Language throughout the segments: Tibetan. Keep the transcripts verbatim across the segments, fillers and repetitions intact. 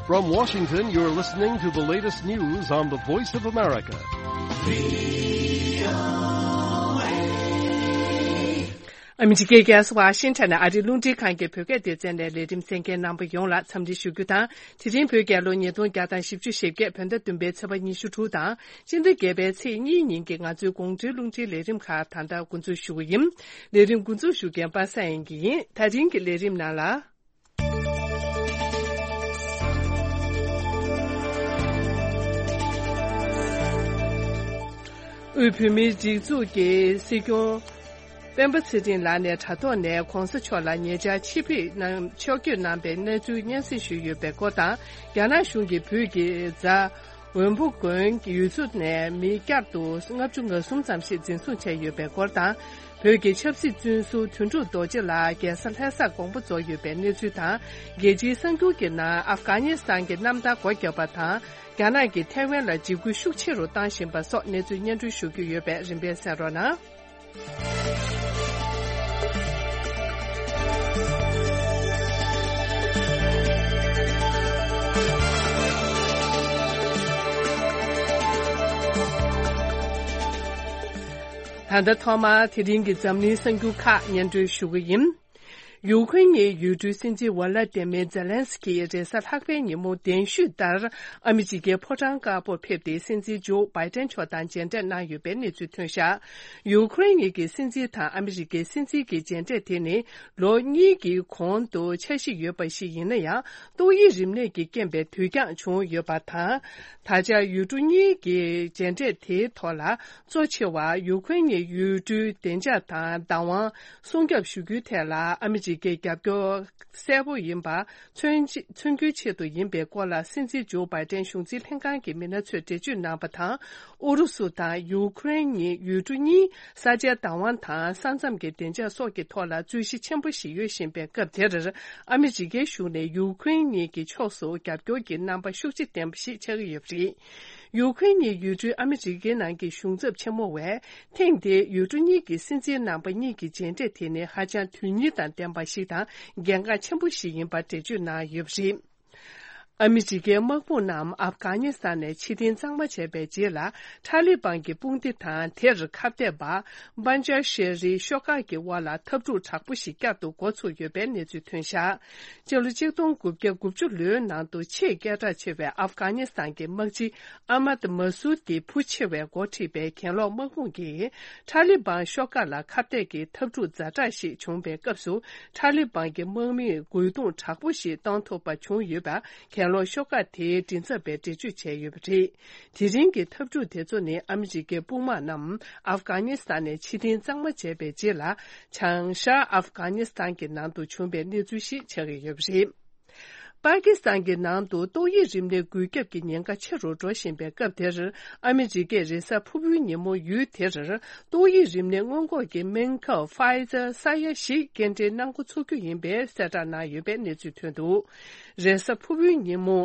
From Washington, you're listening to the latest news on the Voice of America. ཨ་མི་རི་ཀའི་རྒྱལ་ས་ཝ་ཤིང་ཊོན་ནས་ཨ་རིའི་རླུང་འཕྲིན་ཁང་གི་བོད་སྐད་སྡེ་ཚན་ནས་ལས་རིམ་གསན་མཁན་རྣམ་པ་ཡོངས་ལ་འཚམས་འདྲི་ཞུ་རྒྱུ་དང་། དེ་རིང་བོད་རྒྱལ་ལོ་ཉིས་སྟོང་བརྒྱ་དང་བཞི་བཅུ་ཞེ་བརྒྱད། བོད་ཟླ་བདུན་པའི་ཚེས་པ་ཉི་ཤུ་དྲུག་དང་། སྤྱི་ཟླ་བརྒྱད་པའི་ཚེས་གཉིས་ཉིན་གྱི་ང་ཚོའི་དགོང་དྲོའི་རླུང་འཕྲིན་ལས་རིམ་ཁག་ད་ལྟ་འགོ་འཛུགས་ཞུ་གི་ཡིན། ལས་རིམ་འགོ་འཛུགས་ཞུ་མཁན་པ་སངས་དབྱངས་སྐྱིད་ཡིན། ད་རིང་གི་ལས་རིམ་ནང་ལ། དབུས་བོད་མིའི་སྒྲིག་འཛུགས་ཀྱི་སྲིད་སྐྱོང་སྤེན་པ་ཚེ་རིང་ལགས་ནས་དྲ་ཐོག་ནས་༧གོང་ས་མཆོག་ལ་ཉེ་ཆར་ཕྱིར་འབུད་གནང་ཕྱོགས་བསྐྱོད་གནང་པའི་གནས་ཚུལ་སྙན་སེང་ཞུས་ཡོད་པའི་སྐོར་དང་། རྒྱ་ནག་གཞུང་གིས་བོད་ཀྱི་རྫ་འོན་པོ་དགོན་ཡུལ་ཚོ་ནས་མི་བསྐྱར་དུ་ལྔ་བཅུ་ང་གསུམ་ཙམ་ཞིག་འཛིན་བཟུང་བྱས་ཡོད་པའི་སྐོར་དང་། བོད་ཀྱི་ཆབ་སྲིད་བཙོན་ཟུར་དོན་གྲུབ་རྡོ་རྗེ་ལགས་རྒྱལ་ས་ལྷ་སར་དགོངས་པ་རྫོགས་ཡོད་པའི་གནས་ཚུལ་དང་། རྒྱལ་སྤྱིའི་གསར་འགྱུར་གྱི་ནང་ཨབ་གྷ་ནི་སི་ཐན་གྱི་གནམ་ཐང་སྒོ་བརྒྱབ་པ་དང་། རྒྱ་ནག་གིས་ཐའེ་ཝན་ལ་འཇིགས་སྐུལ་ཤུགས་ཆེ་རུ་བཏང་བཞིན་པ་སོགས་གནས་ཚུལ་སྙན་སྒྲོན་ཞུ་རྒྱུ་ཡོད་པས་རིམ་པས་གསན་རོགས་གནང་། ད་ལྟ་ཐོག་མར་དེ་རིང་གི་འཛམ་གླིང་གསར་འགྱུར་ཁག་སྙན་སྒྲོན་ཞུ་གི་ཡིན། ཡུ་ཁུ་རེན་གྱི་ཡུལ་གྲུའི་སྲིད་འཛིན་ཝ་ལ་ཏི་མེ་ཛེ་ལན་སི་ཀི་རེས་གཟའ་ལྷག་པའི་ཉིན་མོ་གདན་ཞུས་ལྟར་ཨ་མི་རི་ཀའི་ཕོ་བྲང་དཀར་པོར་ཕེབས་ཏེ་སྲིད་འཛིན་ཇོ་བྷའི་ཏན་མཆོག་དང་མཇལ་འཕྲད་གནང་ཡོད་པའི་གནས་ཚུལ་ཐོན་བཞག་ཡུ་ཁུ་རེན་གྱི་སྲིད་འཛིན་དང་ཨ་མི་རི་ཀའི་སྲིད་འཛིན་གྱི་མཇལ་འཕྲད་དེ་ནི་ལོ་གཉིས་ཀྱི་གོང་དུ་འཆར་གཞི་ཡོད་པ་ཞིག་ཡིན་ན་ཡང་། ཏོག་དབྱིབས་རིམས་ནད་ཀྱི་རྐྱེན་པས་དུས་འགྱངས་བྱུང་ཡོད་པ་དང་། ད་ཆ་ཡུལ་གྲུ་གཉིས་ཀྱི་མཇལ་འཕྲད་དེའི་ཐོག་ལ་གཙོ་ཆེ་བ་ཡུ་ཁུ་རེན་གྱི་ཡུལ་གྲུའི་བདེ་འཇགས་དང་བདག་དབང་སྲུང་སྐྱོབ་ཞུ་རྒྱུའི་ཐད་ལ་ཨ་མི་རི་ཀའི་རྒྱབ་སྐྱོར་གསལ་པོ་ཡིན་པ་མཚོན་མཚོན་རྒྱུའི་ཆེད་དུ་ཡིན་པའི་སྐོར་ལ་སྲིད་འཛིན་ཇོ་བྷའི་ཏན་གཞུང་འཛིན་ལྷན་ཁང་གི་མི་སྣ་ཚོས་འགྲེལ་བརྗོད་གནང་པ་དང་། ཨུ་རུ་སུ་དང་ཡུ་ཁུ་རེན་གཉིས་ཡུལ་གྲུ་གཉིས་ས་ཆའི་བདག་དབང་དང་ས་མཚམས་ཀྱི་བདེ་འཇགས་སོགས་ཀྱི་ཐོག་ལ་རྩོད་གཞི་ཆེན་པོ་ཞིག་ཡོད་བཞིན་པའི་སྐབས་དེར། ཨ་མི་རི་ཀའི་གཞུང་ནས་ཡུ་ཁུ་རེན་གཉིས་ཀྱི་ཕྱོགས་སུ་རྒྱབ་སྐྱོར་གྱི་རྣམ་པ་ཤུགས་ཆེ་ལྡན་པ་ཞིག་ཆགས་ཀྱི་ཡོད་པ་རེད། ཡུ་ཁུ་རེན་གཉིས་ཡུལ་གྲུའི་ཨ་མི་རི་ཀའི་ནང་གི་གཞུང་ཚབ་ཆེན་མོ་བས། ཐེངས་འདིའི་ཡུལ་གྲུ་གཉིས་ཀྱི་སྲིད་འཛིན་རྣམ་པ་གཉིས་ཀྱི་མཇལ་འཕྲད་དེ་ནི་ཧ་ཅང་དོན་སྙིང་དང་ལྡན་པ་ཞིག་དང་གལ་འགངས་ཆེན་པོ་ཞིག་ཡིན་པར་འགྲེལ་བརྗོད་གནང་ཡོད་པ་རེད། ཨ་མི་རི་ཀའི་དམག་དཔུང་རྣམས་ཨབ་གྷ་ནི་སི་ཐན་ནས་ཕྱིར་འཐེན་གཙང་མ་བྱས་པའི་རྗེས་ལ། ཐ་ལི་བན་གྱི་དཔུང་སྡེ་དང་དེར་ཁ་གཏད་པ་པན་ཇ་ཤེ་རིའི་ཤོག་ཁག་གི་དབར་ལ་འཐབ་འཁྲུག་དྲག་པོ་ཞིག་བསྐྱར་དུ་འགོ་ཚུགས་ཡོད་པའི་གནས་ཚུལ་ཐོན་བཞག་སྤྱི་ལོ་ཆིག་སྟོང་དགུ་བརྒྱ་དགུ་བཅུ་ལོའི་ནང་དུ་ཆེས་སྐད་གྲགས་ཆེ་བའི་ཨབ་གྷ་ནི་སི་ཐན་གྱི་དམག་སྤྱི་ཨ་མད་མ་སུད་ཀྱི་བུ་ཆེ་བས་འགོ་ཁྲིད་པའི་གྱེན་ལོག་དམག་དཔུང་གིས་ཐ་ལི་བན་ཤོག་ཁག་ལ་ཁ་གཏད་ཀྱི་འཐབ་འཁྲུག་ཛ་དྲག་ཞིག་བྱུང་བའི་སྐབས་སུ། ཐ་ལི་བན་གྱི་དམག་མིས་རྒོལ་རྡུང་དྲག་པོ་ཞིག་གཏོང་ཐུབ་པ་བྱུང་ཡོད་པ། གྱེན་ལོག་ཤོག་ཁག་དེའི་མགྲིན་ཚབ་པས་འགྲེལ་བརྗོད་བྱས་ཡོད་པ་རེད། དེ་རིང་གི་འཐབ་འཁྲུག་དེ་ཚོ་ནི་ཨ་མི་རི་ཀའི་དཔུང་དམག་རྣམས་ཨབ་གྷ་ནི་སི་ཐན་ནས་ཕྱིར་འཐེན་གཙང་མ་བྱས་པའི་རྗེས་ལ། བྱང་ཤར་ཨབ་གྷ་ནི་སི་ཐན་གྱི་ནང་དུ་བྱུང་བའི་གནས་ཚུལ་ཞིག་ཆགས་ཀྱི་ཡོད་པ་རེད། པ་ཀི་སི་ཐན་གྱི་ནང་དུ་ཏོག་དབྱིབས་རིམས་ནད་འགོས་ཁྱབ་ཀྱི་ཉེན་ཁ་ཆེ་རུ་འགྲོ་བཞིན་པའི་སྐབས་དེར། ཨ་མི་རི་ཀས་རེས་གཟའ་ཕུར་བུའི་ཉིན་མོ་ཡུལ་དེར་ཏོག་དབྱིབས་རིམས་ནད་སྔོན་འགོག་གི་སྨན་ཁབ་ཕའི་ཛར་ས་ཡ་བཞི་སྐྱེལ་འདྲེན་གནང་འགོ་ཚུགས་རྒྱུ་ཡིན་པའི་གསལ་བསྒྲགས་གནང་ཡོད་པའི་གནས་ཚུལ་ཐོན་འདུག་རེས་གཟའ་ཕུར་བུའི་ཉིན་མོ།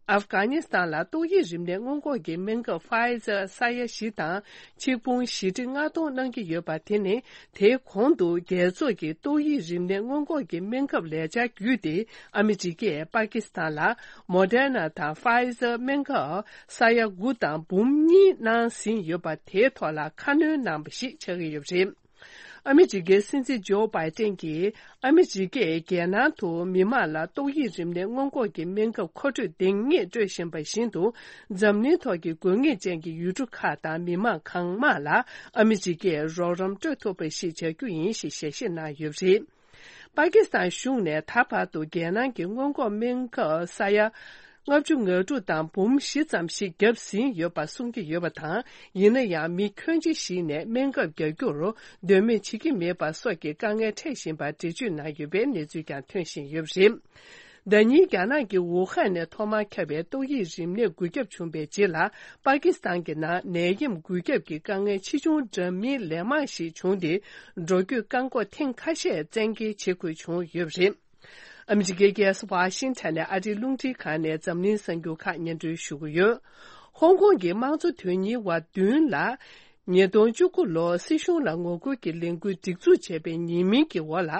ཨབ་གྷ་ནི་སི་ཐན་ལ་ཏོག་དབྱིབས་རིམས་ནད་སྔོན་འགོག་གི་སྨན་ཁབ་ཕའི་ཛར་ས་ཡ་བཞི་དང་ཆིག་འབུམ་བཞི་ཁྲི་ལྔ་སྟོང་གནང་གི་ཡོད་པ་དེ་ནི། དེའི་གོང་དུ་རྒྱལ་ཚོགས་ཀྱི་ཏོག་དབྱིབས་རིམས་ནད་སྔོན་འགོག་གི་སྨན་ཁབ་ལས་འཆར་བརྒྱུད་དེ། ཨ་མི་རི་ཀས་པ་ཀི་སི་ཐན་ལ་མོ་ཌེར་ན་དང་ཕའི་ཛར་སྨན་ཁབ་ས་ཡ་དགུ་དང་འབུམ་གཉིས་གནང་ཟིན་ཡོད་པ་དེའི་ཐོག་ལ་ཁ་སྣོན་གནང་བ་ཞིག་ཆགས་ཀྱི་ཡོད་པ་རེད། ཨ་མི་རི་ཀའི་སྲིད་འཛིན་ཇོ་བྷའི་ཏན་གྱིས་ཨ་མི་རི་ཀས་རྒྱལ་ནང་དུ་མི་མང་ལ་ཏོག་དབྱིབས་རིམས་ནད་སྔོན་འགོག་གི་སྨན་ཁབ་མཁོ་སྤྲོད་འདང་ངེས་སྤྲོད་བཞིན་པ་བཞིན་དུ། འཛམ་གླིང་ཐོག་གི་དགོས་ངེས་ཅན་གྱི་ཡུལ་གྲུ་ཁག་དང་མི་མང་གང་མང་ལ་ཨ་མི་རི་ཀས་རོགས་རམ་སྤྲོད་ཐུབ་པ་ཞིག་བྱ་རྒྱུ་ཡིན་ཞེས་ཞལ་བཞེས་གནང་ཡོད་པ་རེད། པ་ཀི་སི་ཐན་གཞུང་ནས་ད་བར་དུ་རྒྱལ་ནང་གི་སྔོན་འགོག་སྨན་ཁབ་ས་ཡ་ལྔ་བཅུ་ང་དྲུག་དང་འབུམ་བཞི་ཙམ་ཞིག་བརྒྱབ་ཟིན་ཡོད་པ་གསུང་གི་ཡོད་པ་དང་། ཡིན་ན་ཡང་མི་ཁྱོན་ཆེ་ཞིག་ནས་སྨན་ཁབ་རྒྱག་རྒྱུར་འདོད་མོས་བྱེད་ཀྱི་མེད་པ་སོགས་ཀྱི་དཀའ་ངལ་འཕྲད་བཞིན་པར་འགྲེལ་བརྗོད་གནང་ཡོད་པའི་གནས་ཚུལ་ཀྱང་ཐོན་བཞིན་ཡོད་པ་རེད། ཟླ་ཉིན་རྒྱ་ནག་གི་ཝུ་ཧན་ནས་ཐོག་མར་ཁྱབ་པའི་ཏོག་དབྱིབས་རིམས་ནད་འགོས་ཁྱབ་བྱུང་བའི་རྗེས་ལ། པ་ཀི་སི་ཐན་གྱི་ནང་ནད་ཡམས་འགོས་ཁྱབ་ཀྱི་དཀའ་ངལ་ཆེ་ཆུང་འདྲ་མིན་ལན་མང་ཞིག་བྱུང་སྟེ། འགྲོ་སྐྱོད་བཀག་འགོག་ཐེངས་ཁ་ཤས་བཙན་འགེལ་བྱེད་དགོས་བྱུང་ཡོད་པ་རེད། ཨ་མི་རི་ཀའི་རྒྱལ་ས་ཝ་ཤིང་ཊོན་ནས་ཨ་རིའི་རླུང་འཕྲིན་ཁང་ནས་འཛམ་གླིང་གསར་འགྱུར་ཁག་སྙན་སྒྲོན་ཞུ་གི་ཡོད། ཧོང་ཀོང་གི་དམངས་གཙོ་དོན་གཉེར་བ་བདུན་ལ། ཉིས་སྟོང་བཅུ་དགུ་ལོར་སྲིད་གཞུང་ལ་ངོ་རྒོལ་གྱི་ལས་འགུལ་སྒྲིག་འཛུགས་བྱས་པའི་ཉེས་མིང་གི་འོག་ལ།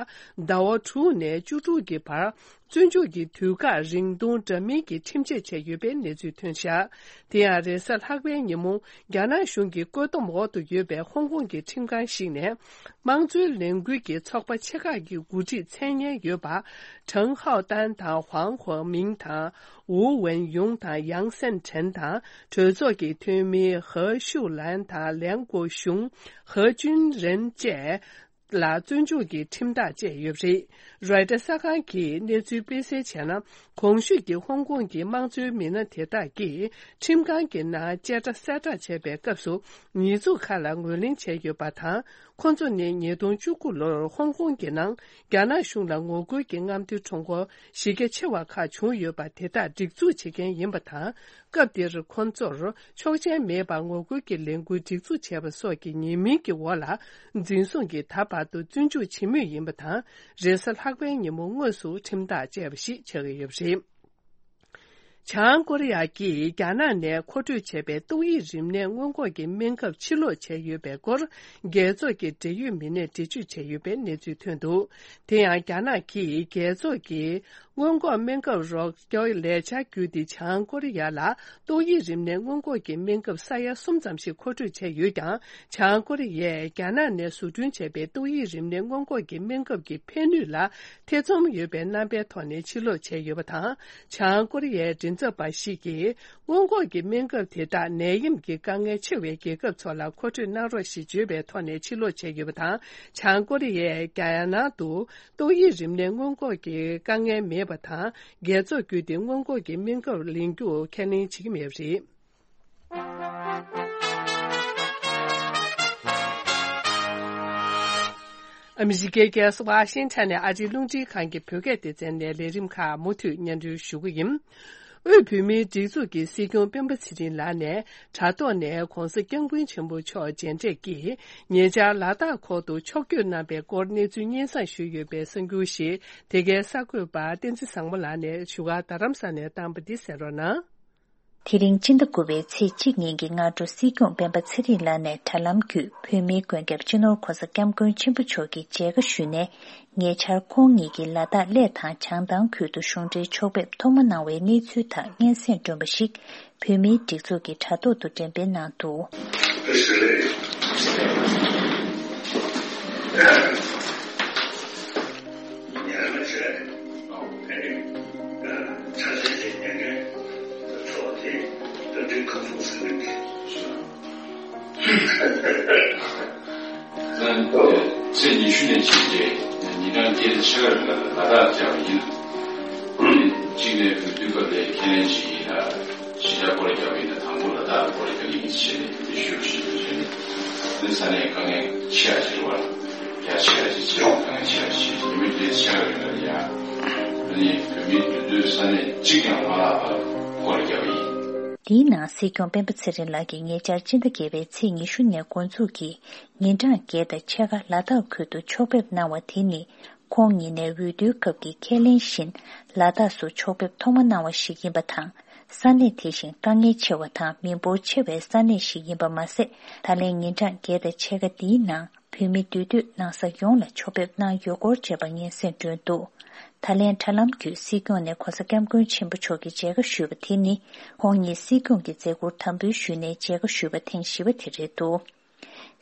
ཟླ་བ་དྲུག་ནས་བཅུ་དྲུག་གི་བར་ བཙོན་འཇུག་གི་དུས་བཀག་རིང་ཐུང་འདྲ་མིན་གྱི་ཁྲིམས་ཆད་བཅད་ཡོད་པའི་གནས་ཚུལ་ཐོན་བཞག་དེ་ཡང་རེས་གཟའ་ལྷག་པའི་ཉིན་མོ། རྒྱ་ནག་གཞུང་གི་བཀོད་འདོམས་འོག་ཏུ་ཡོད་པའི་ཧོང་ཀོང་གི་ཁྲིམས་ཁང་ཞིག་ནས། དམངས་གཙོའི་ལས་འགུལ་གྱི་ཚོགས་པ་ཆེ་ཁག་གི་འགོ་ཁྲིད་མཚན་སྙན་ཡོད་པ། ཁྲང་ཧའོ་ཏན་དང་ཧུའང་ཧུའུ་མིང་དང་། ཝུའུ་ཝེན་ཡུང་དང་ཡང་སན་ཁྲེན་དང་། གྲོས་ཚོགས་ཀྱི་འཐུས་མི་ཧེ་ཤུ་ལན་དང་ལན་གོ་ཞུང་། ཧེ་ཅུན་རེན་བཅས། ལ་བཙོན་འཇུག་གི་ཁྲིམས་ཐག་བཅད་ཡོད་པ་རེད། རོའི་ཊར་གསར་ཁང་གིས་གནས་ཚུལ་སྤེལ་གསལ་བྱས་ན། གོང་ཞུས་ཀྱི་ཧོང་ཀོང་གི་དམངས་གཙོའི་མི་སྣ་དེ་དག་གིས་ཁྲིམས་ཁང་གི་ནང་བཅད་ཁྲ་གསལ་བསྒྲགས་བྱས་པའི་སྐབས་སུ། ཉེས་འཛུགས་ཁག་ལ་ངོས་ལེན་བྱས་ཡོད་པ་དང་། ཁོ་ཚོ་ནི་ཉིས་སྟོང་བཅུ་དགུ་ལོར་ཧོང་ཀོང་གི་ནང་རྒྱ་ནག་གཞུང་ལ་ངོ་རྒོལ་གྱི་རྔམ་སྟོན་ཁྲོམ་སྐོར་གཞི་རྒྱ་ཆེ་བ་ཁག་བྱུང་ཡོད་པ་དེ་དག་སྒྲིག་འཛུགས་བྱེད་མཁན་ཡིན་པ་དང་། སྐབས་དེར་ཁོ་ཚོར་ཆོག་མཆན་མེད་པར་ངོ་རྒོལ་གྱི་ལས་འགུལ་སྒྲིག་འཛུགས་བྱས་པ་སོགས་ཀྱི་ཉེས་མིང་གི་འོག་ལ། འཛིན་བཟུང་གིས་ད་བར་དུ་བཙོན་འཇུག་བྱེད་མུས་ཡིན་པ་དང་། རེས་གཟའ་ལྷག་པའི་ཉིན་མོ་དངོས་སུ་ཁྲིམས་ཐག་བཅད་པ་ཞིག་ཆགས་ཀྱི་ཡོད་པ་རེད། བྱང་ཀོ་རི་ཡ་གིས་རྒྱ་ནག་ནས་མཁོ་སྤྲོད་བྱས་པའི་ཏོག་དབྱིབས་རིམས་ནད་སྔོན་འགོག་གི་སྨན་ཁབ་ཕྱིར་སློག་བྱས་ཡོད་པའི་སྐོར། རྒྱལ་ཚོགས་ཀྱི་འབྲེལ་ཡོད་མི་སྣས་འགྲེལ་བརྗོད་བྱས་ཡོད་པའི་གནས་ཚུལ་ཐོན་འདུག་དེ་ཡང་རྒྱ་ནག་གིས་རྒྱལ་ཚོགས་ཀྱི་སྔོན་འགོག་སྨན་ཁབ་རོགས་སྐྱོར་ལས་འཆར་བརྒྱུད་དེ། བྱང་ཀོ་རི་ཡ་ལ་ཏོག་དབྱིབས་རིམས་ནད་སྔོན་འགོག་གི་སྨན་ཁབ་ས་ཡ་གསུམ་ཙམ་ཞིག་མཁོ་སྤྲོད་བྱས་ཡོད་ཀྱང་། བྱང་ཀོ་རི་ཡས་རྒྱ་ནག་ནས་བཟོ་སྐྲུན་བྱས་པའི་ཏོག་དབྱིབས་རིམས་ནད་སྔོན་འགོག་གི་སྨན་ཁབ་ཀྱི་ཕན་ནུས་ལ་ཐེ་ཚོམ་ཡོད་པའི་རྣམ་པའི་ཐོག་ནས་ཕྱིར་སློག་བྱས་ཡོད་པ་དང་། བྱང་ཀོ་རི་ཡའི་མགྲིན་ཚབ་པ་ཞིག་གིས། སྔོན་འགོག་གི་སྨན་ཁབ་དེ་དག་ནད་ཡམས་ཀྱི་དཀའ་ངལ་ཆེ་བའི་རྒྱལ་ཁབ་ཚོ་ལ་མཁོ་སྤྲོད་གནང་རོགས་ཞེས་བརྗོད་པའི་ཐོག་ནས་ཕྱིར་སློག་བྱས་ཡོད་པ་དང་། བྱང་ཀོ་རི་ཡས་རྒྱ་ནག་ཏུ་ཏོག་དབྱིབས་རིམས་ནད་སྔོན་འགོག་གི་དཀའ་ངལ་མེད་པ་དང་། རྒྱལ་ཚོགས་བརྒྱུད་དེ་སྔོན་འགོག་གི་སྨན་ཁབ་ལེན་རྒྱུ་ཁས་ལེན་བྱེད་ཀྱི་མེད་པ་རེད། ཨ་མི་རི་ཀའི་རྒྱལ་ས་ཝ་ཤིང་ཊོན་ནས་ཨ་རིའི་རླུང་འཕྲིན་ཁང་གི་བོད་སྐད་སྡེ་ཚན་ནས་ལས་རིམ་ཁག་མུ་མཐུད་སྙན་སྒྲོན་ཞུ་གི་ཡིན། དབུས་བོད་མིའི་སྒྲིག་འཛུགས་ཀྱི་སྲིད་སྐྱོང་སྤེན་པ་ཚེ་རིང་ལགས་ནས་དྲ་ཐོག་ནས་༧གོང་ས་༧སྐྱབས་མགོན་ཆེན་པོ་མཆོག་མཇལ་འཕྲད་ཀྱིས། ཉེ་ཆར་ལ་དྭགས་ཁུལ་དུ་ཕྱོགས་བསྐྱོད་གནང་པའི་སྐོར་གནས་ཚུལ་སྙན་སེང་ཞུས་ཡོད་པའི་གསར་འགྱུར་ཞིག་དེ་གའི་གསར་འགོད་པ་བསྟན་འཛིན་བཟང་མོ་ལགས་ནས་བཞུགས་སྒར་རྡ་རམ་ས་ལ་ནས་བཏང་པ་འདི་གསན་རོགས་གནང་། དེ་རིང་སྤྱི་ཟླ་དགུ་པའི་ཚེས་གཅིག་ཉིན་གྱི་སྔ་དྲོ་སྲིད་སྐྱོང་སྤེན་པ་ཚེ་རིང་ལགས་ནས་དྲ་ལམ་བརྒྱུད་བོད་མིའི་མགོན་སྐྱབས་སྤྱི་ནོར་༧གོང་ས་༧སྐྱབས་མགོན་ཆེན་པོ་མཆོག་གི་མཇལ་ཁ་ཞུས་ནས། ཉེ་ཆར་ཁོང་ཉིད་ཀྱིས་ལ་དྭགས་གླེ་དང་བྱང་ཐང་ཁུལ་དུ་གཞུང་འབྲེལ་ཕྱོགས་ཕེབས་ཐོག་མ་གནང་བའི་གནས་ཚུལ་དག་སྙན་སེང་བསྒྲོན་པ་ཞིག་བོད་མིའི་སྒྲིག་འཛུགས་ཀྱི་དྲ་ཐོག་ཏུ་འགྲེམས་སྤེལ་གནང་འདུག་ཚེས་ཉི་ཤུ་ནས་བྱས་རྗེས་ཉིན་གྲངས་བརྒྱད་དང་ཕྱེད་ཀ་རིང་ལ་ལ་དྭགས་བཅར་བ་ཡིན། གཅིག་ནས་འོས་བསྡུ་སྐབས་ལ་ཁས་ལེན་བྱེད་ཀྱི་ཡིན་ལ། གཞིས་ཆགས་སྐོར་ར་རྒྱག་པ་ཡིན་ན་དང་པོ་ལ་དྭགས་ལ་སྐོར་ར་རྒྱག་གི་ཡིན་ཞེས་ནས་དེ་ཞུ་ཞུ་ཞུ་བྱས་ནས། དེ་ས་གནས་དཀའ་ངལ་ཆེ་བ་ཅིག་རེད་བ། རྒྱ་ཆེ་བ་ཅིག་ཆེ་བ་དཀའ་ངལ་ཆེ་བ་ཅིག་ཉི་མ་བརྒྱད་ཅུ་ཕྱེད་ཀ་རིང་ལ་ཡ། ཨ་ནི་བོད་མིའི་འདུས་སྡོད་ས་གནས་གཅིག་ཀྱང་མ་བརླག་པར་སྐོར་ར་རྒྱག་པ་ཡིན། དེའི་ནང་སྲིད་སྐྱོང་སྤེན་པ་ཚེ་རིང་ལགས་ཀྱིས་ཉེ་ཆར་སྤྱི་ཟླ་བརྒྱད་པའི་ཚེས་ཉི་ཤུ་ནས་འགོ་འཛུགས་ཀྱིས་ཉིན་གྲངས་བརྒྱད་དང་ཕྱེད་ཀ་ལ་དྭགས་ཁུལ་དུ་ཕྱོགས་ཕེབས་གནང་བ་དེ་ནི། ཁོང་ཉིད་ནས་འོས་བསྡུའི་སྐབས་ཀྱི་ཁས་ལེན་བཞིན་ལ་དྭགས་སུ་ཕྱོགས་ཕེབས་ཐོག་མ་གནང་བ་ཞིག་ཡིན་པ་དང་། ས་གནས་དེ་བཞིན་དཀའ་ངལ་ཆེ་བ་དང་མི་འབོར་ཆེ་བའི་ས་གནས་ཤིག་ཡིན་པ་མ་ཟད། ད་ལན་ཉིན་གྲངས་བརྒྱད་དང་ཕྱེད་ཀ་འདིའི་ནང་བོད་མི་འདུས་སྡོད་གནང་ས་ཡོངས་ལ་ཕྱོགས་ཕེབས་གནང་ཡོད་སྐོར་བཅས་པ་སྙན་སེང་བསྒྲོན་འདུག་ད་ལན་དྲ་ལམ་བརྒྱུད་སྲིད་སྐྱོང་ནས་གོང་ས་༧སྐྱབས་མགོན་ཆེན་པོ་མཆོག་གི་མཇལ་ཁ་ཞུས་པ་དེ་ནི། ཁོང་ཉིད་སྲིད་སྐྱོང་གི་མཛད་ཁུར་དམ་འབུལ་ཞུས་ནས་མཇལ་ཁ་ཞུས་པ་ཐེངས་བཞི་པ་དེ་རེད་འདུག་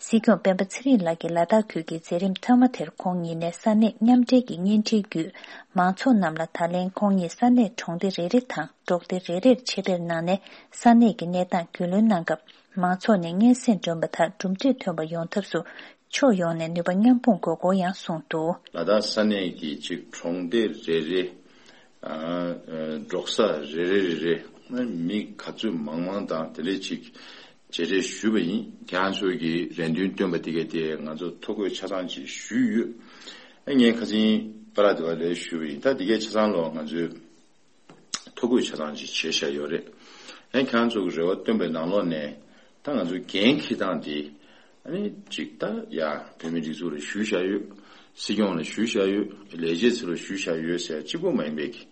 སྲིད་སྐྱོང་སྤེན་པ་ཚེ་རིང་ལགས་ཀྱིས་ལ་དྭགས་ཁུལ་གྱི་མཛད་རིམ་མཐའ་མ་དེར་ཁོང་ཉིད་ནས་ས་གནས་མཉམ་འབྲེལ་གྱི་བརྙན་འཕྲིན་བརྒྱུད། མང་ཚོགས་རྣམས་ལ་ད་ལན་ཁོང་ཉིད་ས་གནས་གྲོང་སྡེ་རེ་རེ་དང་འབྲོག་སྡེ་རེ་རེར་ཆེད་ཕེབས་གནང་ནས། ས་གནས་ཀྱི་གནས་སྟངས་རྒྱུས་ལོན་གནང་སྐབས། མང་ཚོགས་ནས་སྙན་སེང་བསྒྲོན་པ་དག་གྲུབ་འབྲས་ཐོན་པ་ཡོང་ཐབས་སུ། ཕྱོགས་ཡོངས་ནས་ནུས་པ་མཉམ་སྤུངས་དགོས་སྐོར་ཡང་གསུངས་འདུག་ལ་དྭགས་ས་གནས་ཀྱི་གཅིག་གྲོང་སྡེ་རེ་རེ། ཨ། འབྲོག་ས་རེ་རེ་རེ་རེ། མི་ག་ཚོད་མང་མང་དང་དེ་ལས་ཅིག་མཇལ་འཕྲད་ཞུས་པ་ཡིན། ཁྱེད་རང་ཚོ་གི་རེ་འདུན་བཏོན་པ་དེ་གས་དེ་ང་ཚོ་ཐོ་འགོད་ཆ་ཚང་ཅིག་ཞུས་ཡོད། ཨ། ངས་ཁ་སང་པ་ལགས་དེ་བ་ལས་ཞུས་པ་ཡིན། ད་དེ་གས་ཆ་ཚང་ལོ་ང་ཚོས་ཐོ་འགོད་ཆ་ཚང་ཅིག་བྱས་བཞག་ཡོད་རེད། ཨ། ཁྱེད་རང་ཚོ་གི་རེ་བ་བཏོན་པའི་ནང་ལོགས་ནས་ད་ང་ཚོ་འགན་འཁྱེར་སྟངས་དེ། ཨ་ནི་ཅིག་ད་ཡ་བོད་མི་སྒྲིག་འཛུགས་ལ་ཞུས་བཞག་ཡོད། སྲིད་སྐྱོང་ལ་ཞུས་བཞག་ཡོད། ལས་བྱེད་ཚོ་ལ་ཞུས་བཞག་ཡོད་ཟེར་གཅིག་པོ་མ་ཡིན་པའི་གི།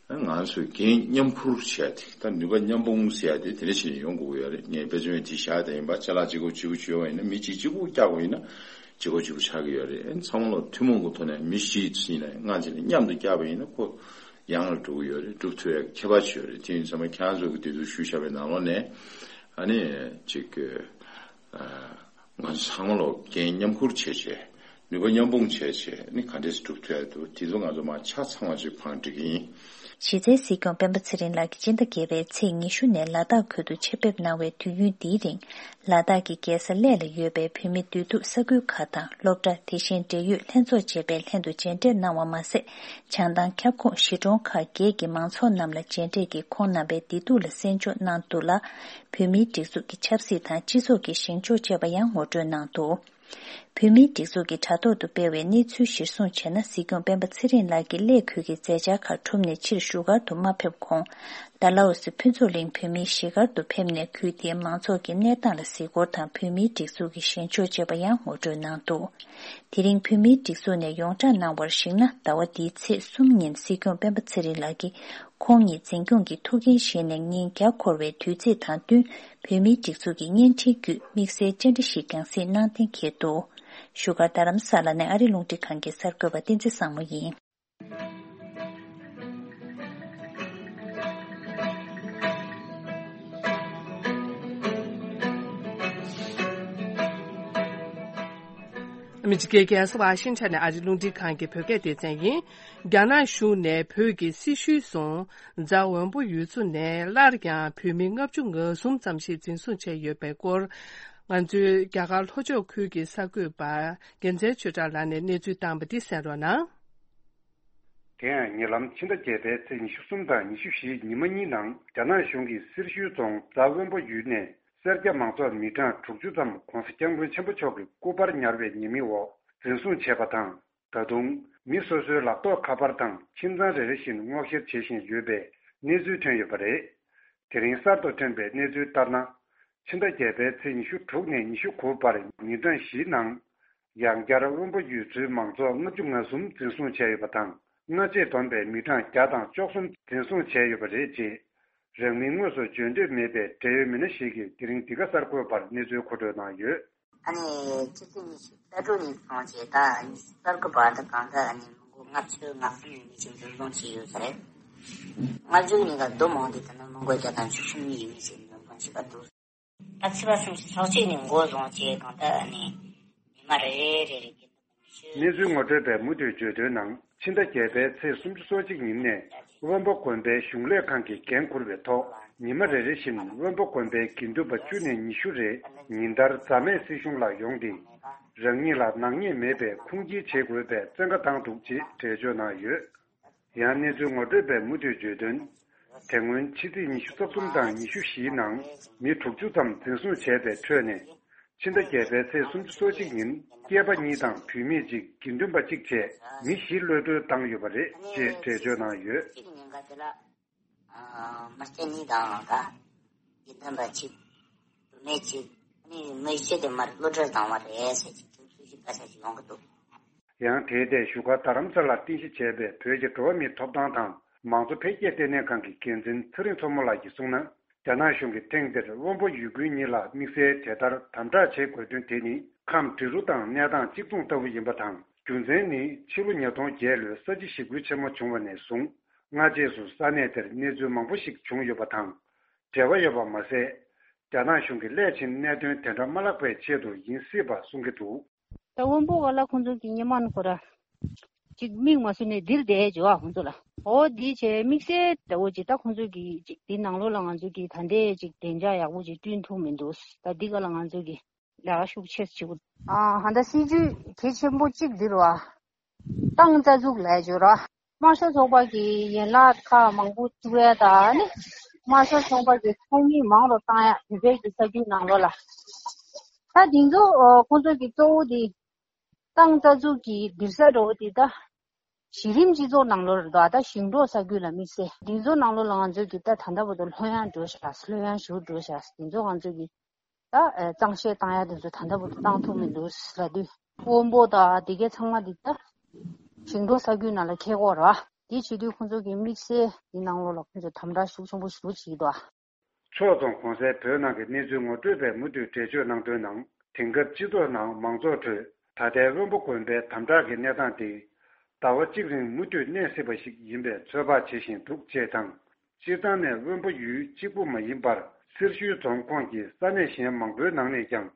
ཨ། ང་ཚོས་འགན་མཉམ་འཁུར་བྱས་ཏེ་ད་ནུས་པ་མཉམ་སྤུངས་ཟེར་ཡ་དེ་དེ་འདྲ་བྱས་ནས་ཡོང་དགོས་ཀྱི་ཡོད་རེད། ངས་དཔེ་མཚོན་དེ་བཞག་བསྡད་ཡིན་པ། ཅ་ལག་གཅིག་པོ་གཅིག་པུ་བྱོས་པ་ཡིན་ན། མི་གཅིག་གཅིག་པུ་བཀྱག་པ་ཡིན་ན་གཅིག་པོ་གཅིག་པུ་ཆགས་ཀྱི་ཡོད་རེད། ཨ་ནི་ཚང་མ་ལ་ཐུན་མོང་གི་ཐོག་ནས་མི་བཞི་ཡིན་ན་ལྔ་བྱས་ནས་མཉམ་དུ་བཀྱག་པ་ཡིན་ན་ཁོ། ཡང་ལ་འགྲོ་གི་ཡོད་རེད། སྒྲུབ་ཐུབ་ཡ་ཁྱད་པར་ཅིག་ཡོད་རེད། དེ་ཡིན་ཙང་མ་ཁྱེད་རང་ཚོ་གི་དེ་ཚོ་ཞུ་བཞག་པའི་ནང་ལོགས་ནས་ཨ་ནི་ཅིག་ཨ་ང་ཚོ་ཚང་མ་ལོ་འགན་མཉམ་ཁུར་བྱས་བྱས། ནུས་པ་མཉམ་སྤུངས་བྱས་བྱས་ནི་ག་འདྲས་སྒྲུབ་ཐུབ་ཡ་འདུག་དེ་ཚོ་ང་ཚོ་མ་ཆ་ཚང་བ་ཅིག་ཕངས་འགྲིག་གི་ཡིན། གཞི་རྩའི་སྲིད་སྐྱོང་སྤེན་པ་ཚེ་རིང་ལགས་ཀྱིས་སྤྱི་ཟླ་བརྒྱད་པའི་ཚེས་ཉི་ཤུ་ནས་ལ་དྭགས་ཁུལ་དུ་ཆེད་ཕེབས་གནང་བའི་དུས་ཡུན་འདིའི་རིང་། ལ་དྭགས་ཀྱི་རྒྱལ་ས་གླེ་ལ་ཡོད་པའི་བོད་མི་འདུས་སྡོད་ས་ཁུལ་ཁག་དང་སློབ་གྲྭ། དེ་བཞིན་འབྲེལ་ཡོད་ལྷན་ཚོགས་བཅས་པའི་ལྷན་དུ་མཇལ་འཕྲད་གནང་བ་མ་ཟད། བྱང་ཐང་ཁྱབ་ཁོངས་གཞིས་གྲོང་ཁག་བརྒྱད་ཀྱི་མང་ཚོགས་རྣམས་ལ་མཇལ་འཕྲད་ཀྱིས་ཁོང་རྣམ་པའི་བདེ་སྡུག་ལ་གསན་འཇོག་གནང་འདུག་ལ། བོད་མིའི་སྒྲིག་འཛུགས་ཀྱི་ཆབ་སྲིད་དང་སྤྱི་ཚོགས་ཀྱི་ཞིང་ཕྱོགས་བཅས་པ་ཡང་ངོ་སྤྲོད་གནང་འདུག་བོད་མིའི་སྒྲིག་འཛུགས་ཀྱི་དྲ་ཐོག་ཏུ་སྤེལ་བའི་གནས་ཚུལ་གཞིར་བཟུང་བྱས་ན། སྲིད་སྐྱོང་སྤེན་པ་ཚེ་རིང་ལགས་ཀྱིས་གླེ་ཁུལ་གྱི་མཛད་འཆར་ཁག་གྲུབ་ནས་ཕྱིར་བཞུགས་སྒར་དུ་མ་ཕེབས་གོང་། ཌལ་ཧོ་སི་ཕུན་ཚོགས་གླིང་བོད་མིའི་གཞིས་སྒར་དུ་ཕེབས་ནས་ཁུལ་དེའི་མང་ཚོགས་ཀྱི་གནས་སྟངས་ལ་གཟིགས་སྐོར་དང་། བོད་མིའི་སྒྲིག་འཛུགས་ཀྱི་ཞིང་ཕྱོགས་བཅས་པ་ཡང་ངོ་སྤྲོད་གནང་འདུག་དེ་རིང་བོད་མིའི་སྒྲིག་འཛུགས་ནས་ཡོངས་བསྒྲགས་གནང་བར་གཞིགས་ན། ཟླ་བ་འདིའི་ཚེས་གསུམ་ཉིན་སྲིད་སྐྱོང་སྤེན་པ་ཚེ་རིང་ལགས་ཀྱིས་ཁོང་ཉིད་འཛིན་སྐྱོང་གི་ཐུགས་འགན་བཞེས་ནས་ཉིན་བརྒྱ་འཁོར་བའི་དུས་ཚིགས་དང་བསྟུན། བོད་མིའི་སྒྲིག་འཛུགས་ཀྱི་བརྙན་འཕྲིན་བརྒྱུད་དམིགས་བསལ་བཅར་འདྲི་ཞིག་ཀྱང་གཟིགས་གནང་གཏན་འཁེལ་འདུག་བཞུགས་སྒར་རྡ་རམ་ས་ལ་ནས་ཨ་རི་རླུང་འཕྲིན་ཁང་གི་གསར་འགོད་པ་བསྟན་འཛིན་བཟང་མོ་ཡིན། ཨ་མི་རི་ཀའི་རྒྱལ་ས་ཝ་ཤིང་ཊོན་ནས་ཨ་རི་རླུང་འཕྲིན་ཁང་གི་བོད་སྐད་སྡེ་ཚན་ཡིན། རྒྱ་ནག་གཞུང་ནས་བོད་ཀྱི་སེར་ཤུལ་རྫོང་རྫ་དབོན་པོ་ཡུལ་ཚོ་ནས་སླར་ཡང་བོད་མི་ལྔ་བཅུ་ང་གསུམ་ཙམ་ཞིག་འཛིན་བཟུང་བྱས་ཡོད་པའི་སྐོར། ང་ཚོའི་རྒྱ་གར་ལྷོ་ཕྱོགས་ཁུལ་གྱི་གསར་འགོད་པ་རྒྱལ་མཚན་ཆོས་གྲགས་ལགས་ནས་གནས་ཚུལ་བཏང་བ་འདི་གསན་རོགས་གནང་། དེ་ཡང་ཉེ་ལམ་ཕྱི་ཟླ་བརྒྱད་པའི་ཚེས་ཉི་ཤུ་གསུམ་དང་ཉི་ཤུ་བཞི་ཉི་མ་གཉིས་ནང་རྒྱ་ནག་གཞུང་གིས་སེར་ཤུལ་རྫོང་རྫ་དབོན་པོ་ཡུལ་ནས་སེར་སྐྱ་མང་ཚོགས་མི་གྲངས་དྲུག་ཅུ་ཙམ་༸གོང་ས་༸སྐྱབས་མགོན་ཆེན་པོ་མཆོག་གི་སྐུ་པར་ཉར་བའི་ཉེས་མིང་འོག་འཛིན་བཟུང་བྱས་པ་དང་། ད་དུང་མི་སོ་སོའི་ལག་ཐོགས་ཁ་པར་དང་ཁྱིམ་ཚང་རེ་རེ་བཞིན་སྔོག་བཤེར་བྱེད་བཞིན་ཡོད་པའི་གནས་ཚུལ་ཐོན་ཡོད་པ་རེད། དེ་རིང་གསར་དུ་ཐོན་པའི་གནས་ཚུལ་ལྟར་ན། ཕྱི་ཟླ་བརྒྱད་པའི་ཚེས་ཉི་ཤུ་དྲུག་ནས་ཉི་ཤུ་དགུ་བར་ཉིན་གྲངས་བཞིའི་ནང་། ཡང་བསྐྱར་དབོན་པོ་ཡུལ་ཚོའི་མང་ཚོགས་ལྔ་བཅུ་ང་གསུམ་འཛིན་བཟུང་བྱས་ཡོད་པ་དང་། སྔ་རྗེས་བསྡོམས་པའི་མི་གྲངས་བརྒྱ་དང་བཅུ་གསུམ་འཛིན་བཟུང་བྱས་ཡོད་པ་རེད། ཅེས་རང་མིང་དངོས་སུ་བརྗོད་འདོད་མེད་པའི་འབྲེལ་ཡོད་མི་སྣ་ཞིག་གིས་དེ་རིང་འདི་ག་གསར་འགོད་པར་གནས་ཚུལ་མཁོ་སྤྲོད་གནང་ཡོད། ཨ་ནི་ཕྱི་ཚེས་ཉི་ཤུ་རྩ་དྲུག་ཉིན་སོང་རྗེས་ད་ཨ་ནི་གསར་འགོད་པ་དང་གང་ལྟར་ཨ་ནི་མི་མགོ་ལྔ་བཅུ་ང་གསུམ་ཡས་མས་ཅིག་འཛིན་བཟུང་བྱས་ཡོད་ས་རེད། ལྔ་བཅུ་ཉིན་ག་བསྡོམས་འོང་དུས་ད་ནི་མི་མགོ་བརྒྱ་དང་བཅུ་གསུམ་ཡས་མས་ཅིག་འཛིན་བཟུང་བྱས་པ་འདུག་ད་ཚེས་པ་སུམ་ཅུ་སོ་གཅིག་ནས་འགོ་བཟུང་བྱས་གང་ལྟར་ཨ་ནི་ཉི་མ་རེ་རེ་རེ་རེ་གི་གནས་ཚུལ་ངོ་སྤྲོད་པས་མུ་མཐུད་བརྗོད་དོན་ནང་། ཕྱི་ཟླ་བརྒྱད་པའི་ཚེས་སུམ་ཅུ་སོ་གཅིག་ཉིན་ནས་དབོན་པོ་དགོན་པའི་གཞུང་ལས་ཁང་གིས་འགན་འཁུར་བའི་ཐོག་ཉི་མ་རེ་རེ་བཞིན་དབོན་པོ་དགོན་པའི་དགེ་འདུན་པ་བཅུ་ནས་ཉི་ཤུ་རེ་ཉིན་ལྟར་རྫ་སྨད་སྲིད་གཞུང་ལ་ཡོང་སྟེ། རང་ཉིད་ལ་ནག་ཉེས་མེད་པའི་ཁུངས་སྐྱེལ་བྱེད་དགོས་པའི་བཙན་བཀའ་བཏང་འདུག་ཅེས་འགྲེལ་བརྗོད་གནང་ཡོད། ཡང་གནས་ཚུལ་ངོ་སྤྲོད་པས་མུ་མཐུད་བརྗོད་དོན། དེ་སྔོན་ཕྱི་ཚེས་ཉི་ཤུ་རྩ་གསུམ་དང་ཉི་ཤུ་བཞིའི་ནང་མི་དྲུག་ཅུ་ཙམ་འཛིན་བཟུང་བྱས་པའི་ཁྲོད་ནས། ཕྱི་ཟླ་བརྒྱད་པའི་ཚེས་སུམ་ཅུ་སོ་གཅིག་ཉིན་སྐྱེས་པ་གཉིས་དང་བུད་མེད་གཅིག་དགེ་འདུན་པ་གཅིག་བཅས་མི་བཞི་གློད་གྲོལ་བཏང་ཡོད་པ་རེད་ཅེས་འགྲེལ་བརྗོད་གནང་ཡོད། མི་སྐྱེས་གཉིས་དང་ད་དགེ་འདུན་པ་གཅིག་བུད་མེད་གཅིག་ནི་མི་བཞི་དེ་མར་གློད་གྲོལ་བཏང་བ་རེད་ཟེར་གྱི་དུས་ཚོད་ཞིག་ག་ས་ཞིག་ཡོང་གི་འདུག་ཡང་དེའི་ཐད་བཞུགས་སྒར་རྡ་རམ་ས་ལར་རྟེན་གཞི་བྱས་པའི་བོད་ཀྱི་འགྲོ་བ་མིའི་ཐོབ་ཐང་དང་མང་གཙོ་འཕེལ་རྒྱས་ལྟེ་གནས་ཁང་གི་འགན་འཛིན་ཚེ་རིང་མཚོ་མོ་ལགས་ཀྱིས་གསུངས་ན། རྒྱ་ནག་གཞུང་གིས་ཐེངས་འདིར་དབོན་པོ་ཡུལ་དགོན་གཉིས་ལ་དམིགས་བསལ་དེ་ལྟར་དམ་དྲག་བྱེད་དགོས་དོན་དེ་ནི་ཁམས་འབྲི་རུ་དང་གནས་སྟངས་གཅིག་མཚུངས་ལྟ་བུ་ཡིན་པ་དང་། རྒྱུ་མཚན་ནི་ཕྱི་ལོ་ཉིས་སྟོང་བརྒྱད་ལོའི་ས་བྱི་ཞི་རྒོལ་ཆེན་མོ་བྱུང་བ་ནས་བཟུང་སྔ་རྗེས་སུ་ས་གནས་དེར་གནས་ཚུལ་མང་པོ་ཞིག་བྱུང་ཡོད་པ་དང་འབྲེལ་བ་ཡོད་པ་མ་ཟད། རྒྱ་ནག་གཞུང་གིས་སླད་ཕྱིན་གནད་དོན་དེ་འདྲ་མ་ལྷག་པའི་ཆེད་དུ་ཡིན་སྲིད་པ་གསུང་གི་འདུག་ད་དབོན་པོ་ག་ལ་ཁོང་ཚོ་གི་སྔོན་མ་ནི་ཁོ་ར་ཅིག་མིག་མ་སུ་ནས་འདིར་བསྡད་འཇོག་ཨ་ཁོང་ཚོ་ལ། འོ་འདི་བྱས་དམིགས་བསལ་ལྟ་བུ་ཅིག་ད་ཁོང་ཚོ་གི་ཅིག་འདི་ནང་ལོགས་ལ་ང་ཚོ་གི་ད་ལྟའི་ཅིག་བདེ་འཇགས་ཡག་པོ་ཅིག་བསྐྲུན་ཐུབ་མི་འདུག་ད་འདི་ག་ལ་ང་ཚོ་གི་ལས་ཀ་ཤུགས་ཆེ་ཅིག་ཨ་ཧ་ད་སྲིད་ཇུས་གལ་ཆེན་པོ་གཅིག་འདི་རེད་བ། ཏང་རྩ་འཛུགས་ལས་འཇོག་ར། དམར་ཤོག་ཚོགས་པ་གི་ཡན་ལག་ཁག་མང་པོ་བཙུགས་ཡ་ད་ནི། དམར་ཤོག་ཚོགས་པ་གི་ཚོགས་མི་མང་རུ་བཏང་ཡ་བོད་པའི་གི་ས་རྒྱུད་ནང་ལོགས་ལ། ད་དེ་ཚོ་ཁོང་ཚོ་གི་གཙོ་བོ་དེ། ཏང་རྩ་འཛུགས་ཀྱི་སྡིར་ས་འགྲོ་བ་དེ་ད། གཞི་རིམ་སྤྱི་ཚོགས་ནང་ལོགས་རེད་ད་ད་ཞིང་འབྲོག་ས་རྒྱུད་ལ་དམིགས་བསལ་དེ་ཚོ་ནང་ལོགས་ལ་ང་ཚོ་གི་ད་ད་ལྟ་བར་དུ་ལྷོད་ཡངས་འགྲོ་ཤག་ལྷོད་ཡངས་ཞུ་འགྲོ་ཤག་དེ་ཚོ་ང་ཚོ་གི་ད་གཙང་བཤེར་བཏང་ཡ་དེ་ཚོ་ད་ལྟ་བར་དུ་བཏང་ཐུབ་མི་འདུག་ལབ་དུས། དབོན་པོ་དང་དེ་གའི་ཚང་མ་དེ་ད་ཞིང་འབྲོག་ས་རྒྱུད་ནང་ལ་འཁེལ་གོ་ར། དེ་བྱེད་དུས་ཁོང་ཚོ་གི་དམིགས་བསལ་དེ་ནང་ལོགས་ལ་ཁོང་ཚོ་དམ་དྲག་ཤུགས་ཆེན་པོ་ཞེ་པོ་བྱེད་ཀྱི་འདུག་ཕྱོགས་མཚུངས་གོང་གསལ་བོད་ནང་གི་གནས་ཚུལ་ངོ་སྤྲོད་པས་མུ་མཐུད་འགྲེལ་བརྗོད་གནང་དོན་ནང་དེང་སྐབས་སྤྱི་ཚོགས་ནང་མང་ཚོགས་ཁྲོད་ད་ལྟའི་དབོན་པོ་དགོན་པའི་དམ་དྲག་གི་གནས་སྟངས་དེ། ཟླ་བ་གཅིག་རིང་མུ་མཐུད་གནས་སྲིད་པ་ཞིག་ཡིན་པའི་ཚོད་དཔག་བྱེད་བཞིན་འདུག་ཅེས་དང་། སྤྱིར་བཏང་ནས་དབོན་པོ་ཡུལ་གཅིག་པུ་མ་ཡིན་པར། སེར་ཤུལ་རྫོང་ཁོངས་ཀྱི་ས་གནས་གཞན་མང་པོའི་ནང་ནས་ཀྱང་།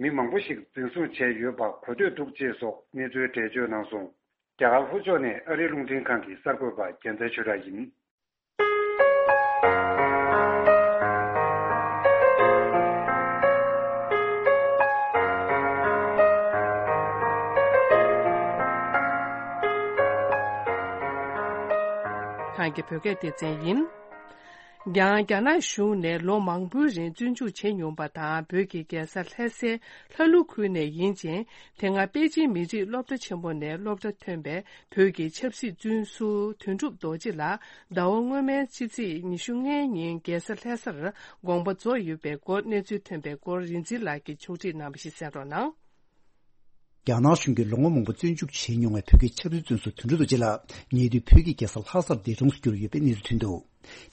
མི་མང་པོ་ཞིག་འཛིན་བཟུང་བྱས་ཡོད་པ་གོ་ཐོས་འདུག་ཅེས་སོགས་གནས་ཚུལ་འགྲེལ་བརྗོད་གནང་སོང་། རྒྱ་གར་ལྷོ་ཕྱོགས་ནས་ཨ་རིའི་རླུང་འཕྲིན་ཁང་གི་གསར་འགོད་པ་རྒྱལ་མཚན་ཆོས་གྲགས་ཡིན། ཁང་གི་བོད་སྐད་སྡེ་ཚན་ཡིན། ཡང་རྒྱ་ནག་གཞུང་ནས་ལོ་མང་པོའི་རིང་བཙོན་འཇུག་བྱས་མྱོང་པ་དང་། བོད་ཀྱི་རྒྱལ་ས་ལྷ་སའི་ལྷ་ཀླུ་ཁུལ་ནས་ཡིན་ཅིང་། དེ་སྔ་པེ་ཅིན་མི་རིགས་སློབ་གྲྭ་ཆེན་མོ་ནས་སློབ་གྲྭ་ཐོན་པའི་བོད་ཀྱི་ཆབ་སྲིད་བཙོན་ཟུར་དོན་གྲུབ་རྡོ་རྗེ་ལགས་ཟླ་བ་སྔོན་མའི་ཕྱི་ཚེས་ཉི་ཤུ་ལྔའི་ཉིན་རྒྱལ་ས་ལྷ་སར་དགོངས་པ་རྫོགས་ཡོད་པའི་སྐོར་གནས་ཚུལ་ཐོན་པའི་སྐོར་རིག་འཛིན་ལགས་ཀྱིས་ཕྱོགས་སྒྲིག་གནང་བ་ཞིག་གསན་རོགས་གནང་། རྒྱ་ནག་གཞུང་གིས་ལོ་ངོ་མང་པོ་བཙོན་འཇུག་བྱས་མྱོང་བའི་བོད་ཀྱི་ཆབ་སྲིད་བཙོན་ཟུར་དོན་གྲུབ་རྡོ་རྗེ་ལགས་ཉེ་དུས་བོད་ཀྱི་རྒྱལ་ས་ལྷ་སར་འདས་གྲོངས་སུ་གྱུར་ཡོད་པའི་གནས་ཚུལ་ཐོན་འདུག་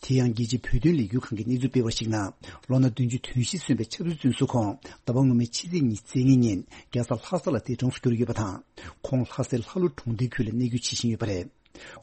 དེ་ཡང་རྒྱལ་སྤྱིའི་བོད་དོན་ལས་འགུལ་ཁང་གིས་གནས་ཚུལ་སྤེལ་བར་གཞིགས་ན། ལོ་ན་བདུན་ཅུ་དོན་བཞི་སོན་པའི་ཆབ་སྲིད་བཙོན་ཟུར་ཁོང་ཟླ་བ་སྔོན་མའི་ཕྱི་ཚེས་ཉི་ཤུ་རྩ་ལྔའི་ཉིན་རྒྱལ་ས་ལྷ་ས་ལ་འདས་གྲོངས་སུ་གྱུར་ཡོད་པ་དང་། ཁོང་ལྷ་སའི་ལྷ་ཀླུ་གྲོང་སྡེའི་ཁུལ་ལ་གནས་སྐྱོང་བྱེད་བཞིན་ཡོད་པ་རེད།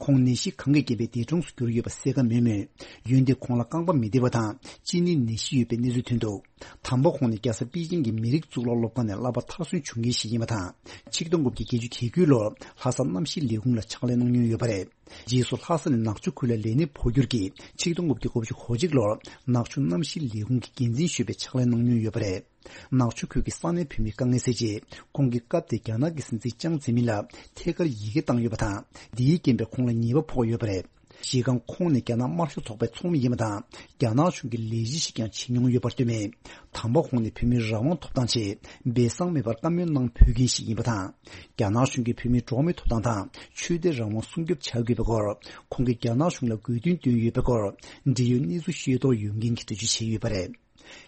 ཁོང་ནད་གཞི་གང་གིས་རྐྱེན་པས་འདས་གྲོངས་སུ་གྱུར་ཡོད་པ་གསལ་ཁ་མེད་མོད། འོན་ཏེ་ཁོང་ལ་རྐང་པ་མི་བདེ་བ་དང་གཅིན་སྙི་ནད་གཞི་ཡོད་པའི་གནས་ཚུལ་ཐོན་འདུག་དམ་པ་ཁོང་ནི་རྒྱལ་ས་པེ་ཅིང་གི་མི་རིགས་གཙུག་ལག་སློབ་ཁང་ནས་བསླབ་པ་མཐར་སོན་བྱུང་མཁན་ཞིག་ཡིན་པ་དང་། ཆིག་སྟོང་དགུ་བརྒྱ་བརྒྱད་ཅུ་གྱ་དགུའི་ལོར་ལྷ་ས་གནམ་གཤིས་ལས་ཁུངས་ལ་ཕྱག་ལས་གནང་མྱོང་ཡོད་པ་རེད། རྗེས་སུ་ལྷ་ས་ནས་ནག་ཆུ་ཁུལ་ལ་ལས་གནས་འཕོ་འགྱུར་གྱིས་ཆིག་སྟོང་དགུ་བརྒྱ་དགུ་བཅུ་གོ་གཅིག་ལོར་ནག་ཆུ་གནམ་གཤིས་ལས་ཁུངས་ཀྱི་འགན་འཛིན་ཞུས་པའི་ཕྱག་ལས་གནང་མྱོང་ཡོད་པ་རེད། ནག་ཆུ་ཁུལ་གྱི་ས་གནས་བོད་མིའི་དཀའ་ངལ་སེལ་ཆེད། ཁོང་གིས་སྐབས་དེར་རྒྱ་ནག་གི་སྲིད་འཛིན་ཅང་ཙེ་མིན་ལ་ཐད་ཀར་ཡི་གེ་བཏང་ཡོད་པ་དང་། འདིའི་རྐྱེན་པས་ཁོང་ལ་ཉེས་པ་ཕོག་ཡོད་པ་རེད། གཞི་རྐང་ཁོང་ནི་རྒྱ་ནག་དམར་ཤོག་ཚོགས་པའི་ཚོགས་མི་ཡིན་པ་དང་། རྒྱ་ནག་གཞུང་གི་ལས་གཞི་ཞིག་ཀྱང་བྱེད་མྱོང་ཡོད་པར་བསྟོད་མེད། དམ་པ་ཁོང་ནི་བོད་མིའི་རང་དབང་ཐོབ་ཐང་ཆེད་སྦས་གསང་མེད་པར་བཀའ་མོལ་གནང་ཕོད་མཁན་ཞིག་ཡིན་པ་དང་། རྒྱ་ནག་གཞུང་གིས་བོད་མིའི་འགྲོ་བ་མིའི་ཐོབ་ཐང་དང་ཆོས་དད་རང་དབང་སྲུང་སྐྱོབ་བྱ་དགོས་པའི་སྐོར། ཁོང་གིས་རྒྱ་ནག་གཞུང་ལ་དགོས་འདུན་བཏོན་ཡོད་པའི་སྐོར། འབྲེལ་ཡོད་གནས་ཚུལ་ཤེས་རྟོགས་ཡོད་མཁན་གྱིས་འགྲེལ་བརྗོད་བྱས་ཡོད་པ་རེད།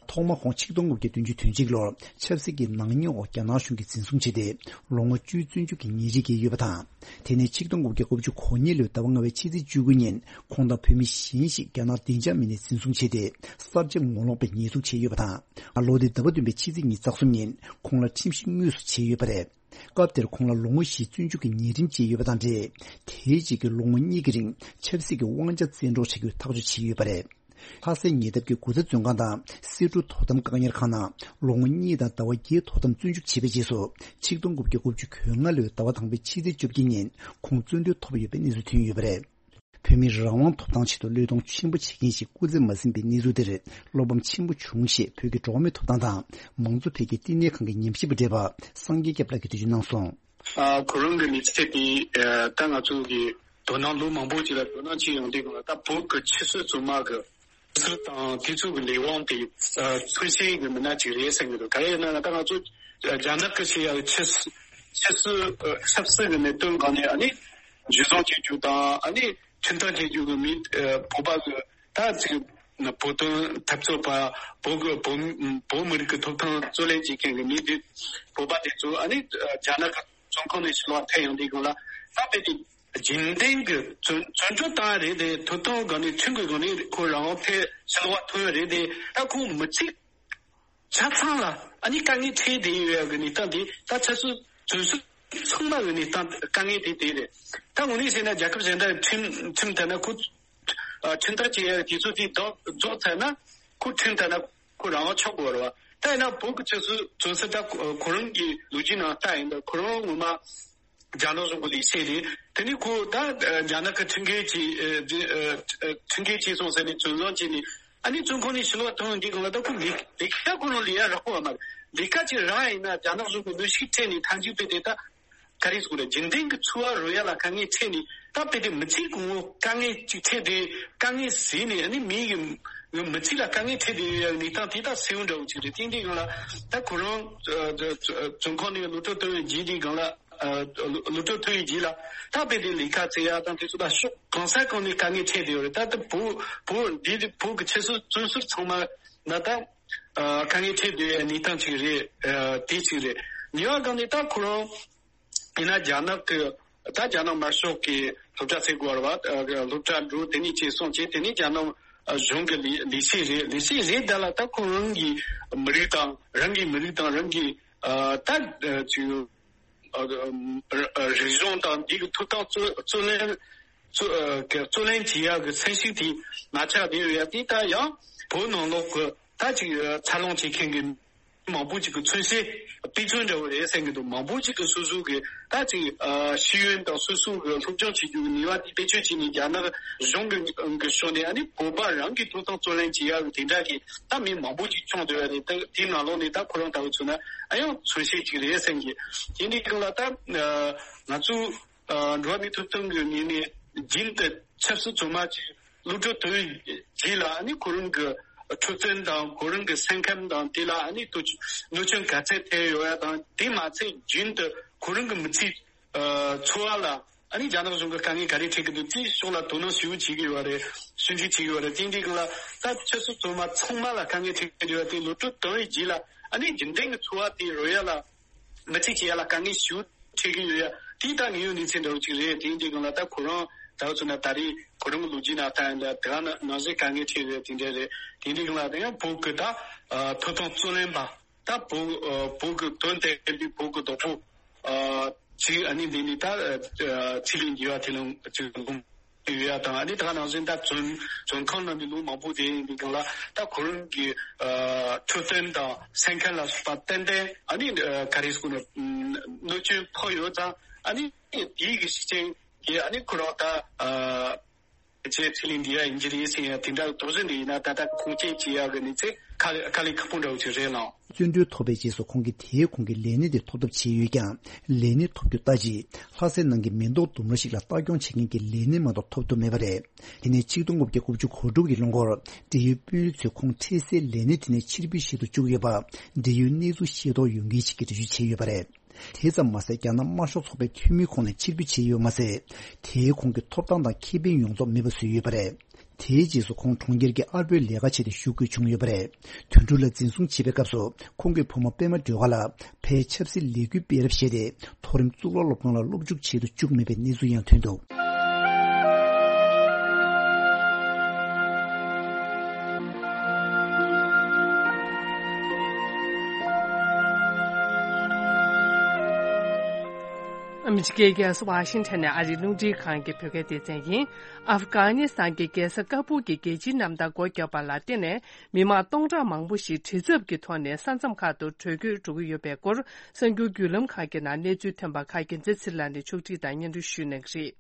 ཐོག་མར་ཁོང་ཆིག་སྟོང་དགུ་བརྒྱ་བདུན་ཅུ་དོན་གཅིག་ལོར་ཆབ་སྲིད་ཀྱི་ནག་ཉེས་འོག་རྒྱ་ནག་གཞུང་གིས་འཛིན་བཟུང་བྱས་ཏེ། ལོ་ངོ་བཅུའི་བཙོན་འཇུག་གི་ཉེས་རིགས་བཀལ་ཡོད་པ་དང་། དེ་ནས་ཆིག་སྟོང་དགུ་བརྒྱ་དགུ་བཅུ་གོ་གཉིས་ལོའི་ཟླ་བ་ལྔ་པའི་ཕྱི་ཚེས་བཅུ་དགུ་ཉིན་ཁོང་དང་བོད་མི་གཞན་ཞིག་རྒྱ་ནག་བདེ་འཇགས་མི་སྣས་འཛིན་བཟུང་བྱས་ཏེ། གསར་བརྗེ་ངོ་ལོག་པའི་ཉེས་འཛུགས་བྱས་ཡོད་པ་དང་། ལོ་འདིའི་ཟླ་བ་བདུན་པའི་ཕྱི་ཚེས་ཉི་ཤུ་རྩ་གསུམ་ཉིན་ཁོང་ལ་ཁྲིམས་ཞིབ་དངོས་སུ་བྱས་ཡོད་པ་རེད། སྐབས་དེར་ཁོང་ལ་ལོ་ངོ་བཞི་བཙོན་འཇུག་གི་ཉེས་ཁྲིམས་བཅད་ཡོད་པ་དང་འབྲེལ། དེའི་རྗེས་ཀྱི་ལོ་ངོ་གཉིས་ཀྱི་རིང་ཆབ་སྲིད་ཀྱི་དབང་ཆ་བཙན་འཕྲོག་བྱ་རྒྱུའི་ཐག་གཅོད་བྱས་ཡོད་པ་རེད། ལྷ་སའི་ཉེ་འདབས་ཀྱི་དགུ་ཚ་བཙོན་ཁང་དང་སེ་འབྲུ་དོ་དམ་བཀག་ཉར་ཁང་ནང་ལོ་ངོ་གཉིས་དང་ཟླ་བ་བརྒྱད་དོ་དམ་བཙོན་འཇུག་བྱས་པའི་རྗེས་སུ། ཆིག་སྟོང་དགུ་བརྒྱ་དགུ་བཅུ་གོ་ལྔ་ལོའི་ཟླ་བ་དང་པོའི་ཕྱི་ཚེས་བཅོ་བརྒྱད་ཉིན་ཁོང་བཙོན་གྲོལ་ཐོབ་ཡོད་པའི་གནས་ཚུལ་ཐོན་ཡོད་པ་རེད། བོད་མིའི་རང་དབང་ཐོབ་ཐང་ཆེད་དུ་བློས་གཏོང་ཆེན་པོ་བྱེད་མཁན་ཞིག་སྐུ་ཚེ་མ་ཟིན་པའི་གནས་ཚུལ་དེར་བློ་ཕམ་ཆེན་པོ་བྱུང་ཞེས་བོད་ཀྱི་འགྲོ་བ་མིའི་ཐོབ་ཐང་དང་མང་གཙོ་འཕེལ་རྒྱས་བསྟི་གནས་ཁང་གི་ཉམས་ཞིབ་པ་བགྲེས་པ་སངས་རྒྱས་སྐྱབས་ལགས་ཀྱིས་འགྲེལ་བརྗོད་གནང་སོང་། ཨ། ཁོ་རང་གི་མི་ཚེ་དེ། ཨ། ད་ང་ཚོ་གི་དོ་སྣང་ལོ་མང་པོ་ཅིག་ལ་དོ་སྣང་བྱེད་ཡོང་དུས་སྒང་ལ། ད་བོད་ཀྱི་ཆབ་སྲིད་བཙོན་མ་གི་སྲིད་དང་དེ་ཚོ་གི་ལས་དབང་དེ། ཨ། ཕུལ་སའི་གི་མི་སྣ་ཅིག་རེད་བསམ་གྱི་འདུག་ག་རེ་ཡིན་ན་ད་ང་ཚོ་རྒྱ་ནག་གི་ཆེ་ཡ་ཆབ་སྲིད་ཆབ་སྲིད་ཨ། ཆབ་སྲིད་ཀྱི་གནད་དོན་སྒང་ནས། ཨ་ནི་འཇུ་བཟུང་བྱེད་རྒྱུ་དང་། ཨ་ནི་ཁྲིམས་ཐག་བཅད་རྒྱུ་གི་མི། ཨ། བོད་པ་གི་ད་ཅིག་བོད་དོན་འཐབ་རྩོད་པ། བོད་ཀྱི་བོད་བོད་མི་རིགས་ཀྱི་ཐོབ་ཐང་རྩོད་ལེན་བྱེད་མཁན་གྱི་མི་དེ། བོད་པ་དེ་ཚོ། ཨ་ནི་རྒྱ་ནག་གི་བཙོན་ཁང་ནས་ཕྱིར་ལོག་ཐོན་ཡོང་དུས་སྒང་ལ། ད་དཔེ་དེ་རྒྱུན་ལྡན་གྱི་བཙོན་བཙོན་གྲོལ་བཏང་ཡ་རེད་དེ། ཐོབ་ཐང་སྒང་ནས་ཁྲིམས་ཀྱི་སྒང་ནས་ཁོ་རང་དབང་ཐོན་ཕྱིར་ལོག་ཐོན་ཡ་རེད་དེ། ད་ཁོང་མི་ཚེ་ཆ་ཚང་ལ། ཨ་ནི་དཀའ་ངལ་འཕྲད་བསྡད་ཡོད་ཡ་གི་གནས་སྟངས་དེ། ད་ཆབ་སྲིད་བཙོན་ཟུར་ཚང་མ་གི་གནས་སྟངས་དཀའ་ངལ་དེ་དེ་རེད། ད་དངོས་གནས་བཤད་ན་རྒྱལ་ཁབ་གཞན་དག་ཁྲིམས་ཁྲིམས་ལྟར་ན་ཁོ། ཨ། ཁྲིམས་ཐག་བཅད་ཡ་དེ་ཚོ་དེ་རྫོགས་རྫོགས་ཚར་ན་ཁོ་ཁྲིམས་ལྟར་ན་ཁོ་རང་དབང་ཆགས་དགོས་རེད་བ། ད་ཡིན་ན་བོད་ཀྱི་ཆབ་སྲིད་བཙོན་ཟུར་ད་ཁོ་ཁོ་རང་གི་ལོ་རྒྱུས་ནང་ལྟ་ཡིན་ད་ཁོ་རང་ངོ་མ་རྒྱ་ནག་གཞུང་གི་ལས་བྱེད་རེད། དེ་ནས་ཁོ་ད་རྒྱ་ནག་གི་ཁྲིམས་འགལ་གྱིས། ཨ། ཁྲིམས་འགལ་བྱས་སོང་ཟེར་ནས་བཙོན་བཟུང་བྱས་ནས། ཨ་ནི་བཙོན་ཁང་ནས་ཕྱིར་ལོག་ཐོན་འདི་སྒང་ལ་ད་ཁོ་ལས་ལས་ཀ་ཁོ་རང་ལས་ཡ་རག་པ་མ་རེད། ལས་ཀ་ཅིག་རག་ཡིན་ན་རྒྱ་ནག་གཞུང་གི་གནོན་ཤུགས་འཕྲད་ནས་ཐམས་ཅད་དཔེ་དེ་ད་ག་རེ་ཟེར་དགོས་རེད། རྒྱུན་ལྡན་གྱི་འཚོ་བ་རོལ་ཡ་ལ་དཀའ་ངལ་འཕྲད་ནས། ད་དཔེ་དེ་མི་ཚེ་གང་བོ་དཀའ་ངལ་ཅིག་འཕྲད་དེ། དཀའ་ངལ་ཟིན་ནས། ཨ་ནི་མི་གི་མི་ཚེ་ལ་དཀའ་ངལ་འཕྲད་དེ་ཡོད་ཡ་གནས་སྟངས་དེ་ད་གསལ་བོ་འདྲ་བོ་ཅིག་རེད། དེ་འདི་སྒང་ལ་ད་ཁོ་རང་བཙོན་ཁང་ནས་གློད་གྲོལ་ཐོན་བའི་རྗེས་འདི་སྒང་ལ། ཨ། གློད་གྲོལ་ཐོན་ཡོད་རྗེས་ལ་ད་དཔེ་དེ་ལས་ཀ་བཙལ་ཡ་དང་དེ་ཚོ་ད་ཕྱོགས་གང་ས་གང་ནས་དཀའ་ངལ་འཕྲད་བསྡད་ཡོད་རེད། ད་ལྟ་བོད་བོད་འདི་བོད་ཀྱི་ཆབ་སྲིད་བཙོན་ཟུར་ཚང་མ་ལ་ད། ཨ། དཀའ་ངལ་འཕྲད་བསྡད་ཡོད་གནས་སྟངས་ཅིག་རེད། ཨ། དེ་ཅིག་རེད། གཉིས་པ་སྒང་ནས་ད་ཁོ་རང་ཡིན་ན་རྒྱ་ནག་གི་ད་རྒྱ་ནག་དམར་ཤོག་གི་སློབ་གྲྭ་ཟེར་དགོས་རེད་བ། ཨ། སློབ་གྲྭ་འགྲོ། དེ་ནས་ཅིག་སོང་བྱས། དེ་ནས་རྒྱ་ནག་གཞུང་གི་ལས་ལས་བྱེད་རེད། ལས་བྱེད་རེད། ད་ལ་ད་ཁོ་རང་གི་མི་རིགས་དང་། རང་གི་མི་རིགས་དང་རང་གི། ཨ། ད་ཅིག་ཨ་ཨ་རིག་གཞུང་དང་འདི་གི་ཐོབ་ཐང་རྩོད་རྩོད་ལེན་རྩོད་ཨ་གི་རྩོད་ལེན་བྱེད་ཡག་གི་ཚན་ཞིག་དེ་མ་ཆགས་བསྡད་ཡོད་ཡ། དེ་ད་ཡང་བོད་ནང་ལོགས་གི་ད་ཅིག་འཚར་ལོངས་བྱེད་མཁན་གི་མང་པོ་ཅིག་གི་མཚོན་བྱེད་དཔེ་མཚོན་འདྲ་བོ་རེད་བསམ་གྱི་འདུག་མང་པོ་ཅིག་གི་སོ་སོ་གི་ད་ཅིག་ཨ་ཤེས་ཡོན་དང་སོ་སོ་གི་སློབ་སྦྱོང་བྱེད་རྒྱུ་གི་ནུས་པ་དེ་བེད་སྤྱོད་བྱས་ནས་རྒྱ་ནག་གཞུང་གི་གི་ཕྱོགས་ནས་ཨ་ནི་བོད་པ་རང་གི་ཐོབ་ཐང་རྩོད་ལེན་བྱེད་ཡག་གི་དེ་འདྲ་གི་ད་མི་མང་པོ་ཅིག་བྱུང་བསྡད་ཡོད་རེད། ད་དེའི་ནང་ལོགས་ནས་ད་ཁོ་རང་ལྟ་བུ་མཚོན་ན་ཨ་ཡང་མཚོན་བྱེད་ཅིག་རེད་བསམ་གྱི། དེ་འདྲའི་སྒང་ལ་ད་ང་ཚོ་ཨ་འགྲོ་བ་མིའི་ཐོབ་ཐང་གི་ངོས་ནས་རྒྱུན་དུ་ཆབ་སྲིད་བཙོན་མ་ཅིག་གློད་གྲོལ་བཏང་བའི་རྗེས་ལ་ཨ་ནི་ཁོ་རང་གི་འཁྲབ་སྟོན་དང་ཁོ་རང་གི་སེམས་ཁམས་དང་དེ་ལ་ཨ་ནི་དུ་གནོད་སྐྱོན་ག་ཚད་ཐེབས་ཡོད་ཡ་དང་། དེ་མ་ཚད་རྒྱུན་དུ་ཁོ་རང་གི་མི་ཚེ་ཨ་འཚོ་བ་ལ་ཨ་ནི་རྒྱ་ནག་གཞུང་གི་དཀའ་ངལ་ག་རེ་འཕྲད་ཀྱི་འདུག་དེའི་ཕྱོགས་ལ་དོ་སྣང་ཞེ་པོ་བྱེད་ཀྱི་ཡོད་རེད། ཞིབ་འཇུག་བྱེད་ཀྱི་ཡོད་རེད། དེ་འདྲའི་སྒང་ལ་ད་ཆབ་སྲིད་བཙོན་མ་ཚང་མ་ལ་དཀའ་ངལ་འཕྲད་ཀྱི་ཡོད་དེ་གློད་གྲོལ་བཏང་བའི་རྗེས་ལ་ཨ་ནི་རྒྱུན་ལྡན་གྱི་འཚོ་བ་དེ་རོལ་ཡ་ལ། མི་ཚེ་སྐྱེལ་ཡ་ལ་དཀའ་ངལ་ཞེ་པོ་འཕྲད་ཀྱི་ཡོད་ཡ། དེ་ད་ངེས་ཡོད་གནས་ཚུལ་འདྲ་བོ་ཅིག་རེད། དེ་འདྲའི་སྒང་ལ་ད་ཁོ་རང་ད་བར་ཚོ་ན་ད་རེས་ཁོ་རང་གི་ལོ་རྒྱུས་ནང་ལྟ་ཡིན་ད་དེ་ག་ནང་བཞིན་དཀའ་ངལ་འཕྲད་ཡོད་དེ་འདྲ་རེད། དེ་འདྲའི་སྒང་ལ་ད་ཡང་བོད་ཀྱི་ད་ཐོབ་ཐང་རྩོད་ལེན་པ་ད་བོད་བོད་ཀྱི་དོན་དེ་བོད་ཀྱི་བདག་པོ་ཅིག་ཨ་ནི་འདི་ནི་ད་ཚེ་རིང་འགྱུར་བ་དེ་ལ་ཅིག་ལུང་ཡོད་ཡ་དང་། ཨ་ནི་ད་ག་ནང་བཞིན་ད་བཙོན་བཙོན་ཁང་ནང་ནས་ལོ་མང་པོ་བསྡད་ཡིན་པའི་སྒང་ལ་ད་ཁོ་རང་གི་ཨ་འཁྲབ་སྟོན་དང་སེམས་ཁམས་ལ་སོགས་པ་ཏན་ཏན་ཨ་ནི་ཨ་ག་རེ་ཟེར་དགོས་ན་གནོད་སྐྱོན་ཕོག་ཡོད་ཙང་། ཨ་ནི་དེའི་གི་ཤུགས་རྐྱེན་གྱིས་ཨ་ནི་ཁོ་རང་ད་ཨ་ཅེ་ཚེ་རིང་འདི་ཡ་ཡིན་གྱི་རེད་ཟེར་ཡ་དེ་འདྲ་དོགས་ཟོན་འདི་ཡིན་ན་ད་ལྟ་ཁུངས་སྐྱེལ་བྱེད་ཡག་གི་གནས་ཚུལ་ཁ་ཁ་ལས་ཁག་པོ་འདྲ་བོ་ཅིག་རེད་ལགས། བཙོན་གྲོལ་ཐོབ་པའི་རྗེས་སུ་ཁོང་གིས་དེའི་གོང་གི་ལས་གནས་དེ་ཐོབ་ཐབས་བྱས་ཡོད་ཀྱང་། ལས་གནས་ཐོབ་རྒྱུ་ལྟ་ཅི། ལྷ་སའི་ནང་གི་མེ་ཏོག་ལྡུམ་ར་ཞིག་ལ་ལྟ་སྐྱོང་བྱེད་མཁན་གྱི་ལས་སྣེ་མ་གཏོགས་ཐོབ་ཐུབ་མེད་པ་རེད། དེ་ནས་ཆིག་སྟོང་དགུ་བརྒྱ་དགུ་བཅུ་གོ་དྲུག་གི་ལོ་འགོར་འབྲེལ་ཡོད་དཔོན་རིགས་ཚོས་ཁོང་འཕྲལ་སེལ་ལས་གནས་དེ་ནས་ཕྱིར་འབུད་བྱེད་དུ་བཅུག་ཡོད་པ། འབྲེལ་ཡོད་གནས་ཚུལ་ཤེས་རྟོགས་ཡོད་མཁན་ཞིག་གིས་འགྲེལ་བརྗོད་བྱས་ཡོད་པ་རེད། དེ་ཙམ་མ་ཟད། རྒྱ་ནག་དམར་ཤོག་ཚོགས་པའི་འཐུས་མིའི་ཁོངས་ནས་ཕྱིར་འབུད་བྱས་ཡོད་མ་ཟད། དེའི་གོང་གི་ཐོབ་ཐང་དང་ཁེ་ཕན་ཡོངས་རྫོགས་མེད་པ་བཟོས་ཡོད་པ་རེད། དེའི་རྗེས་སུ་ཁོང་གྲོང་ཁྱེར་གྱི་ཨར་པོའི་ལས་ཀ་བྱས་ཏེ་ཞུགས་དགོས་བྱུང་ཡོད་པ་རེད། དོན་གྲུབ་ལགས་འཛིན་བཟུང་བྱས་པའི་སྐབས་སུ། ཁོང་གི་བུ་མོ་པད་མ་སྒྲོལ་དཀར་ལགས་ཕར་ཆབ་སྲིད་ལས་འགུལ་སྤེལ་རོགས་བྱས་ཏེ། མཐོ་རིམ་གཙུག་ལག་སློབ་ཁང་ལ་སློབ་འཇུག་བྱེད་དུ་བཅུག་མེད་པའི་གནས་ཚུལ་ཡང་ཐོན་འདུག་ཨ་མི་རི་ཀའི་རྒྱལ་ས་ཝ་ཤིང་ཊོན་ནས་ཨ་རིའི་རླུང་འཕྲིན་ཁང་གི་བོད་སྐད་སྡེ་ཚན་ཡིན། ཨབ་གྷ་ནི་སི་ཐན་གྱི་རྒྱལ་ས་ཀ་བུལ་གྱི་རྒྱལ་སྤྱིའི་གནམ་ཐང་སྒོ་བརྒྱབ་པ་ལ་བརྟེན་ནས། མི་མང་སྟོང་ཕྲག་མང་པོ་ཞིག་བྲེལ་འཚུབ་ཀྱི་ཐོག་ནས་ས་མཚམས་ཁག་ཏུ་བྲོས་བྱོལ་འགྲོ་གི་ཡོད་པའི་སྐོར། གསར་འགྱུར་བརྒྱུད་ལམ་ཁག་གི་ནང་གནས་ཚུལ་ཐོན་པ་ཁག་རྒྱལ་མཚན་ཚེ་རིང་ལགས་ནས་ཕྱོགས་སྒྲིག་དང་སྙན་སྒྲོན་ཞུ་གནང་གི་རེད།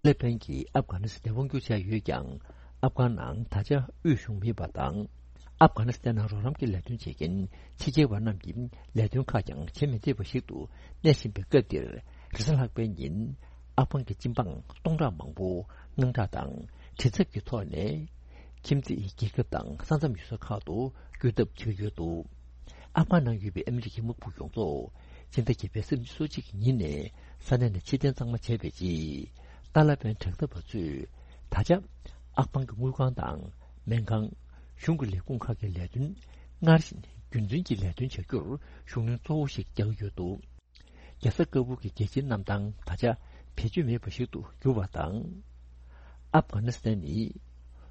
ཏཱ་ལི་བན་གྱིས་ཨབ་གྷ་ནི་སི་ཐན་དབང་བསྒྱུར་བྱས་ཡོད་ཀྱང་། ཨབ་གྷ་ནང་ད་ཆ་དབུས་གཞུང་མེད་པ་དང་། ཨབ་གྷ་ནི་སི་ཐན་ནང་རོགས་རམ་གྱི་ལས་དོན་བྱེད་མཁན་ཕྱི་རྒྱལ་བ་རྣམས་ཀྱིས་ལས་དོན་ཁག་ཀྱང་བྱེད་མི་བདེ་བ་ཞིག་ཏུ་གནས་བཞིན་པའི་སྐབས་འདིར། རེས་གཟའ་ལྷག་པའི་ཉིན། ཨབ་གྷན་གྱི་སྤྱི་འབངས་སྟོང་ཕྲག་མང་པོ་དངངས་སྐྲག་དང་བྲེལ་འཚུབ་ཀྱི་ཐོག་ནས། ཁྱིམ་མཚེས་རྒྱལ་ཁབ་དང་ས་མཚམས་ཡུལ་ས་ཁག་ཏུ་བསྐྱོད་ཐབས་བྱེད་ཀྱི་ཡོད་འདུག་ཨབ་གྷན་ནང་ཡོད་པའི་ཨ་མི་རི་ཀའི་དམག་དཔུང་ཡོངས་རྫོགས་སྤྱི་ཟླ་བརྒྱད་པའི་ཚེས་ཉི་ཤུ་རྩ་གཅིག་གི་ཉིན་ནས་ས་གནས་ནས་ཕྱིར་འཐེན་གཙང་མ་བྱས་པའི་རྗེས། ཏཱ་ལ་བན་དྲག་འཐབ་པ་ཚོས་ད་ཆ་ཨབ་གྷན་གྱི་དངུལ་ཁང་དང་སྨན་ཁང་། གཞུང་གི་ལས་ཁུངས་ཁག་གི་ལས་དོན་སྔར་བཞིན་རྒྱུན་འཛིན་གྱི་ལས་དོན་བྱ་རྒྱུར་ཤུགས་སྣོན་གཙོ་བོ་ཞིག་རྒྱག་གི་ཡོད་འདུག་རྒྱལ་ས་ཀ་བུལ་གྱི་རྒྱལ་སྤྱིའི་གནམ་ཐང་ད་ཆ་བེད་སྤྱོད་མེད་པ་ཞིག་ཏུ་གྱུར་བ་དང་། ཨབ་གྷ་ནི་སི་ཐན་ནི་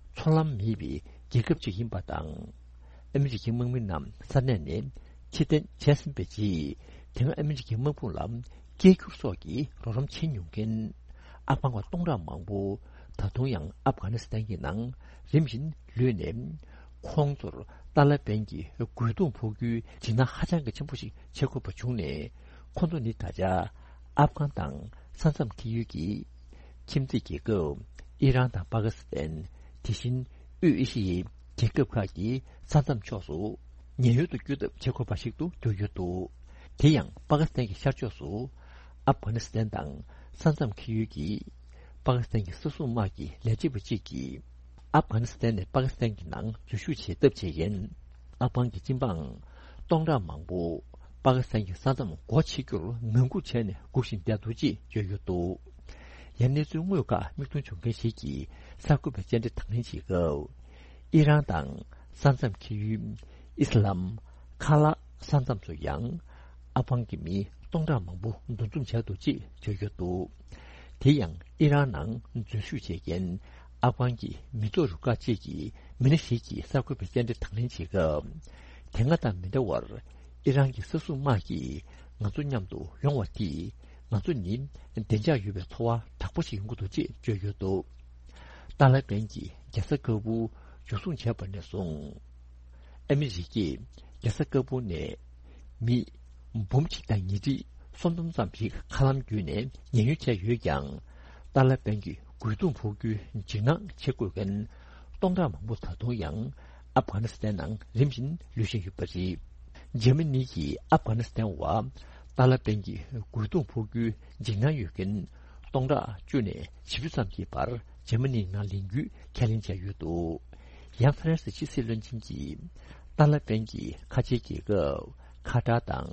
མཚོ་ལམ་མེད་པའི་རྒྱལ་ཁབ་ཅིག་ཡིན་པ་དང་། ཨ་མི་རི་ཀའི་དམག་མི་རྣམས་ས་གནས་ནས་ཕྱིར་འཐེན་བྱས་ཟིན་པའི་རྗེས། དེ་སྔ་ཨ་མི་རི་ཀའི་དམག་དཔུང་ལ་སྐད་སྒྱུར་སོགས་ཀྱི་རོགས་རམ་བྱེད་མྱོང་མཁན་ཨབ་གྷན་པ་སྟོང་ཕྲག་མང་པོ་ད་དུང་ཡང་ཨབ་གྷ་ནི་སི་ཐན་གྱི་ནང་རིམ་བཞིན་ལུས་ནས། ཁོང་ཚོར་ཏཱ་ལ་བན་གྱིས་རྒོལ་རྡུང་ཕོག་རྒྱུའི་འཇིགས་སྣང་ཧ་ཅང་གི་ཆེན་པོ་ཞིག་བྱེད་དགོས་པ་བྱུང་ནས། ཁོང་ཚོ་ནི་ད་ཆ་ཨབ་གྷན་དང་ས་མཚམས་འཁེལ་ཡུལ་གྱི་ཁྱིམ་མཚེས་རྒྱལ་ཁབ་ཨི་རན་དང་པ་ཀི་སི་ཐན། དེ་བཞིན་དབུས་ཨེ་ཤི་ཡའི་རྒྱལ་ཁབ་ཁག་གི་ས་མཚམས་ཕྱོགས་སུ་ཉེན་གཡོལ་དུ་བསྐྱོད་ཐབས་བྱེད་དགོས་པ་ཞིག་ཏུ་གྱུར་ཡོད་འདུག་དེ་ཡང་པ་ཀི་སི་ཐན་གྱི་ཤར་ཕྱོགས་སུ་ཨབ་གྷ་ནི་སི་ཐན་དང་ས་མཚམས་འཁེལ་ཡུལ་གྱི་པ་ཀི་སི་ཐན་གྱི་ས་སྲུང་དམག་གི་ལས་བྱེད་པ་གཅིག་གིས། ཨབ་གྷ་ནི་སི་ཐན་ནས་པ་ཀི་སི་ཐན་གྱི་ནང་འཛུལ་ཞུགས་བྱེད་ཐབས་བྱེད་མཁན་ཨབ་གྷན་གྱི་སྤྱི་འབངས་སྟོང་ཕྲག་མང་པོ་པ་ཀི་སི་ཐན་གྱི་ས་མཚམས་སྒོ་ཕྱེ་རྒྱུར་ངང་སྒུག་བྱས་ནས་སྒུག་བཞིན་བསྡད་འདུག་ཅེས་བརྗོད་ཡོད་འདུག་ཡང་གནས་ཚུལ་དངོས་ཁག་མིག་མཐོང་བྱུང་མཁན་ཞིག་གིས་གསར་འགོད་པའི་བཅར་འདྲི་དང་ལེན་བྱེད་སྐབས། ཨི་རན་དང་ས་མཚམས་འཁེལ་ཡུལ་ཨི་སི་ལམ་ཁ་ལག་ས་མཚམས་སུ་ཡང་ཨབ་གྷན་གྱི་མི་སྟོང་ཕྲག་མང་པོ་འདུ་འཛོམས་བྱས་འདུག་ཅེས་བརྗོད་ཡོད་འདུག་དེ་ཡང་ཨི་རན་ནང་འཛུལ་ཞུགས་བྱེད་མཁན་ཨབ་གྷན་གྱི་མི་ཐོག་རུ་ཁག་ཅིག་གི་མི་སྣ་ཞིག་གིས་གསར་འགོད་པའི་བཅར་འདྲི་དང་ལེན་བྱེད་སྐབས། དེ་སྔ་དང་མི་འདྲ་བར། ཨི་རན་གྱི་ས་སྲུང་དམག་གིས་ང་ཚོ་མཉམ་དུ་ཡོང་བ་དེས་ང་ཚོ་ནི་བདེ་འཇགས་ཡོད་པའི་ཚོར་བ་དྲག་པོ་ཞིག་ཡོང་གི་འདུག་ཅེས་བརྗོད་ཡོད་འདུག་ཏཱ་ལ་པན་གྱི་རྒྱལ་ས་ཀ་བུལ་འཇུ་བཟུང་བྱས་པ་ནས་བཟུང་། ཨ་མི་རི་ཀས་རྒྱལ་ས་ཀ་བུལ་ནས་མི་འབུམ་གཅིག་དང་ཉིས་ཁྲི་སུམ་སྟོང་ཙམ་ཞིག་མཁའ་ལམ་བརྒྱུད་ནས་ཉེན་གཡོལ་བྱས་ཡོད་ཀྱང་། ཏཱ་ལ་པན་གྱི་རྒོལ་རྡུང་ཕོག་རྒྱུའི་འཇིགས་སྣང་བྱེད་དགོས་མཁན་སྟོང་ཕྲག་མང་པོ་ད་དུང་ཡང་ཨབ་གྷ་ནི་སི་ཐན་ནང་རིམ་བཞིན་ལུས་བཞིན་ཡོད་པ་རེད། འཇར་མ་ནི་གིས་ཨབ་གྷ་ནི་སི་ཐན་བ་ཏཱ་ལ་པན་གྱི་རྒོལ་རྡུང་ཕོག་རྒྱུའི་འཇིགས་སྣང་ཡོད་མཁན་སྟོང་ཕྲག་བཅུ་ནས་བཞི་བཅུ་ཙམ་གྱི་བར་འཇར་མ་ནིའི་ནང་ལེན་རྒྱུའི་ཁས་ལེན་བྱས་ཡོད་འདུག་ཡང་ཧྥ་རན་སི་ཕྱི་སྲིད་བློན་ཆེན་གྱིས་ཏཱ་ལ་པན་གྱི་ཁ་ཆེའི་རྒྱལ་ཁབ་ཁ་ཏར་དང་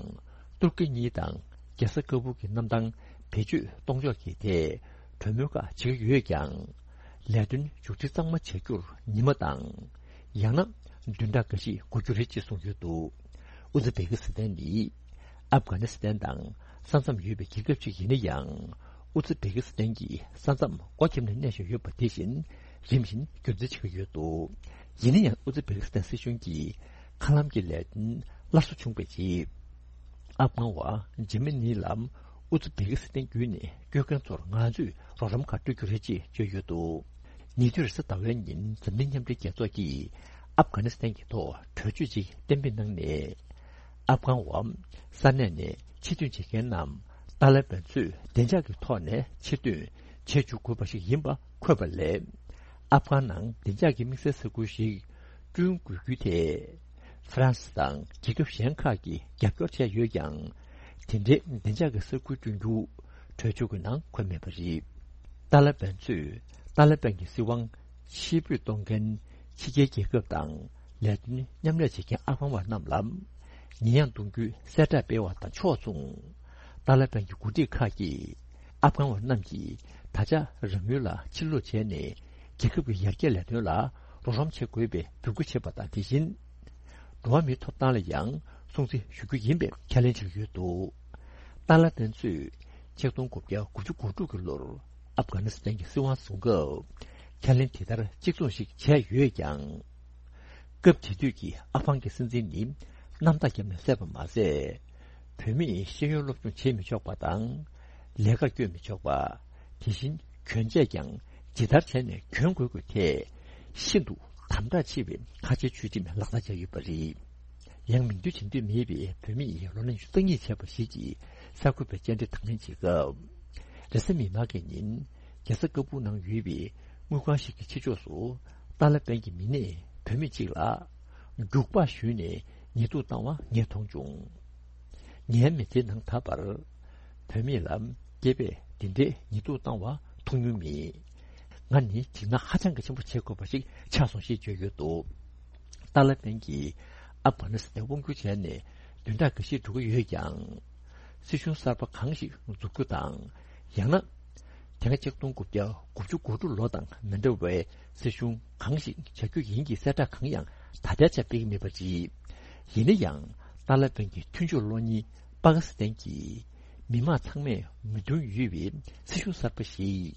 ཏུར་ཀི་གཉིས་དང་རྒྱལ་ས་ཀ་བུལ་གྱི་གནམ་ཐང་བེད་སྤྱོད་གཏོང་ཕྱོགས་ཀྱི་ཐད་གྲོས་མོལ་ཁག་བྱེད་ཀྱི་ཡོད་ཀྱང་། ལས་དོན་མཇུག་སྒྲིལ་གཙང་མ་བྱ་རྒྱུར་ཉི་མ་དང་། ཡང་ན་བདུན་ཕྲག་འགའ་ཞིག་འགོར་རྒྱུ་རེད་ཅེས་གསུངས་ཡོད་འདུག་ཨུ་ཛི་བེ་ཀི་སི་ཐན་ནི་ཨབ་གྷ་ནི་སི་ཐན་དང་ས་མཚམས་ཡོད་པའི་རྒྱལ་ཁབ་ཅིག་ཡིན་ན་ཡང་། ཨུ་ཛི་བེ་ཀི་སི་ཐན་གྱི་ས་མཚམས་སྒོ་ཁྱེར་ནས་གནས་བཞིན་ཡོད་པ་དེ་བཞིན་རིམ་བཞིན་སྒྱུར་རྩིས་བྱེད་ཀྱི་ཡོད་འདུག་ཡིན་ན་ཡང་ཨུ་ཛི་བེ་ཀི་སི་ཐན་སྲིད་གཞུང་གིས་མཁའ་ལམ་གྱི་ལས་དོན་སླར་གསོ་བྱུང་བའི་རྗེས། ཨབ་གྷན་བ་འཇར་མ་ནི་ལ་ཨུ་ཛི་བེ་ཀི་སི་ཐན་བརྒྱུད་ནས་སྐྱོད་མཁན་ཚོར་ང་ཚོས་རོགས་རམ་ཁག་སྤྲོད་རྒྱུ་རེད་ཅེས་བརྗོད་ཡོད་འདུག་ཉེ་དུས་རེས་གཟའ་ཟླ་བའི་ཉིན་འཛམ་གླིང་མཉམ་འབྲེལ་རྒྱལ་ཚོགས་ཀྱིས་ཨབ་གྷ་ནི་སི་ཐན་གྱི་ཐོག་གྲོས་ཆོད་ཅིག་གཏན་འབེབས་གནང་ནས། ཨབ་གྷན་བ་ས་གནས་ནས་ཕྱིར་ཐོན་བྱེད་མཁན་རྣམས་ཏཱ་ལ་པན་ཚོས་བདེ་འཇགས་ཀྱི་ཐོག་ནས་ཕྱིར་ཐོན་བྱེད་འཇུག་དགོས་པ་ཞིག་ཡིན་པ་འཁོད་པ་ལས། ཨབ་གྷན་ནང་བདེ་འཇགས་ཀྱི་དམིགས་བསལ་ས་ཁུལ་ཞིག་བསྐྲུན་དགོས་རྒྱུའི་ཐད། ཧྥ་རན་སི་དང་རྒྱལ་ཁབ་གཞན་ཁག་གིས་རྒྱབ་སྐྱོར་བྱས་ཡོད་ཀྱང་། དེ་འདྲའི་བདེ་འཇགས་ཀྱི་ས་ཁུལ་བསྐྲུན་རྒྱུ་གྲོས་ཆོད་ཀྱི་ནང་འཁོད་མེད་པ་རེད། ཏཱ་ལ་པན་ཚོས་ཏཱ་ལ་པན་གྱི་སྲིད་དབང་ཕྱིར་འབུད་གཏོང་མཁན་ཕྱི་རྒྱལ་རྒྱལ་ཁབ་དང་ལས་དོན་མཉམ་ལས་བྱེད་མཁན་ཨབ་གྷན་བ་རྣམས་ལ་ཉེས་ཡངས་གཏོང་རྒྱུའི་གསལ་བསྒྲགས་སྤེལ་བ་དང་ཕྱོགས་མཚུངས། ཏཱ་ལ་པན་གྱི་འགོ་ཁྲིད་ཁག་གིས་ཨབ་གྷན་བ་རྣམས་ཀྱིས་ད་ཆ་རང་ཡུལ་ལ་ཕྱིར་ལོག་བྱས་ནས་རྒྱལ་ཁབ་ཀྱི་ཡར་རྒྱས་ལས་དོན་ལ་རོགས་རམ་བྱེད་དགོས་པའི་འབོད་སྐུལ་བྱས་པ་དང་། དེ་བཞིན་འགྲོ་བ་མིའི་ཐོབ་ཐང་ལ་ཡང་སྲུང་བརྩི་ཞུ་རྒྱུ་ཡིན་པའི་ཁས་ལེན་བྱེད་ཀྱི་ཡོད་འདུག་ཏཱ་ལ་པན་ཚོས་ཆིག་སྟོང་དགུ་བརྒྱ་དགུ་བཅུ་གོ་དྲུག་གི་ལོར་ཨབ་གྷ་ནི་སི་ཐན་གྱི་སྲིད་དབང་བཟུང་སྐབས་ཁས་ལེན་དེ་ལྟར་གཅིག་མཚུངས་ཤིག་བྱས་ཡོད་ཀྱང་། སྐབས་དེ་དུས་ཀྱི་ཨ་ཕང་གི་སྲིད་འཛིན་ནི་གནམ་ཐག་བརྒྱབ་ནས་བསད་པ་མ་ཟད། བུད་མེད་ཤེས་ཡོན་སློབ་སྦྱོང་བྱེད་མི་ཆོག་པ་དང་། ལས་ཀར་བསྐྱོད་མི་ཆོག་པ། དེ་བཞིན་གྱོན་ཆས་ཀྱང་ཇི་ལྟར་བྱས་ནས་གྱོན་དགོས་དགོས་ཐད་ཤིན་ཏུ་དམ་དྲག་ཆེ་བའི་ཁ་ཆེའི་ཆོས་ཁྲིམས་ལག་བསྟར་བྱས་ཡོད་པ་རེད། ཡང་མིང་འདོན་བྱེད་འདོད་མེད་པའི་བུད་མེད་ལོ་ན་ཉི་ཤུ་རྩ་གཉིས་བྱས་པ་ཞིག་གིས་གསར་འགོད་པའི་བཅར་འདྲི་དང་ལེན་བྱེད་སྐབས། རེས་གཟའ་མིག་དམར་གྱི་ཉིན་རྒྱལ་ས་ཀ་སྦུག་ནང་ཡོད་པའི་དངུལ་ཁང་ཞིག་གི་ཕྱི་ཕྱོགས་སུ་ཏཱ་ལ་པན་གྱི་མི་སྣས་བུད་མེད་ཅིག་ལ་རྒྱུག་པ་གཞུས་ནས་ཉེས་འཛུགས་བཏང་བ་ངས་མཐོང་བྱུང་། ངའི་མི་ཚེའི་ནང་ད་བར་བུད་མེད་ལ་སྐྱེས་པས་འདི་འདྲའི་ཉེས་འཛུགས་བཏང་བ་མཐོང་མྱོང་མེད། ང་ནི་འཇིགས་སྣང་ཧ་ཅང་གི་ཆེན་པོ་བྱེད་དགོས་པ་ཞིག་ཆགས་སོང་ཞེས་བརྗོད་ཡོད་འདུག་ཏཱ་ལ་པན་གྱིས་ཨབ་གྷ་ནི་སི་ཐན་དབང་བསྒྱུར་བྱས་ནས་བདུན་ཕྲག་འགའ་ཤས་འགྲོ་གི་ཡོད་ཀྱང་། སྲིད་གཞུང་གསར་པ་གང་ཞིག་འཛུགས་རྒྱུ་དང་། ཡང་ན། དེ་སྔ་ཆིག་སྟོང་དགུ་བརྒྱ་དགུ་བཅུ་གོ་དྲུག་ལོ་དང་མི་འདྲ་བའི་སྲིད་གཞུང་གང་ཞིག་བྱ་རྒྱུ་ཡིན་གྱི་གསལ་བསྒྲགས་གང་ཡང་ད་ལྟའི་ཆར་སྤེལ་གྱི་མེད་པ་རེད། ཡིན་ན་ཡང་ཏཱ་ལ་པན་གྱི་མཐུན་ཕྱོགས་གློག་བརྙན་པ་ཀི་སི་ཐན་གྱིས་མི་མང་ཚང་མས་མོས་མཐུན་ཡོད་པའི་སྲིད་གཞུང་གསར་པ་ཞིག་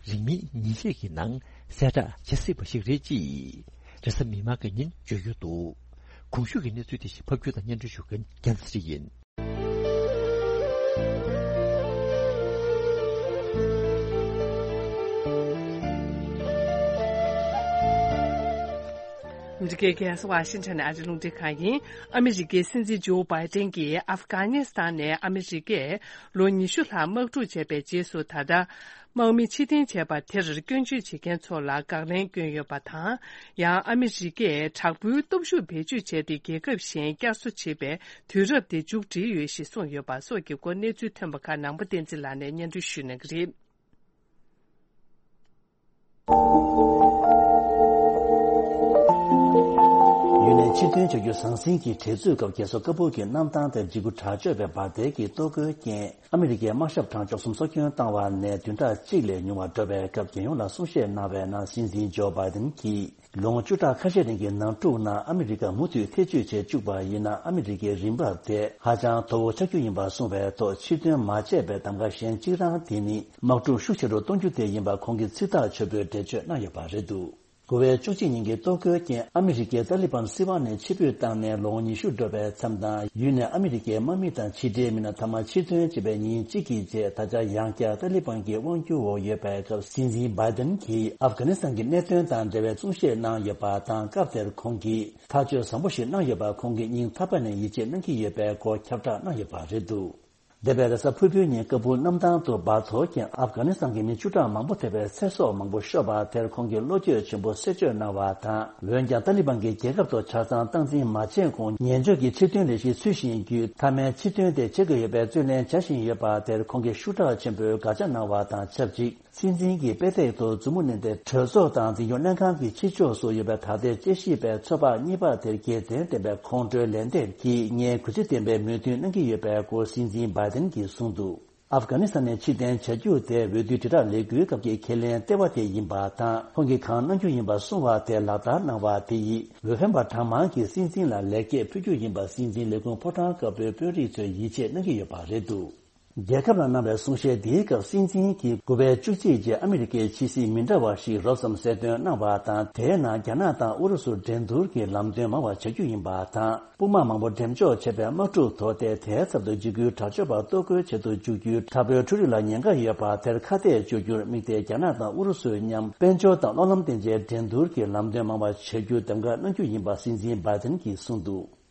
རིང་མིན་ཉིན་ཤས་ཀྱི་ནང་གསལ་བསྒྲགས་བྱེད་སྲིད་པ་ཞིག་རེད་ཅེས་རེས་གཟའ་མིག་དམར་གྱི་ཉིན་བརྗོད་ཡོད་འདུག་གོང་ཞུས་ཀྱི་གནས་ཚུལ་དེ་བཞིན་ཕབ་སྒྱུར་དང་སྙན་སྒྲོན་ཞུ་མཁན་རྒྱལ་མཚན་ཡིན། འདི་གའི་རྒྱལ་ས་ཝ་ཤིང་ཊོན་ནས་ཨ་རི་རླུང་འཕྲིན་ཁང་ཡིན། ཨ་མི་རི་ཀའི་སྲིད་འཛིན་ཇོ་བྷའི་ཏན་གྱིས་ཨབ་གྷ་ནི་སི་ཐན་ནས་ཨ་མི་རི་ཀས་ལོ་ཉི་ཤུ་ལྷག་དམག་འཁྲུག་བྱས་པའི་རྗེས་སུ་ད་ལྟ། དམག་མི་ཕྱིར་འཐེན་བྱས་པ་དེར་སྐྱོན་བརྗོད་བྱེད་མཁན་ཚོ་ལ་དགག་ལན་བསྐྱོན་ཡོད་པ་དང་། ཡང་ཨ་མི་རི་ཀས་དྲག་པོའི་སྟོབས་ཤུགས་བེད་སྤྱོད་བྱས་ཏེ་རྒྱལ་ཁབ་གཞན་བསྐྱར་གསོ་བྱེད་པའི་དུས་རབས་དེ་མཇུག་བསྒྲིལ་ཡོད་ཞེས་གསུངས་ཡོད་པ་སོགས་ཀྱི་སྐོར་གནས་ཚུལ་ཐོན་པ་ཁག་ནང་པ་བསྟན་འཛིན་ལགས་ནས་སྙན་སྒྲོན་ཞུ་གནང་གི་རེད། ཡུན་ནན་ཕྱིར་ཐོན་བྱ་རྒྱུ་ཟང་ཟིང་གི་འགྲན་རྩོད་སྐབས་རྒྱལ་ས་ཀ་སྦུག་གི་གནམ་ཐང་དེར་འཇིགས་སྐུལ་དྲག་སྤྱོད་པའི་འབར་མདེལ་གྱི་གཏོར་རྒོལ་རྐྱེན། ཨ་མི་རི་ཀའི་དམག་ཞབས་གྲངས་བཅུ་གསུམ་སྲོག་སྐྱོན་བཏང་བ་ནས་བདུན་ཕྲག་གཅིག་ལས་ཉུང་བ་འགྲོ་བའི་སྐབས་རྒྱལ་ཡོངས་ལ་གསུང་བཤད་གནང་བའི་ནང་། སྲིད་འཛིན་ཇོ་བྷའི་ཏན་གྱིས་ལོ་ངོ་བཅུ་ཕྲག་ཁ་ཤས་རིང་གི་ནང་འཁྲུག་ནང་ཨ་མི་རི་ཀ་མུ་མཐུད་ཐེ་བྱུས་བྱེད་བཅུག་པ་ཡིན་ན། ཨ་མི་རི་ཀའི་རིན་འབབ་དེ་ཧ་ཅང་མཐོ་བོ་ཆགས་རྒྱུ་ཡིན་པ་གསུངས་པའི་ཐོག་ཕྱིར་ཐོན་མ་བྱས་པའི་གདམ་ག་གཞན་གཅིག་རང་དེ་ནི་དམག་འཁྲུག་ཤུགས་ཆེ་རུ་གཏོང་རྒྱུ་དེ་ཡིན་པ་ཁོང་གིས་ཚིག་ཐག་ཆོད་པོའི་འགྲེལ་བརྗོད་གནང་ཡོད་པ་རེད་འདུག་དགུ་པའི་བཅུ་གཅིག་ཉིན་གྱི་གཏོར་རྒོལ་རྐྱེན་ཨ་མི་རི་ཀས་ཏཱ་ལི་བན་སྲིད་དབང་ནས་ཕྱིར་འབུད་བཏང་ནས་ལོ་ངོ་ཉི་ཤུ་འགྲོ་བའི་མཚམས་དང་། ཡུལ་ནས་ཨ་མི་རི་ཀའི་དམག་མི་དང་ཕྱི་འབྲེལ་མི་སྣ་མཐའ་མ་ཕྱིར་ཐོན་བྱས་པའི་ཉིན་གཅིག་གི་རྗེས། ད་ཆ་ཡང་བསྐྱར་ཏཱ་ལི་བན་གྱི་དབང་སྒྱུར་འོག་ཡོད་པའི་སྐབས། སྲིད་འཛིན་བྷའི་ཏན་གྱིས་ཨབ་གྷ་ནི་སི་ཐན་གྱི་གནད་དོན་དང་འབྲེལ་བའི་གསུང་བཤད་གནང་ཡོད་པ་དང་། སྐབས་དེར་ཁོང་གིས་ཐག་གཅོད་བཟང་པོ་ཞིག་གནང་ཡོད་པ་ཁོང་གིས་སྙིང་ཐག་པ་ནས་ཡིད་ཆེས་གནང་གི་ཡོད་པའི་སྐོར་ཁྱབ་བསྒྲགས་གནང་ཡོད་པ་རེད་འདུག་འདས་པའི་རེས་གཟའ་ཕུར་བུའི་ཉིན་ཀ་བུལ་གནམ་ཐང་དུ་འབར་ཐོག་རྐྱེན་ཨབ་གྷ་ནི་སི་ཐན་གྱི་མི་བཅུ་ཕྲག་མང་པོ་ཐེ་བའི་ཚེ་སྲོག་མང་པོ་ཤོར་བ་དེར་ཁོང་གིས་བློ་འགྱོད་ཆེན་པོ་གསལ་བརྗོད་གནང་བ་དང་། འོན་ཀྱང་ཏཱ་ལི་བན་གྱིས་རྒྱལ་ཁབ་ཏུ་ཆ་ཚང་སྟངས་འཛིན་མ་བྱས་གོང་ཉེན་བཅོལ་གྱི་ཕྱིར་ཐོན་ལས་གཞི་ཚུལ་བཞིན་བརྒྱུད། མཐའ་མའི་ཕྱིར་ཐོན་དེ་བྱེད་དགོས་ཡོད་པའི་རྩོད་ལེན་བྱ་བཞིན་ཡོད་པ་དེར་ཁོང་གིས་ཤུགས་དྲག་ཆེན་པོས་དགག་བྱ་གནང་བ་དང་ཆབས་ཅིག་སྲིད་འཛིན་གྱི་དཔེ་སྟེགས་ཐོག་མཛུབ་མོ་བསྣུན་ཏེ། གྲོས་ཚོགས་དང་འཛིན་སྐྱོང་ལྷན་ཁང་གི་ཕྱི་ཕྱོགས་སུ་ཡོད་པའི་ད་ལྟའི་དཔྱད་ཞིབ་པའི་ཚོགས་པ་གཉིས་པ་དེར་དགེ་མཚན་ལྡན་པའི་ཁོང་ཁྲོའི་ལན་འདེབས་ཀྱིས་ངས་གུས་བརྩི་ལྡན་པའི་མོས་མཐུན་གནང་གི་ཡོད་པའི་སྐོར་སྲིད་འཛིན་བྷའི་ཏན་གྱིས་གསུངས་འདུག་ཨབ་གྷ་ནི་སི་ཐན་ནས་ཕྱིར་འཐེན་བྱ་རྒྱུ་དེ་འོས་བསྡུའི་དྲིལ་བསྒྲགས་ལས་འགུལ་སྐབས་ཀྱི་ཁས་ལེན་ལྟེ་བ་དེ་ཡིན་པ་དང་། ཁོང་གིས་གང་གནང་རྒྱུ་ཡིན་པ་གསུངས་པ་དེ་ལག་བསྟར་གནང་བ་དེ་ཡིས་འོས་འཕེན་པ་གྲངས་མང་གིས་སྲིད་འཛིན་ལ་ལེགས་སྐྱེས་ཕུལ་རྒྱུ་ཡིན་པ་སྲིད་འཛིན་ལས་ཁུངས་ཕོ་བྲང་དཀར་པོའི་དཔོན་རིགས་ཚོས་ཡིད་ཆེས་གནང་གི་ཡོད་པ་རེད་འདུག་རྒྱལ་ཁབ་ལ་གནང་བའི་གསུང་བཤད་འདིའི་སྐབས། སྲིད་འཛིན་གྱིས་དགུ་པའི་བཅུ་གཅིག་རྗེས་ཨ་མི་རི་ཀའི་ཕྱི་སྲིད་མི་འདྲ་བ་ཞིག་རོབ་ཙམ་གསལ་སྟོན་གནང་བ་དང་། དེའི་ནང་རྒྱ་ནག་དང་ཨུ་རུ་སུ་འགྲན་བསྡུར་གྱི་ལམ་སྟོན་མང་བ་བྱ་རྒྱུ་ཡིན་པ་དང་། དཔུང་དམག་མང་པོ་འགྲེམས་འཇོག་བྱས་པའི་དམག་འཁྲུག་ཐོག་སྟེ། དེའི་ཚབ་ཏུ་འཇིགས་སྐུལ་དྲག་སྤྱོད་པ་གཏོར་རྒོལ་བྱེད་དུ་འཇུག་རྒྱུའི་དྲག་པོའི་འཕྲུལ་རིག་ལ་ཉེན་ཁ་ཡོད་པ་དེར་ཁ་གཏད་གཅོག་རྒྱུར་དམིགས་ཏེ། རྒྱ་ནག་དང་ཨུ་རུ་སུའི་མཉམ་དཔལ་འབྱོར་དང་གློག་ལམ་སྟེང་བཅས་འགྲན་བསྡུར་གྱི་ལམ་སྟོན་མང་བ་བྱ་རྒྱུ་གདམ་ག་གནང་རྒྱུ་ཡིན་པ་སྲིད་འཛིན་བྷའི་ཏན་གྱིས་གསུངས་འདུག་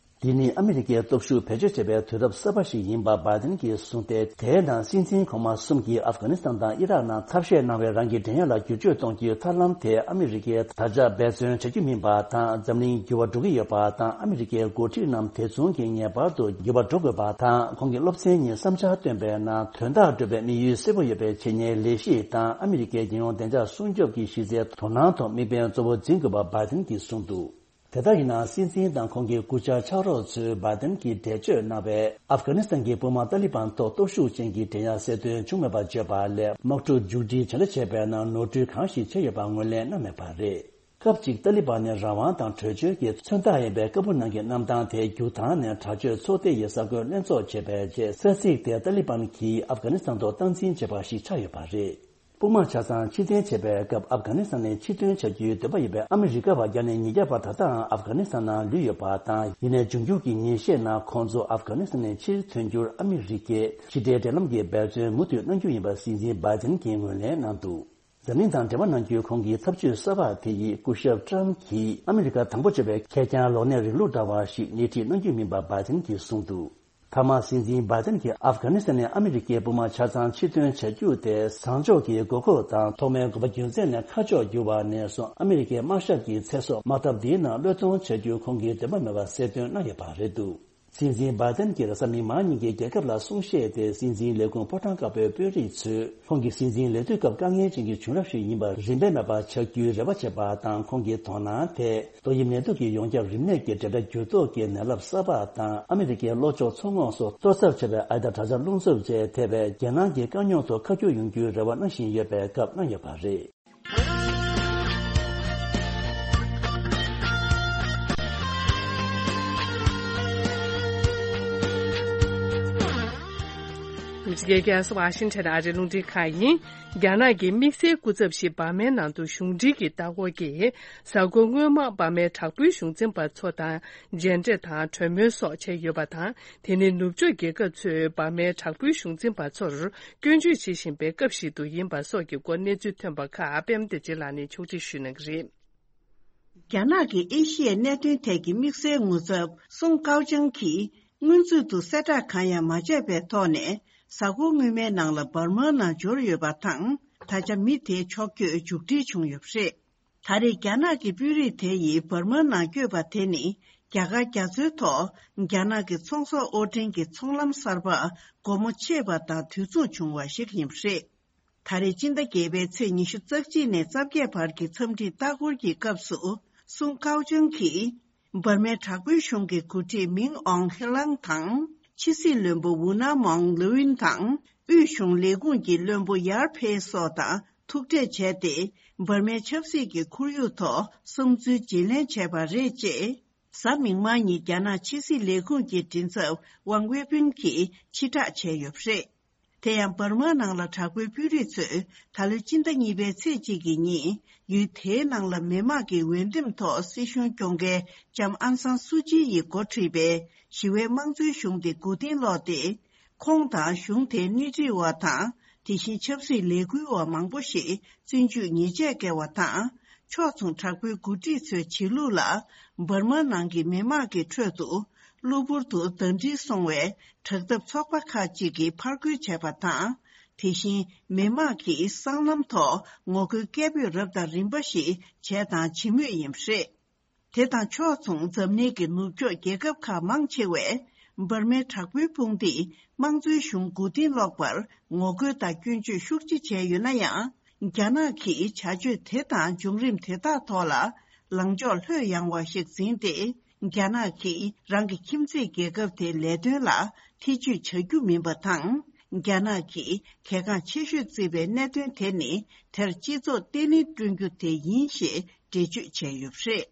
འདི་ནི་ཨ་མི་རི་ཀའི་སྟོབས་ཤུགས་བེད་སྤྱོད་བྱེད་པའི་དུས་རབས་གསར་པ་ཞིག་ཡིན་པ་བྷའི་ཏན་གྱིས་གསུངས་ཏེ། དེའི་ནང་སྲིད་འཛིན་གོང་མ་གསུམ་གྱིས་ཨབ་གྷ་ནི་སི་ཐན་དང་ཨི་རག་ནང་ཐབས་ཤེས་གནང་བའི་རང་གི་འགྲན་ཡ་ལ་བསྒྱུར་བཅོས་གཏོང་རྒྱུའི་ཐབས་ལམ་དེ་ཨ་མི་རི་ཀས་ད་ཆ་འབད་བརྩོན་བྱ་རྒྱུ་མིན་པ་དང་། འཛམ་གླིང་འགྱུར་བ་འགྲོ་གི་ཡོད་པ་དང་། ཨ་མི་རི་ཀའི་འགོ་ཁྲིད་རྣམས་དེ་མཚུངས་ཀྱིས་ངེས་པར་དུ་འགྱུར་བ་འགྲོ་དགོས་པ་དང་། ཁོང་གིས་སློབ་ཚན་གཉིས་བསམ་འཆར་བཏོན་པའི་ནང་དོན་དག་སྒྲུབ་པའི་དམིགས་ཡུལ་གསལ་པོ་ཡོད་པའི་བྱེད་གཉེར་ལས་གཞི་དང་། ཨ་མི་རི་ཀའི་རྒྱལ་ཡོངས་བདེ་འཇགས་སྲུང་སྐྱོབ་ཀྱི་གཞི་རྩའི་དོ་སྣང་ཐོག་དམིགས་འབེན་གཙོ་བོ་འཛིན་དགོས་པ་བྷའི་ཏན་གྱིས་གསུངས་འདུག་དེ་ལྟར་ཡིན་ནའང་། སྲིད་འཛིན་དང་ཁོང་གི་སྐུ་བཅར་ཕྱག་རོགས་ཚོས་བྷའི་ཏན་གྱིས་འགྲེལ་བརྗོད་གནང་བའི་ཨབ་གྷ་ནི་སི་ཐན་གྱི་དཔུང་དམག་ཏཱ་ལི་བན་ཐོག་སྟོབས་ཤུགས་ཅན་གྱི་འགྲན་ཡ་གསལ་སྟོན་བྱུང་མེད་པར་བརྗོད་པ་ལས། དམག་འཁྲུག་མཇུག་སྒྲིལ་བྱ་འདྲ་བྱས་པའི་ནང་ནོར་འཁྲུལ་གང་ཞིག་བྱས་ཡོད་པ་ངོས་ལེན་གནང་མེད་པ་རེད། སྐབས་གཅིག་ཏཱ་ལི་བན་ནི་རང་དབང་དང་གྲོས་ཆོད་ཀྱི་མཚོན་རྟགས་ཡིན་པའི་ཀ་བུ་ནང་གི་གནམ་ཐང་དེ་རྒྱུག་ཐང་ནས་དྲག་སྤྱོད་ཚོགས་སྡེ་ཡི་ས་ཁུལ་ལྷན་ཚོགས་བྱས་པའི་རྗེས། ས་ཚིགས་དེ་ཏཱ་ལི་བན་གྱིས་ཨབ་གྷ་ནི་སི་ཐན་ཐོག་སྟངས་འཛིན་བྱས་པ་ཞིག་ཆགས་ཡོད་པ་རེད། དཔུང་དམག་ཆ་ཚང་ཕྱིར་འཐེན་བྱས་པའི་སྐབས། ཨབ་གྷ་ནི་སི་ཐན་ནས་ཕྱིར་ཐོན་བྱ་རྒྱུའི་འདུན་པ་ཡོད་པའི་ཨ་མི་རི་ཀ་བ་བརྒྱ་ནས་ཉིས་བརྒྱ་བར་ད་ལྟའང་ཨབ་གྷ་ནི་སི་ཐན་ནང་ལུས་ཡོད་པ་དང་། ཡིན་ནའི་འབྱུང་འགྱུར་གྱི་ཉིན་ཤས་ནང་ཁོང་ཚོ་ཨབ་གྷ་ནི་སི་ཐན་ནས་ཕྱིར་ཐོན་རྒྱུར་ཨ་མི་རི་ཀས་ཕྱི་འབྲེལ་འབྲེལ་ལམ་གྱི་འབད་བརྩོན་མུ་མཐུད་གནང་རྒྱུ་ཡིན་པ་སྲིད་འཛིན་བྷའི་ཏན་གྱིས་ངོས་ལེན་གནང་འདུག་འཛམ་གླིང་དང་འབྲེལ་བ་གནང་རྒྱུའི་ཁོང་གི་ཐབས་ཇུས་གསར་པ་དེ་ཡིས་སྐུ་ཞབས་ཀྲམ་གྱིས་ཨ་མི་རི་ཀ་དང་པོ་བྱས་པའི་ཁེར་རྐྱང་ལོག་གནས་རིང་ལུགས་འདྲ་བ་ཞིག་སྣེ་ཁྲིད་གནང་རྒྱུ་མིན་པ་བྷའི་ཏན་གྱིས་གསུངས་འདུག་མཐའ་མ་སྲིད་འཛིན་བྷའི་ཏན་གྱིས་ཨབ་གྷ་ནི་སི་ཐན་ནས་ཨ་མི་རི་ཀའི་དཔུང་དམག་ཆ་ཚང་ཕྱིར་ཐོན་བྱ་རྒྱུ་དེ་བཟང་ཕྱོགས་ཀྱི་དགོས་མཁོ་དང་ཐོག་མའི་དགོས་པ་རྒྱུ་མཚན་ནས་ཁ་ཕྱོགས་བསྒྱུར་བ་ནས་བཟུང་། ཨ་མི་རི་ཀའི་དམག་ཞབས་ཀྱི་ཚེ་སྲོག་དམག་འཐབ་འདིའི་ནང་བློས་གཏོང་བྱ་རྒྱུ་ཁོང་གིས་འདུན་པ་མེད་པ་གསལ་སྟོན་གནང་ཡོད་པ་རེད་འདུག་སྲིད་འཛིན་བྷའི་ཏན་གྱིས་རེས་གཟའ་མིག་དམར་ཉིན་གྱི་རྒྱལ་ཁབ་ལ་གསུང་བཤད་དེ། སྲིད་འཛིན་ལས་ཁུངས་ཕོ་བྲང་དཀར་པོའི་དཔོན་རིགས་ཚོས་ཁོང་གི་སྲིད་འཛིན་ལས་དུས་སྐབས་དཀའ་ངལ་ཅན་གྱི་བྱུང་རབས་ཤིག་ཡིན་པ་རིན་པ་མེད་པ་ཆགས་རྒྱུའི་རེ་བ་བྱེད་པ་དང་། ཁོང་གི་དོ་སྣང་དེ་ཏོག་དབྱིབས་ནད་དུག་གི་ཡོངས་ཁྱབ་རིམས་ནད་ཀྱི་འབྲེལ་སྒྲ་འགྱུར་ལྡོག་གི་ནད་རླབས་གསར་པ་དང་། ཨ་མི་རི་ཀའི་ལྷོ་ཕྱོགས་མཚོ་ངོགས་སུ་གཏོར་ཚབས་ཆེ་བའི་ཨའི་དང་དྲག་ཆར་རླུང་འཚུབ་བཅས་ཐེ་བའི་རྒྱལ་ནང་གི་དཀའ་རྙོག་ཐོག་ཁ་སྒྱུར་ཡོང་རྒྱུའི་རེ་བ་གནང་བཞིན་ཡོད་པའི་སྐབས་གནང་ཡོད་པ་རེད། རྒྱལ་ཁབ་ཝ་ཤིང་ཊོན་ཨ་རིའི་རླུང་འཕྲིན་ཁང་ཡིན། རྒྱ་ནག་གི་དམིགས་བསལ་སྐུ་ཚབ་ཞིག་འབར་མའི་ནང་དུ་གཞུང་འབྲེལ་གྱི་ལྟ་སྐོར་གྱིས། གཟའ་འཁོར་སྔོན་མ་འབར་མའི་དྲག་པོའི་གཞུང་འཛིན་པ་ཚོ་དང་མཇལ་འཕྲད་དང་གྲོས་མོལ་སོགས་བྱས་ཡོད་པ་དང་། དེ་ནི་ནུབ་ཕྱོགས་རྒྱལ་ཁབ་ཚོས་འབར་མའི་དྲག་པོའི་གཞུང་འཛིན་པ་ཚོར་སྐྱོན་བརྗོད་བྱེད་བཞིན་པའི་སྐབས་ཤིག་ཏུ་ཡིན་པ་སོགས་ཀྱི་སྐོར་གནས་ཚུལ་ཐོན་པ་ཁག་པད་མ་བདེ་ཆེན་ལགས་ནས་ཕྱོགས་སྒྲིག་ཞུས་གནང་གི་རེད། རྒྱ་ནག་གི་ཨེ་ཤི་ཡའི་གནད་དོན་ཐད་ཀྱི་དམིགས་བསལ་ངོ་ཚབ་སུང་ཀའོ་ཅང་གིས། སྔོན་ཚུད་དུ་གསལ་བསྒྲགས་གང་ཡང་མ་བྱས་པའི་ཐོག་ནས། གཟའ་འཁོར་སྔོན་མའི་ནང་ལ་འབར་མ་ནང་འབྱོར་ཡོད་པ་དང་། ད་ཆ་མི་དེའི་ཕྱོགས་བསྐྱོད་མཇུག་སྒྲིལ་བྱུང་ཡོད་པ་རེད། ད་རེས་རྒྱ་ནག་གི་དཔོན་རིགས་དེ་ཡིས་འབར་མ་ནང་བསྐྱོད་པ་དེ་ནི། རྒྱ་གར་རྒྱ་མཚོའི་ཐོག་རྒྱ་ནག་གི་ཚོང་ཟོག་དབོར་འདྲེན་གྱི་ཚོང་ལམ་གསར་པ་སྒོ་མོ་ཕྱེས་པ་དང་དུས་མཚུངས་བྱུང་བ་ཞིག་ཡིན་པ་རེད། ད་རེས་སྤྱི་ཟླ་བརྒྱད་པའི་ཚེས་ཉི་ཤུ་རྩ་གཅིག་ནས་རྩ་བརྒྱད་བར་གྱི་འཚམས་འདྲིའི་ལྟ་སྐོར་གྱི་སྐབས་སུ། སུང་ཀའོ་ཅང་གིས། འབར་མའི་དྲག་པོའི་གཞུང་གི་འགོ་ཁྲིད་མིང་ཨོང་ཧེ་ལང་དང་། ཕྱི་སྲིད་བློན་པོ་ཝུ་ན་མོང་ལུའུ་ཨིན་དང་། དབུས་གཞུང་ལས་ཁུངས་ཀྱི་བློན་པོ་ཡར་ཕེ་སོགས་དང་ཐུག་འཕྲད་བྱས་ཏེ། འབར་མའི་ཆབ་སྲིད་ཀྱི་ཁོར་ཡུག་ཐོག་བསམ་ཚུལ་བརྗེ་ལེན་བྱས་པ་རེད། ཅེས། གཟའ་མིག་དམར་ཉིན་རྒྱ་ནག་ཕྱི་སྲིད་ལས་ཁུངས་ཀྱི་མགྲིན་ཚབ་ཝང་ཝེ་ཕིན་གྱིས་ཕྱིར་བསྒྲགས་བྱས་ཡོད་པ་རེད། དེ་ཡང་འབར་མ་ནང་ལ་དྲག་པོའི་དཔོན་རིགས་ཚོས་ད་ལོའི་སྤྱི་ཟླ་གཉིས་པའི་ཚེས་གཅིག་གི་ཉིན་ཡུལ་དེའི་ནང་ལ་མི་དམངས་ཀྱི་འོས་འདེམས་ཐོག་སྲིད་གཞུང་སྐྱོང་མཁན་ལྕམ་ཨང་སང་སུ་ཅི་ཡིས་འགོ་ཁྲིད་པའི་ཞི་བའི་དམངས་གཙོའི་གཞུང་དེ་མགོ་རྟིང་སློག་སྟེ། ཁོང་དང་གཞུང་དེའི་སྣེ་ཁྲིད་པ་དང་དེ་བཞིན་ཆབ་སྲིད་ལས་འགུལ་བ་མང་པོ་ཞིག་བཙོན་འཇུག་ཉེས་ཆད་བཀལ་བ་དང་། ཕྱོགས་མཚུངས་དྲག་པོའི་འགོ་ཁྲིད་ཚོའི་བྱེད་ལུགས་ལ་འབར་མ་ནང་གི་མི་དམངས་ཀྱི་ཁྲོད་དུ་གློ་བུར་དུ་ཟླ་སྒྲིལ་སོང་བའི་དྲག་འཐབ་ཚོགས་པ་ཁག་ཅིག་གིས་ཕར་རྒོལ་བྱས་པ་དང་། དེ་བཞིན་མི་དམངས་ཀྱིས་སྲང་ལམ་ཐོག་ངོ་རྒོལ་སྐད་འབོད་རབ་དང་རིམ་པ་ཞིག་བྱས་དང་བྱེད་མུས་ཡིན་པ་རེད། དེ་དང་ཕྱོགས་མཚུངས་འཛམ་གླིང་གི་ནུབ་ཕྱོགས་རྒྱལ་ཁབ་ཁག་མང་ཆེ་བས་འབར་མའི་དྲག་པོའི་དཔུང་སྡེས་དམངས་གཙོའི་གཞུང་མགོ་རྟིང་སློག་པར་ངོ་རྒོལ་དང་སྐྱོན་བརྗོད་ཤུགས་ཆེ་བྱས་ཡོད་ན་ཡང་། རྒྱ་ནག་གིས་བྱ་སྤྱོད་དེ་དང་བྱུང་རིམ་དེ་དག་ཐོག་ལ་ལངས་ཕྱོགས་ལྷོད་ཡངས་པ་ཞིག་འཛིན་ཏེ། རྒྱ་ནག་གིས་རང་གི་ཁྱིམ་མཚེས་རྒྱལ་ཁབ་དེའི་ལས་དོན་ལ་ཐེ་ཇུས་བྱ་རྒྱུ་མིན་པ་དང་། རྒྱ་ནག་གིས་གལ་འགངས་ཆེ་ཤོས་བརྩིས་པའི་གནད་དོན་དེ་ནི་དེར་སྤྱི་ཚོགས་བརྟན་ལྷིང་བསྐྲུན་རྒྱུ་དེ་ཡིན་ཞེས་འགྲེལ་བརྗོད་བྱས་ཡོད་པ་རེད།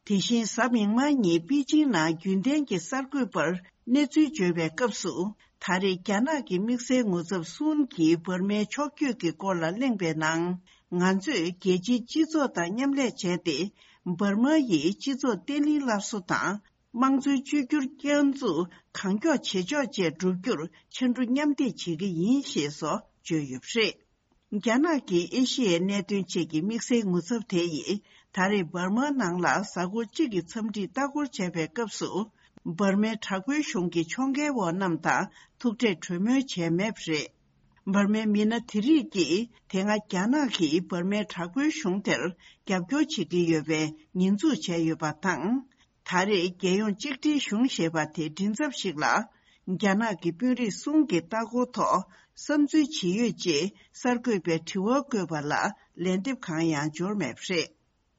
དེ་བཞིན་གཟའ་མིག་དམར་ཉིན་པེ་ཅིང་ནང་རྒྱུན་ལྡན་གྱི་གསར་འགོད་པར་གནས་ཚུལ་བརྗོད་པའི་སྐབས་སུ། ད་རེས་རྒྱ་ནག་གི་དམིགས་བསལ་ངོ་ཚབ་སུན་གྱིས་འབར་མའི་ཕྱོགས་བསྐྱོད་ཀྱི་སྐོར་ལ་གླེང་བའི་ནང་། ང་ཚོས་རྒྱལ་སྤྱིའི་སྤྱི་ཚོགས་དང་མཉམ་ལས་བྱས་ཏེ། འབར་མ་ཡི་སྤྱི་ཚོགས་བརྟན་ལྷིང་སླར་གསོ་དང་། དམངས་གཙོའི་བཅོས་བསྒྱུར་བསྐྱར་འཛུགས་གང་མགྱོགས་ཇེ་མགྱོགས་བཅས་བསྒྲུབ་རྒྱུར་ཕྱར་གྲུ་མཉམ་འདེགས་བྱེད་ཀྱི་ཡིན་ཞེས་སོགས་བརྗོད་ཡོད་པ་རེད། རྒྱ་ནག་གི་ཨེ་ཤི་ཡའི་གནད་དོན་ཆེད་ཀྱི་དམིགས་བསལ་ངོ་ཚབ་དེ་ཡིས་ད་རེས་འབར་མ་ནང་ལ་གཟའ་འཁོར་གཅིག་གི་འཚམས་འདྲིར་ལྟ་སྐོར་བྱས་པའི་སྐབས་སུ། འབར་མའི་དྲག་པོའི་གཞུང་གི་ཕྱོགས་འགལ་བ་རྣམས་དང་ཐུག་འཕྲད་གྲོས་མོལ་བྱས་མེད་པ་རེད། འབར་མའི་མི་སྣ་དེ་རིགས་ཀྱིས་དེ་སྔ་རྒྱ་ནག་གིས་འབར་མའི་དྲག་པོའི་གཞུང་དེར་རྒྱབ་སྐྱོར་བྱེད་ཀྱི་ཡོད་པའི་ཉེས་འཛུགས་བྱས་ཡོད་པ་དང་། ད་རེས་རྒྱལ་ཡོངས་གཅིག་སྒྲིལ་གཞུང་ཞེས་པ་དེའི་མགྲིན་ཚབ་ཞིག་ལ། རྒྱ་ནག་གི་དཔོན་རིགས་གསུམ་གྱི་ལྟ་སྐོར་ཐོག་བསམ་ཚུལ་ཇི་ཡོད་ཅེས་གསར་འགོད་པས་དྲི་བ་བཀོད་པ་ལ་ལན་འདེབས་གང་ཡང་འབྱོར་མེད་པ་རེད།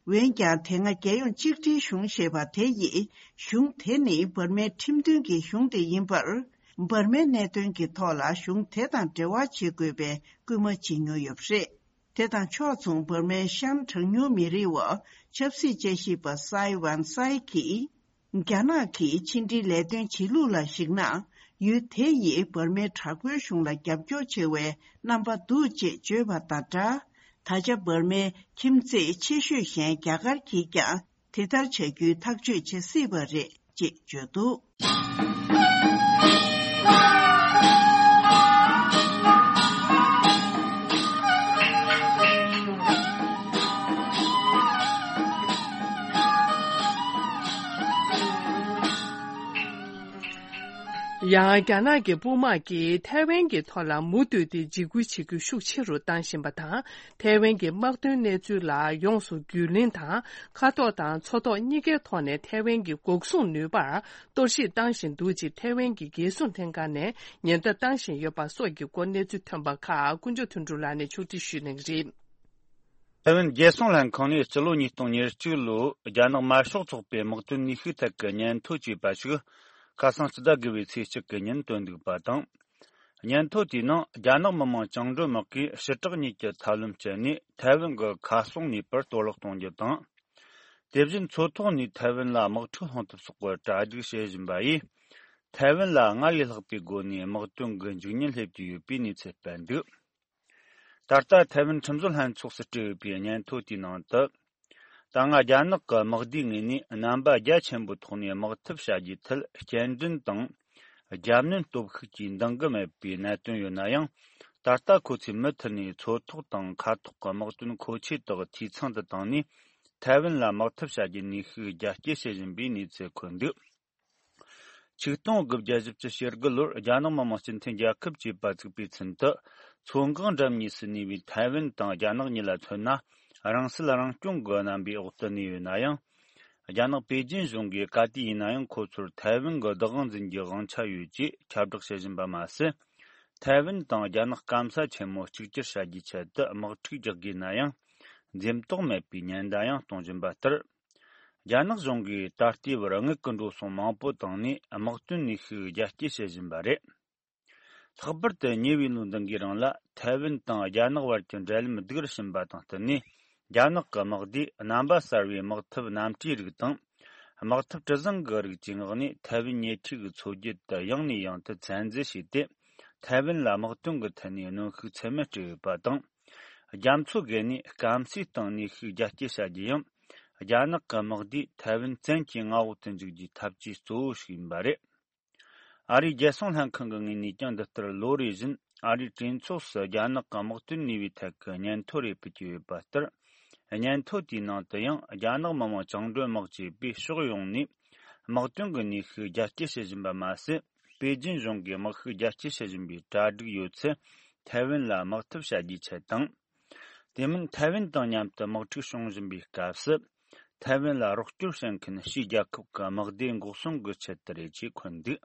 འོན་ཀྱང་། དེ་སྔ་རྒྱལ་ཡོངས་གཅིག་སྒྲིལ་གཞུང་ཞེས་པ་དེ་ཡིས། གཞུང་དེ་ནི་འབར་མའི་ཁྲིམས་མཐུན་གྱི་གཞུང་དེ་ཡིན་པར། འབར་མའི་གནད་དོན་གྱི་ཐོག་ལ་གཞུང་དེ་དང་འབྲེལ་བ་བྱེད་དགོས་པའི་སྐུལ་མ་བྱེད་མྱོང་ཡོད་པ་རེད། དེ་དང་ཕྱོགས་མཚུངས། འབར་མའི་ཤན་གྲངས་ཉུང་མི་རིགས་འོག་ཆབ་སྲིད་དཔྱད་ཞིབ་པ་སའེ་ཝན་སའེ་གིས། རྒྱ་ནག་གིས་ཕྱི་འབྲེལ་ལས་དོན་བྱེད་ལུགས་ལ་གཞིགས་ན། ཡུལ་དེ་ཡིས་འབར་མའི་དྲག་པོའི་གཞུང་ལ་རྒྱབ་སྐྱོར་ཆེ་བའི་རྣམ་པ་འདུག་ཅེས་བརྗོད་པ་དང་སྦྲགས། ད་ཆ་འབར་མའི་ཁྱིམ་མཚེས་ཆེ་ཤོས་གཞན་རྒྱ་གར་གྱིས་ཀྱང་དེ་ལྟར་བྱ་རྒྱུའི་ཐག་གཅོད་བྱེད་སྲིད་པ་རེད་ཅེས་བརྗོད་འདུག། ཡང་། རྒྱ་ནག་གི་དཔུང་དམག་གིས་ཐའེ་ཝན་གྱི་ཐོག་ལ་མུ་མཐུད་དེ་འཇིགས་སྐུལ་བྱེད་རྒྱུ་ཤུགས་ཆེ་རུ་བཏང་བཞིན་པ་དང་། ཐའེ་ཝན་གྱི་དམག་དོན་གནས་ཚུལ་ལ་ཡོངས་སུ་རྒྱུས་ལོན་དང་། མཁའ་ཐོག་དང་མཚོ་ཐོག་གཉིས་ཀའི་ཐོག་ནས་ཐའེ་ཝན་གྱི་འགོག་སྲུང་ནུས་པར་གཏོར་བཤིག་བཏང་བཞིན་འདུག་ཅེས་ཐའེ་ཝན་གྱི་རྒྱལ་སྲུང་ལྷན་ཁང་ནས་ཉེན་བརྡ་བཏང་བཞིན་ཡོད་པ་སོགས་ཀྱི་སྐོར་གནས་ཚུལ་ཐོན་པ་ཁག་དཀོན་མཆོག་དོན་གྲུབ་ལགས་ནས་ཕྱོགས་སྒྲིག་ཞུས་གནང་གི་རེད། ཐའེ་ཝན་རྒྱལ་སྲུང་ལྷན་ཁང་ནས་སྤྱི་ལོ་ཉིས་སྟོང་ཉེར་གཅིག་ལོའི་རྒྱ་ནག་དམར་ཤོག་ཚོགས་པའི་དམག་དོན་ནུས་ཤུགས་ཐད་ཀྱི་སྙན་ཐོ་ཅེས་པ་ཞིག་ཁ་སང་སྤྱི་ཟླ་དགུ་པའི་ཚེས་གཅིག་གི་ཉིན་བཏོན་འདུག་པ་དང་། སྙན་ཐོ་དེའི་ནང་རྒྱ་ནག་མི་དམངས་བཅིངས་འགྲོལ་དམག་གིས་ཕྱི་དྲག་གཉིས་ཀྱི་ཐབས་ལམ་སྤྱད་ནས་ཐའེ་ཝན་གྱི་མཁའ་སྲུང་ནུས་པར་གཏོར་བརླག་གཏོང་རྒྱུ་དང་། དེ་བཞིན་མཚོ་ཐོག་ནས་ཐའེ་ཝན་ལ་དམག་འཁྲུག་སློང་ཐབས་སོགས་ཀྱི་གྲ་སྒྲིག་བྱེད་བཞིན་པ་ཡིས། ཐའེ་ཝན་ལ་སྔར་ལས་ལྷག་པའི་སྒོ་ནས་དམག་དོན་གྱི་འཇིགས་ཉེན་སླེབས་ཀྱི་ཡོད་པའི་གནས་ཚུལ་སྤེལ་འདུག། ད་ལྟ་ཐའེ་ཝན་ཁྲིམས་བཟོ་ལྷན་ཚོགས་སུ་སྤྲད་ཡོད་པའི་སྙན་ཐོ་དེའི་ནང་དུ། ད་སྔ་རྒྱ་ནག་གི་དམག་སྡེའི་ངོས་ནས་རྣམ་པ་རྒྱ་ཆེན་པོའི་ཐོག་ནས་དམག་འཐབ་བྱ་རྒྱུའི་ཐད་སྐྱེལ་འདྲེན་དང་། རྒྱབ་གནོན་སྟོབས་ཤུགས་ཀྱིས་འདང་གི་མེད་པའི་གནད་དོན་ཡོད་ན་ཡང་། ད་ལྟ་ཁོ་ཚོས་མུ་མཐུད་ནས་མཚོ་ཐོག་དང་མཁའ་ཐོག་གི་དམག་དོན་མཁོ་ཆེ་དག་འཐུས་ཚང་དུ་བཏང་ནས། ཐའེ་ཝན་ལ་དམག་འཐབ་བྱ་རྒྱུའི་ནུས་ཤུགས་རྒྱ་སྐྱེད་བྱེད་བཞིན་པའི་གནས་ཚུལ་འཁོད་འདུག། ཆིག་སྟོང་དགུ་བརྒྱ་བཞི་བཅུ་ཞེ་དགུ་ལོར་རྒྱ་ནག་མི་དམངས་སྤྱི་མཐུན་རྒྱལ་ཁབ་ཅེས་པ་བཙུགས་པའི་ཚུན་དུ། མཚོ་འགག་འགྲམ་གཉིས་སུ་གནས་པའི་ཐའེ་ཝན་དང་རྒྱ་ནག་གཉིས་ལ་མཚོན་ན། རང་སྲིད་རང་སྐྱོང་གི་རྣམ་པའི་འོག་ཏུ་གནས་ཡོད་ན་ཡང་། རྒྱ་ནག་པེ་ཅིན་གཞུང་གིས་ག་དུས་ཡིན་ན་ཡང་ཁོ་ཚོར་ཐའེ་ཝན་གྱི་བདག་དབང་འཛིན་རྒྱུའི་དབང་ཆ་ཡོད་ཅེས་ཁྱབ་བསྒྲགས་བྱེད་བཞིན་པ་མ་ཟད། ཐའེ་ཝན་དང་རྒྱ་ནག་སྐམ་ས་ཆེན་མོ་གཅིག་གྱུར་བྱ་རྒྱུའི་ཆེད་དུ་དམག་འཁྲུག་རྒྱག་དགོས་ན་ཡང་། འཛེམ་དོགས་མེད་པའི་ཉེན་བརྡ་ཡང་གཏོང་བཞིན་པ་ལྟར། རྒྱ་ནག་གཞུང་གིས་ད་ལྟའི་བར་དངུལ་གྱི་འགྲོ་སོང་མང་པོ་བཏང་ནས་དམག་དོན་ནུས་ཤུགས་རྒྱ་སྐྱེད་བྱེད་བཞིན་པ་རེད། ལྷག་པར་དུ་ཉེ་བའི་ལོ་འདི་འགའི་རིང་ལ་ཐའེ་ཝན་དང་རྒྱ་ནག་བར་གྱི་འབྲེལ་ལམ་སྡུག་རུ་ཕྱིན་པ་དང་བསྟུན་ནས། རྒྱ་ནག་གི་དམག་སྡེས་རྣམ་པ་གསར་བའི་དམག་འཐབ་གནམ་གྲུའི་རིགས་དང་། དམག་འཐབ་གྲུ་གཟིངས་ཀྱི་རིགས་ཀྱི་ངོགས་ནས་ཐའེ་ཝན་ཉེ་འཁྲིས་ཀྱི་མཚོ་རྒྱུད་དུ་ཡང་ནས་ཡང་དུ་བཙན་འཛུལ་བྱས་ཏེ། ཐའེ་ཝན་ལ་དམག་དོན་གྱི་ཐད་ནས་གནོན་ཤུགས་ཚད་མེད་སྤྲད་ཡོད་པ་དང་། རྒྱ་མཚོ་བརྒལ་ནས་སྐམ་སའི་སྟེང་གནོན་ཤུགས་རྒྱ་སྐྱེད་བྱ་རྒྱུ་ཡང་། རྒྱ་ནག་གི་དམག་སྡེས་ཐའེ་ཝན་བཙན་གྱིས་མངའ་འོག་ཏུ་འཇུག་རྒྱུའི་ཐབས་ཇུས་གཙོ་བོ་ཞིག་ཡིན་པ་རེད། ཨ་རིའི་རྒྱལ་སྲུང་ལྷན་ཁང་གི་ངོས་ནས་ཀྱང་འདི་ལྟར་ལོ་རེ་བཞིན་ཨ་རིའི་གྲོས་ཚོགས་སུ་རྒྱ་ནག་གི་དམག་དོན་ནུས་པའི་ཐད་ཀྱི་སྙན་ཐོ་རེ་ཕུལ་གྱི་ཡོད་པ་ལྟར། སྙན་ཐོ་དེའི་ནང་དུ་ཡང་རྒྱ་ནག་མི་དམངས་བཅིངས་འགྲོལ་དམག་ཅེས་པས་ཕྱོགས་ཡོངས་ནས་དམག་དོན་གྱི་ནུས་ཤུགས་རྒྱ་སྐྱེད་བྱེད་བཞིན་པ་མ་ཟད། པེ་ཅིན་གཞུང་གིས་དམག་ཤུགས་རྒྱ་སྐྱེད་བྱེད་བཞིན་པའི་གྲ་སྒྲིག་ཡོད་ཚད་ཐའེ་ཝན་ལ་དམག་འཐབ་བྱ་རྒྱུའི་ཆེད་དང་། དེ་མིན་ཐའེ་ཝན་དང་མཉམ་དུ་དམག་འཁྲུག་བྱུང་བཞིན་པའི་སྐབས་སུ། ཐའེ་ཝན་ལ་རོགས་སྐྱོར་བྱེད་མཁན་ཕྱིའི་རྒྱལ་ཁབ་ཀྱི་དམག་སྡེ་འགོག་སྲུང་གི་ཆེད་དུ་རེད་ཅེས་འཁོད་འདུག་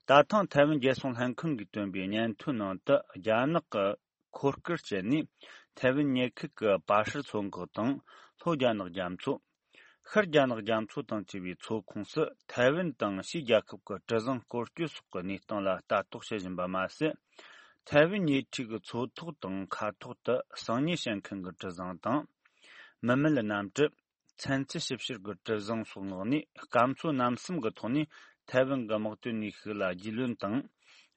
ད་ཐེངས་ཐའེ་ཝན་རྒྱལ་སྲུང་ལྷན་ཁང་གིས་བཏོན་པའི་སྙན་ཐོའི་ནང་དུ། རྒྱ་ནག་གི་འཁོར་སྐར་སྤྱད་ནས་ཐའེ་ཝན་ཉེ་ཁུལ་གྱི་པ་ཧྲི་མཚོ་འགག་དང་། ལྷོ་རྒྱ་ནག་རྒྱ་མཚོ། ཤར་རྒྱ་ནག་རྒྱ་མཚོ་དང་བཅས་པའི་མཚོ་ཁོངས་སུ་ཐའེ་ཝན་དང་ཕྱིའི་རྒྱལ་ཁབ་ཀྱི་གྲུ་གཟིངས་སྐོར་སྐྱོད་སོགས་ཀྱི་གནས་སྟངས་ལ་ལྟ་རྟོག་བྱེད་བཞིན་པ་མ་ཟད། ཐའེ་ཝན་ཉེ་འཁྲིས་ཀྱི་མཚོ་ཐོག་དང་མཁའ་ཐོག་ཏུ་གསང་ཉུལ་བྱེད་མཁན་གྱི་གྲུ་གཟིངས་དང་། མི་མེད་གནམ་གྲུ། ཚན་རྩལ་ཞིབ་བཤེར་གྱི་གྲུ་གཟིངས་སོགས་མངགས་ནས། སྐམ་མཚོ་གནམ་གསུམ་གྱི་ཐོག་ནས་ཐའེ་ཝན་གྱི་དམག་དོན་ནུས་ཤུགས་ལ་རྒྱུས་ལོན་དང་།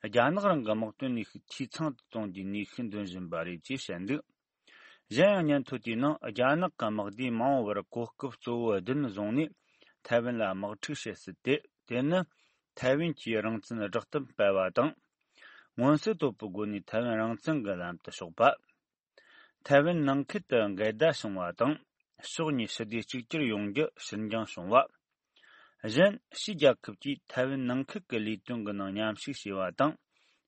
རྒྱ་ནག་རང་གི་དམག་དོན་ནུས་ཤུགས་འཐུས་ཚང་དུ་གཏོང་རྒྱུའི་ནུས་ཤུགས་འདོན་བཞིན་པ་རེད་ཅེས་བཤད་འདུག་གཞན་ཡང་སྙན་ཐོ་དེའི་ནང་། རྒྱ་ནག་གི་དམག་སྡེས་མ་འོངས་པར་གོ་སྐབས་གཙོ་བོ་བདུན་བཟུང་ནས་ཐའེ་ཝན་ལ་དམག་འཁྲུག་བྱེད་སྲིད་དེ། དེ་ནི་ཐའེ་ཝན་གྱིས་རང་བཙན་བསྒྲགས་གཏམ་སྤེལ་བ་དང་། མངོན་གསལ་དོད་པོའི་སྒོ་ནས་ཐའེ་ཝན་རང་བཙན་གྱི་ལམ་དུ་ཕྱོགས་པ། ཐའེ་ཝན་ནང་ཁུལ་དུ་འགལ་ཟླ་བྱུང་བ་དང་། ཕྱོགས་གཉིས་ཞི་བདེ་གཅིག་གྱུར་ཡོང་རྒྱུ་ཕྱིར་འགྱངས་བྱུང་བ། གཞན། ཕྱིའི་རྒྱལ་ཁབ་ཀྱིས་ཐའེ་ཝན་ནང་ཁུལ་གྱི་ལས་དོན་གྱི་ནང་མཉམ་ཞུགས་བྱས་པ་དང་།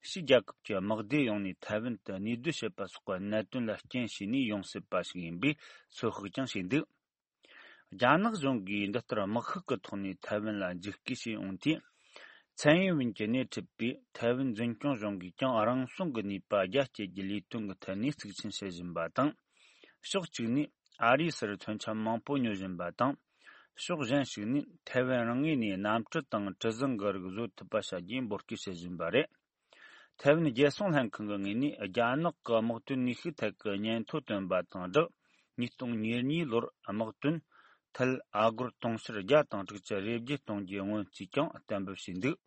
ཕྱིའི་རྒྱལ་ཁབ་ཀྱི་དམག་སྡེ་ཡོང་ནས་ཐའེ་ཝན་དུ་གནས་སྡོད་བྱེད་པ་སོགས་ཀྱི་གནད་དོན་ལ་རྐྱེན་བྱས་ནས་ཡོང་སྲིད་པ་ཞིག་ཡིན་པའི་ཚོད་དཔག་ཀྱང་བྱས་འདུག་རྒྱ་ནག་གཞུང་གིས་འདི་ལྟར་དམག་ཤུགས་ཀྱི་ཐོག་ནས་ཐའེ་ཝན་ལ་འཇིགས་སྐུལ་བྱས་ཡོང་དུས། ཚན་ཡིན་ཝིན་གྱིས་སྣེ་ཁྲིད་པའི་ཐའེ་ཝན་འཛིན་སྐྱོང་གཞུང་གིས་ཀྱང་རང་སྲུང་གི་ནུས་པ་རྒྱ་སྐྱེད་རྒྱུའི་ལས་དོན་གྱི་ཐད་ནས་གཙིགས་ཆེན་བྱེད་བཞིན་པ་དང་། ཕྱོགས་གཅིག་ནས་ཨ་རིའི་སར་མཚོན་ཆ་མང་པོ་ཉོ་བཞིན་པ་དང་། ཕྱོགས་གཞན་ཞིག་ནས་ཐའེ་ཝན་རང་ངོས་ནས་གནམ་གྲུ་དང་གྲུ་གཟིངས་གི་རིགས་བཟོ་ཐུབ་པ་བྱ་རྒྱུའི་འབོད་སྐུལ་བྱེད་བཞིན་པ་རེད། ཐའེ་ཝན་རྒྱལ་སྲུང་ལྷན་ཁང་གི་ངོས་ནས་རྒྱ་ནག་གི་དམག་དོན་ནུས་ཤུགས་ཐད་ཀྱི་སྙན་ཐོ་བཏོན་པ་དང་སྦྲགས། ཉིས་སྟོང་ཉེར་གཉིས་ལོར་དམག་དོན་ཐད་ཨ་སྒོར་དུང་ཕྱུར་བརྒྱ་དང་དྲུག་ཅུ་རེ་བརྒྱད་གཏོང་རྒྱུའི་སྔོན་རྩིས་ཀྱང་གཏན་འབེབས་བྱས་འདུག་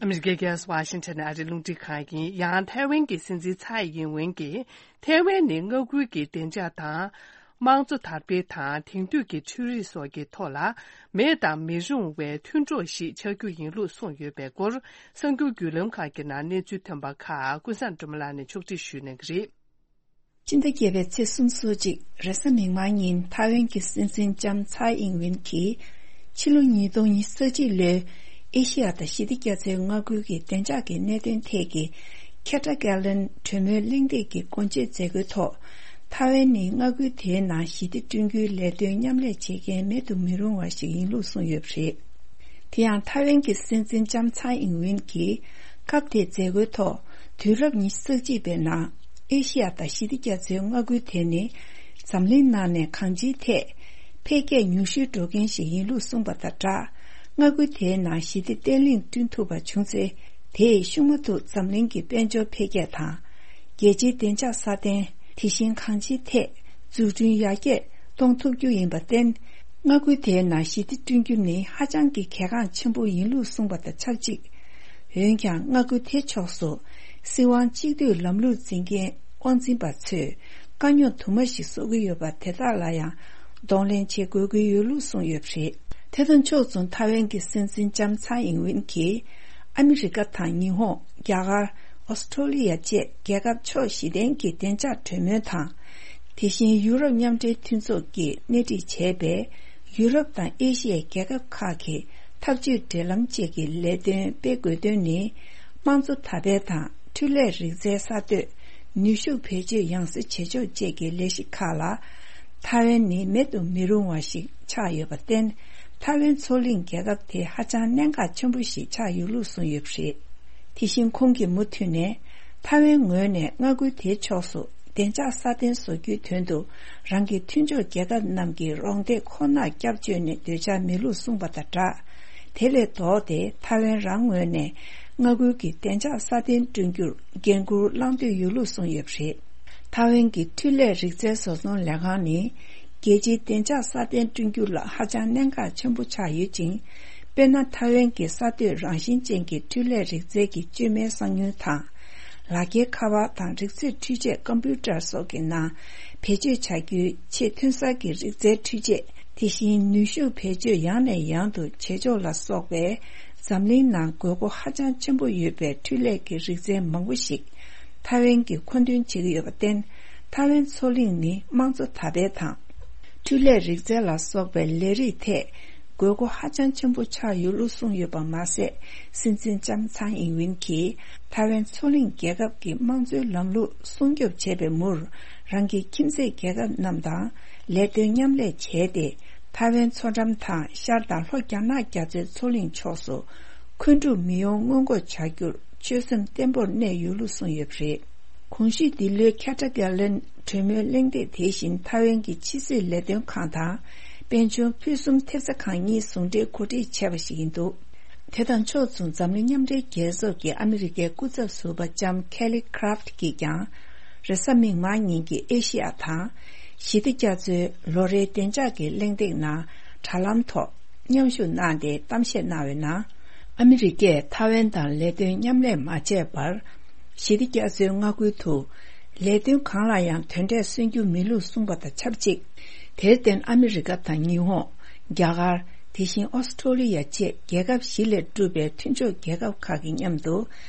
ཨ་མི་རི་ཀའི་རྒྱལ་ས་ཝ་ཤིང་ཊོན་ཨ་རིའི་རླུང་འཕྲིན་ཁང་ཡིན། ཡང་ཐའེ་ཝན་གྱི་སྲིད་འཛིན་ཚའེ་ཡིན་ཝེན་གྱིས། ཐའེ་ཝན་ནི་མངའ་ཁུལ་གྱི་བདེ་འཇགས་དང་། དམངས་གཙོ་དར་སྤེལ་དང་། དེང་དུས་ཀྱི་འཕྲུལ་རིག་སོགས་ཀྱི་ཐོག་ལ་མེད་དང་མི་རུང་བའི་མཐུན་གྲོགས་ཤིག་ཆགས་རྒྱུ་ཡིན་ལུགས་གསུངས་ཡོད་པའི་སྐོར། གསར་འགྱུར་བརྒྱུད་ལམ་ཁག་གི་ནང་གནས་ཚུལ་ཐོན་པ་ཁག་ཀུན་བཟང་སྒྲོལ་མ་ལགས་ནས་ཕྱོགས་སྒྲིག་ཞུ་གནང་གི་རེད། སྤྱི་ཟླ་བརྒྱད་པའི་ཚེས་སོ་གཅིག་རེས་གཟའ་མིག་དམར་ཉིན་ཐའེ་ཝན་གྱི་སྲིད་འཛིན་ལྕམ་ཚའེ་ཨིང་ཝེན་གྱིས། ཕྱི་ལོ་ཉིས་སྟོང་ཉི་ཤུ་རྩ་གཅིག་ལོའི་ཨེ་ཤི་ཡ་དང་ཞི་བདེ་རྒྱ་མཚོའི་མངའ་ཁུལ་གྱི་བདེ་འཇགས་ཀྱི་གནད་དོན་ཐད་ཀྱི་ཁེ་ཏྲ་ཀེ་ལན་གྲོས་མོལ་གླེང་སྟེགས་ཀྱི་སྒོ་འབྱེད་མཛད་སྒོའི་ཐོག་ཐའེ་ཝན་ནི་མངའ་ཁུལ་དེའི་ནང་ཞི་བདེ་བསྐྲུན་རྒྱུའི་ལས་དོན་མཉམ་ལས་བྱེད་མཁན་མེད་དུ་མི་རུང་བ་ཞིག་ཡིན་ལུགས་གསུངས་ཡོད་པ་རེད། དེ་ཡང་ཐའེ་ཝན་གྱི་སྲིད་འཛིན་ལྕམ་ཚའེ་ཨིང་ཝེན་གྱིས་སྐབས་དེའི་མཛད་སྒོའི་ཐོག་དུས་རབས་ཉི་ཤུ་རྩ་གཅིག་པའི་ནང་ཨེ་ཤི་ཡ་དང་ཞི་བདེ་རྒྱ་མཚོའི་མངའ་ཁུལ་དེ་ནི་འཛམ་གླིང་ནང་ནས་གང་ཅིའི་ཐད་འཕེལ་རྒྱས་མྱུར་ཤོས་འགྲོ་མཁན་ཞིག་ཡིན་ལུགས་གསུངས་པ་དང་སྦྲགས། མངའ་ཁུལ་དེའི་ནང་ཞི་བདེ་བརྟན་ལྷིང་བསྐྲུན་ཐུབ་པ་བྱུང་ཚེ། དེས་ཤུགས་མ་ཐུག་འཛམ་གླིང་གི་དཔལ་འབྱོར་འཕེལ་རྒྱས་དང་། རྒྱལ་སྤྱིའི་བདེ་འཇགས་སྲ་བརྟན། དེ་བཞིན་གང་ཅིའི་ཐད་འཛུགས་སྐྲུན་ཡར་རྒྱས་གཏོང་ཐུབ་རྒྱུ་ཡིན་པར་བརྟེན། མངའ་ཁུལ་དེའི་ནང་ཞི་བདེ་བསྐྲུན་རྒྱུ་ནི་ཧ་ཅང་གི་གལ་འགངས་ཆེན་པོ་ཡིན་ལུགས་གསུངས་པ་དང་ཆབས་ཅིག་འོན་ཀྱང་། མངའ་ཁུལ་དེ་ཕྱོགས་སུ་སྲིད་དབང་གཅིག་སྡུད་ལམ་ལུགས་འཛིན་མཁན་དབང་འཛིན་པ་ཚོས་དཀའ་རྙོག་དུ་མ་ཞིག་བཟོ་གི་ཡོད་པ་དེ་དག་ལ་ཡང་གདོང་ལེན་བྱེད་དགོས་ཀྱི་ཡོད་ལུགས་གསུངས་ཡོད་པ་རེད། དེ་དང་ཕྱོགས་མཚུངས་ཐའེ་ཝན་གྱི་སྲིད་འཛིན་ལྕམ་ཚའེ་ཨིང་ཝེན་གྱིས་ཨ་མི་རི་ཀ་དང་ཉི་ཧོང་། རྒྱ་གར། ཨོ་སི་ཁྲོ་ལི་ཡ་བཅས་རྒྱལ་ཁབ་ཕྱོགས་བཞི་ལྡན་གྱི་བདེ་འཇགས་གྲོས་མོལ་དང་། དེ་བཞིན་ཡུ་རོབ་མཉམ་འབྲེལ་མཐུན་ཚོགས་ཀྱིས་སྣེ་ཁྲིད་བྱས་པའི་ཡུ་རོབ་དང་ཨེ་ཤི་ཡའི་རྒྱལ་ཁབ་ཁག་གི་འཐབ་ཇུས་འབྲེལ་ལམ་བཅས་ཀྱི་ལས་དོན་སྤེལ་དགོས་དོན་ནི། དམངས་གཙོ་དར་སྤེལ་དང་འཕྲུལ་ལས་རིག་རྩལ་གསར་གཏོད། ནུས་ཤུགས་བེད་སྤྱོད་ཡང་སེ་བྱེད་ཕྱོགས་བཅས་ཀྱི་ལས་གཞི་ཁག་ལ། ཐའེ་ཝན་ནི་མེད་དུ་མི་རུང་བ་ཞིག་ཆགས་ཡོད་པར་བརྟེན། ཐའེ་ཝན་མཚོ་གླིང་རྒྱལ་ཁབ་དེ་ཧ་ཅང་གནད་འགག་ཆེན་པོ་ཞིག་ཆགས་ཡོད་ལུགས་གསུངས་ཡོད་པ་རེད། དེ་བཞིན་ཁོང་གིས་མུ་མཐུད་ནས། ཐའེ་ཝན་ངོས་ནས་མངའ་ཁུལ་དེའི་ཕྱོགས་སུ་བདེ་འཇགས་སྲ་བརྟན་བཟོ་རྒྱུའི་དོན་དུ། རང་གི་མཐུན་ཕྱོགས་རྒྱལ་ཁབ་རྣམས་ཀྱི་རོགས་འདེགས་ཁོ་ནར་སྐྱབས་བཅོལ་ནས་སྡོད་འཆར་མེད་ལུགས་གསུངས་པ་དང་སྦྲགས། དེ་ལས་ལྡོག་སྟེ་ཐའེ་ཝན་རང་ངོས་ནས། མངའ་ཁུལ་གྱི་བདེ་འཇགས་སྲ་བརྟན་བསྐྲུན་རྒྱུར་འགན་འཁུར་བླངས་འདོད་ཡོད་ལུགས་གསུངས་ཡོད་པ་རེད། ཐའེ་ཝན་གྱི་འཕྲུལ་ལས་རིག་རྩལ་བཟོ་ཚོང་ལས་ཁང་ནི། རྒྱལ་སྤྱིའི་བདེ་འཇགས་སྲ་བརྟན་བསྐྲུན་རྒྱུ་ལ་ཧ་ཅང་གནད་འགག་ཆེན་པོ་ཆགས་ཡོད་ཅིང་། དཔེར་ན། ཐའེ་ཝན་གྱི་གསར་གཏོད་རང་བཞིན་ཅན་གྱི་འཕྲུལ་ལས་རིག་རྩལ་གྱི་བཅོས་མའི་གསང་མྱུལ་དང་། ལག་འཁྱེར་ཁ་པར་དང་རིག་རྩེད་འཕྲུལ་ཆས་ཀམ་པུ་ཊར་སོགས་ཀྱི་ནང་བེད་སྤྱོད་བྱ་རྒྱུའི་ཆེས་ཐོན་གསར་གྱི་རིག་རྩལ་འཕྲུལ་ཆས། དེ་བཞིན་ནུས་ཤུགས་བེད་སྤྱོད་ཡང་ནས་ཡང་དུ་བྱེད་ཕྱོགས་ལ་སོགས་པའི་འཛམ་གླིང་ནང་དགོས་མཁོ་ཧ་ཅང་ཆེན་པོ་ཡོད་པའི་འཕྲུལ་ལས་ཀྱི་རིག་རྩལ་མང་པོ་ཞིག་ཐའེ་ཝན་གྱིས་མཁོ་འདོན་བྱེད་ཀྱི་ཡོད་པར་བརྟེན། ཐའེ་ཝན་མཚོ་གླིང་ནི་དམངས་གཙོ་དར་སྤེལ་དང་། འཕྲུལ་ལས་རིག་རྩལ་ལ་སོགས་པའི་ལས་རིགས་ཐད་དགོས་མཁོ་ཧ་ཅང་ཆེན་པོ་ཆགས་ཡོད་ལུགས་གསུངས་ཡོད་པ་མ་ཟད། སྲིད་འཛིན་ལྕམ་ཚའེ་ཨིན་ཝིན་གྱིས་ཐའེ་ཝན་མཚོ་གླིང་རྒྱལ་ཁབ་ཀྱི་དམངས་གཙོའི་ལམ་ལུགས་སྲུང་སྐྱོབ་བྱེད་པའི་མུར། རང་གི་ཁྱིམ་མཚེས་རྒྱལ་ཁབ་རྣམས་དང་ལས་དོན་མཉམ་ལས་བྱས་ཏེ། ཐའེ་ཝན་མཚོ་འགྲམ་དང་ཤར་དང་ལྷོ་རྒྱ་ནག་རྒྱ་མཚོའི་མཚོ་གླིང་ཕྱོགས་སུ་འཁོན་འཁྲུག་མི་ཡོང་སྔོན་འགོག་བྱ་རྒྱུར་ཆོད་སེམས་བརྟན་པོར་གནས་ཡོད་ལུགས་གསུངས་ཡོད་པ་རེད། གོང་ཞུས་འདི་ལོའི་ཁེ་ཏྲ་གྷ་ལན་གྲོས་མོལ་གླེང་སྟེགས་དེ་བཞིན་ཐའེ་ཝན་གྱི་ཕྱི་སྲིད་ལས་དོན་ཁང་དང་། དཔལ་འབྱོར་ཕུན་སུམ་ཐེབས་རྩ་ཁང་གཉིས་ཟུང་འབྲེལ་གོ་སྒྲིག་བྱས་པ་ཞིག་ཡིན་འདུག་དེ་དང་ཕྱོགས་མཚུངས་འཛམ་གླིང་མཉམ་འབྲེལ་རྒྱལ་ཚོགས་ཀྱི་ཨ་མི་རི་ཀའི་སྐུ་ཚབ་ཟུར་པ་ལྕམ་ཁེ་ལི་ཁ་རབ་ཀྱིས་ཀྱང་། རེས་གཟའ་མིག་དམར་ཉིན་གྱི་ཨེ་ཤི་ཡ་དང་། ཞི་བདེ་རྒྱ་མཚོའི་ལོ་རེའི་བདེ་འཇགས་ཀྱི་གླེང་སྟེགས་ནང་དྲ་ལམ་ཐོག་མཉམ་ཞུགས་གནང་སྟེ་གཏམ་བཤད་གནང་བའི་ནང་། ཨ་མི་རི་ཀས་ཐའེ་ཝན་དང་ལས་དོན་མཉམ་ལས་མ་བྱས་པར། ཞི་བདེ་རྒྱ་མཚོའི་མངའ་ཁུལ་དུ་ལས་དོན་གང་ལ་ཡང་དོན་འབྲས་སོན་རྒྱུ་མིན་ལུགས་གསུངས་པ་དང་ཆབས་ཅིག་དེར་བརྟེན་ཨ་མི་རི་ཀ་དང་ཉི་ཧོང་། རྒྱ་གར། དེ་བཞིན་ཨོ་སི་ཀྲོ་ལི་ཡ་བཅས་རྒྱལ་ཁབ་བཞི་ལས་གྲུབ་པའི་མཐུན་ཕྱོགས་རྒྱལ་ཁབ་ཁག་གི་མཉམ་དུ་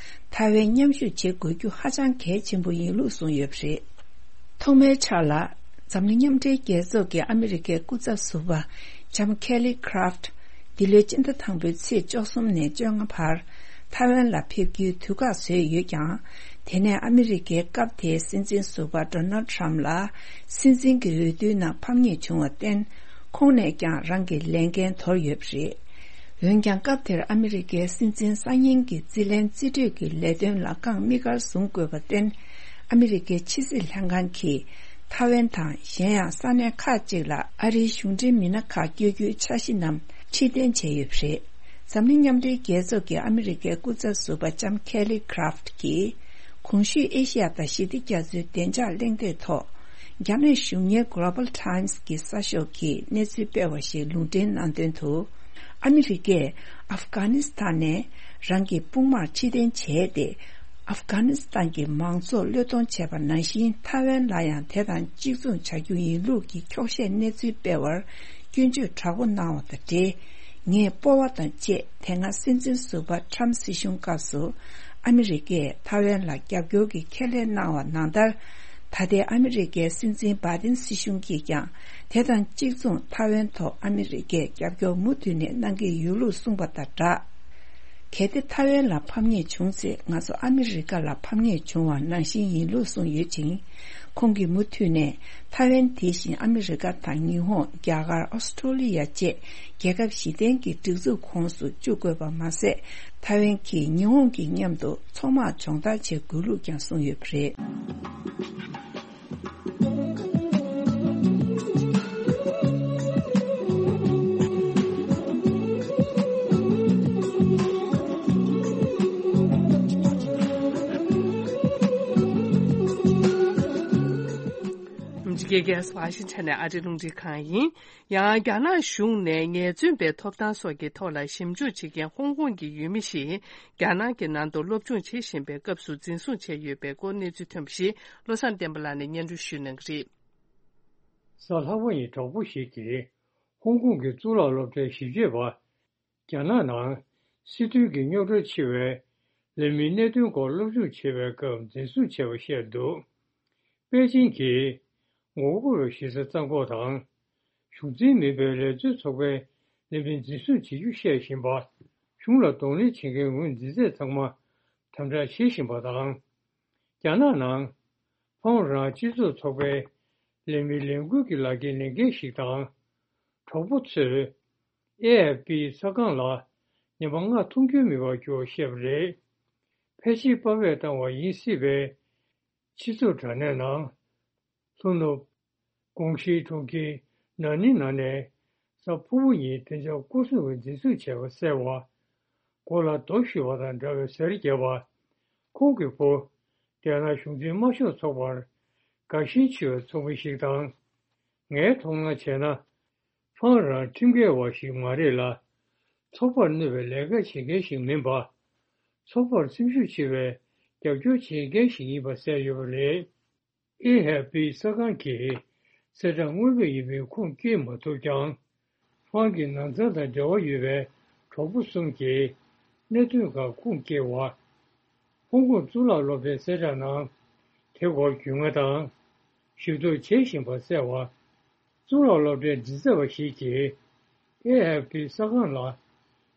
ཐའེ་ཝན་མཉམ་ཞུགས་བྱེད་དགོས་རྒྱུ་ཧ་ཅང་གལ་ཆེན་པོ་ཡིན་ལུགས་གསུངས་ཡོད་པ་རེད། ཐོག་མའི་ཆར་ལ། འཛམ་གླིང་མཉམ་འབྲེལ་རྒྱལ་ཚོགས་ཀྱི་ཨ་མི་རི་ཀའི་སྐུ་ཚབ་ཟུར་པ་ལྕམ་ཁེ་ལི་ཁ་རབ། འདི་ལོའི་སྤྱི་ཟླ་དང་པོའི་ཚེས་བཅུ་གསུམ་ནས་བཅོ་ལྔ་བར། ཐའེ་ཝན་ལ་ཕེབས་རྒྱུའི་དུས་བཀག་བཟོས་ཡོད་ཀྱང་། དེ་ནས་ཨ་མི་རི་ཀའི་སྐབས་དེའི་སྲིད་འཛིན་ཟུར་པ་ཌོ་ནལ་ཌི་ཊརམ་ཕ་ལ་སྲིད་འཛིན་གྱི་འོས་བསྡུའི་ནང་ཕམ་ཉེས་བྱུང་བར་བརྟེན། ཁོང་ནས་ཀྱང་རང་གི་ལས་འགན་དོར་ཡོད་པ་རེད། འོན་ཀྱང་། སྐབས་དེར་ཨ་མི་རི་ཀའི་སྲིད་འཛིན་གསར་རྙིང་གི་རྩིས་ལེན་རྩིས་སྤྲོད་ཀྱི་ལས་དོན་ལ་རྐང་དམིགས་བཀར་བཟུང་དགོས་པར་བརྟེན། ཨ་མི་རི་ཀའི་ཕྱི་སྲིད་ལྷན་ཁང་གིས་ཐའེ་ཝན་དང་གཞན་ཡང་ས་གནས་ཁག་ཅིག་ལ་ཨ་རིའི་གཞུང་འབྲེལ་མི་སྣ་ཁག་བསྐྱོད་རྒྱུའི་འཆར་གཞི་རྣམས་ཕྱིར་འཐེན་བྱས་ཡོད་པ་རེད། འཛམ་གླིང་མཉམ་འབྲེལ་རྒྱལ་ཚོགས་ཀྱི་ཨ་མི་རི་ཀའི་སྐུ་ཚབ་ཟུར་པ་ལྕམ་ཁེ་ལི་ཁ་རབ་ཀྱིས། གོང་ཞུས་ཨེ་ཤི་ཡ་དང་ཞི་བདེ་རྒྱ་མཚོའི་བདེ་འཇགས་གླེང་སྟེགས་ཐོག་རྒྱ་ནག་གཞུང་གཉེར་Global Times་གྱི་གསར་ཤོག་གིས་གནས་ཚུལ་སྤེལ་བ་ཞིག་ལུང་འདྲེན་གནང་དོན་དུ། ཨ་མི་རི་ཀས་ཨབ་གྷ་ནི་སི་ཐན་ནས་རང་གི་དཔུང་དམག་ཕྱིར་འཐེན་བྱས་ཏེ། ཨབ་གྷ་ནི་སི་ཐན་གྱི་མང་ཚོགས་བློས་གཏོང་བྱས་པ་ནང་བཞིན་ཐའེ་ཝན་ལ་ཡང་དེ་དང་གཅིག་མཚུངས་བྱ་རྒྱུ་ཡིན་ལུགས་ཀྱི་འཁྱོག་བཤད་གནས་ཚུལ་སྤེལ་བར་སྐྱོན་བརྗོད་དྲག་པོ་གནང་བ་དང་འབྲེལ། ངས་སྤོབས་པ་དང་བཅས་དེ་སྔ་སྲིད་འཛིན་ཟུར་པ་ཊརམ་སྲིད་གཞུང་སྐབས་སུ་ཨ་མི་རི་ཀས་ཐའེ་ཝན་ལ་རྒྱབ་སྐྱོར་གྱི་ཁས་ལེན་གནང་བ་ནང་ལྟར། ད་ལྟའི་ཨ་མི་རི་ཀའི་སྲིད་འཛིན་བྷའི་ཏིན་སྲིད་གཞུང་གིས་ཀྱང་དེ་དང་གཅིག་མཚུངས་ཐའེ་ཝན་ཐོག་ཨ་མི་རི་ཀས་རྒྱབ་སྐྱོར་མུ་མཐུད་ནས་གནང་གི་ཡོད་ལུགས་གསུངས་པ་དང་སྦྲགས། གལ་ཏེ་ཐའེ་ཝན་ལ་ཕམ་ཉེས་བྱུང་ཚེ་ང་ཚོ་ཨ་མི་རི་ཀ་ལ་ཕམ་ཉེས་བྱུང་བ་ནང་བཞིན་ཡིན་ལུགས་གསུངས་ཡོད་ཅིང་། ཁོང་གིས་མུ་མཐུད་ནས་ཐའེ་ཝན་དེ་བཞིན་ཨ་མི་རི་ཀ་དང་ཉི་ཧོང་། རྒྱ་གར། ཨོ་སི་ཀྲོ་ལི་ཡ་བཅས་རྒྱལ་ཁབ་གཞི་རྟེན་གྱི་སྒྲིག་འཛུགས་ཁོངས་སུ་བཅུག་དགོས་པ་མ་ཟད། ཐའེ་ཝན་གྱིས་ཉི་ཧོང་གི་མཉམ་དུ་མཚོ་དམག་སྦྱོང་བརྡར་བྱེད་དགོས་ལུགས་ཀྱང་གསུངས་ཡོད་པ་རེད། འཇིགས་སྐལ་གྱི་ཝ་ཤིང་ཊོན་ནས་ཨ་རིའི་རླུང་འཕྲིན་ཁང་ཡིན། ཡང་རྒྱ་ནག་གཞུང་ནས་ངལ་རྩོལ་པའི་ཐོབ་ཐང་སོགས་ཀྱི་ཐོག་ལ་ཞིབ་འཇུག་བྱེད་མཁན་ཧོང་ཀོང་གི་ཡུལ་མི་ཞིག་རྒྱ་ནག་གི་ནང་དུ་སློབ་སྦྱོང་བྱེད་བཞིན་པའི་སྐབས་སུ་འཛིན་བཟུང་བྱས་ཡོད་པའི་སྐོར་གནས་ཚུལ་ཐོན་པ་ཞིག་བློ་བཟང་བསྟན་པ་ལགས་ནས་སྙན་སྒྲོན་ཞུ་གནང་གི་རེད། གཟའ་ལྷག་པ་ཉིན་གྲོགས་པོ་ཞིག་གིས་ཧོང་ཀོང་གི་གཙུག་ལག་སློབ་གྲྭའི་ཞིབ་དཔྱོད་པ། རྒྱ་ནག་ནང་སྲིད་དོན་གྱི་རྙོག་དྲ་ཆེ་བའི་ལས་མིའི་གནད་དོན་སྐོར་སློབ་སྦྱོང་བྱེད་པའི་སྐབས་འཛིན་བཟུང་བྱས་པ་བཤད་འདུག་པེ་ཅིང་གིས་ངོ་རྒོལ་བའི་གཞི་རྩ་གཙང་སྐོར་དང་། གཞུང་འཛིན་མིན་པའི་ལས་བཟོའི་ཚོགས་པའི་ལས་མི་འཛིན་བཟུང་བྱེད་རྒྱུ་བཤད་བཞིན་པ། གཞུང་ལ་གདོང་ལེན་བྱེད་མཁན་ངོས་འཛིན་ཚད་ཚང་མ་དམ་དྲག་བྱེད་བཞིན་པ་དང་། རྒྱ་ནག་ནང་ཕོང་རང་སྤྱི་ཚོགས་ཚོགས་པའི་ལས་མིའི་ལས་འགུལ་གྱི་ལག་འཁྱེར་ལེན་མཁན་ཞིག་དང་། གྲོགས་པོ་ཚོས་ཨེ་ཨེཕ་པི་གསར་ཁང་ལ་ཉི་མ་ལྔ་འཐུང་རྒྱུ་མེད་པར་གྱུར་བ་བཤད་པ་རེད། ཕལ་ཆེར་པར་བས་བཏང་བ་ཡིན་སྲིད་པའི་སྤྱི་ཚོགས་དྲ་གནས་ནང་། ལྷོ་ནུབ། ཀོང་ཤིའི་གྲོང་ཁྱེར་ན་ནིང་ནང་ནས་གཟའ་ཕུར་བུ་ཉིན་བདེ་འཇགས་སྐོར་སྲུང་བས་འཛིན་བཟུང་བྱས་པ་གསལ་བ། མགོ་ལ་རྡོ་གཞུས་པ་དང་འདྲ་བའི་ཟས་རིགས་བརྒྱབ་པ། ཁོང་གི་བུ། རྒྱ་ནག་གཞུང་འཛིན་དམར་ཤོག་ཚོགས་པར་དགའ་ཞེན་ཆེ་བའི་ཚོགས་མི་ཞིག་དང་། ངའི་མཐོང་སྣང་བྱས་ན། ཕང་རང་ཁྲིམས་འགལ་བ་ཞིག་མ་རེད་ལ། ཚོགས་པར་གནོད་པའི་ལས་ཀ་བྱེད་མཁན་ཞིག་མིན་པ། ཚོགས་པར་སེམས་ཤུགས་ཆེ་བའི་རྒྱབ་སྐྱོར་བྱེད་མཁན་ཞིག་ཡིན་པ་གསལ་ཡོད་པ་རེད། ཨེ་ཧེ་པི་གསར་ཁང་གིས་གསལ་བསྒྲགས་དངོས་དཔེ་ཡིན་པའི་ཁུངས་སྐྱེལ་མ་ཐུབ་ཀྱང་། ཧྥང་གི་ནང་ཚང་དང་འབྲེལ་བ་ཡོད་པའི་གྲོགས་པོ་གསུམ་གྱིས་གནད་དོན་ཁག་ཁུངས་སྐྱེལ་བ། ཧོང་ཀོང་གཙུག་ལག་སློབ་གྲྭའི་གསལ་བསྒྲགས་ནང་། དེ་སྐོར་རྒྱུས་མངའ་དང་། ཞིབ་འཚོལ་བྱེད་བཞིན་པ་གསལ་བ། གཙུག་ལག་སློབ་གྲྭའི་མགྲིན་ཚབ་པ་ཞིག་གིས་ཨེ་ཨེཕ་པི་གསར་ཁང་ལ་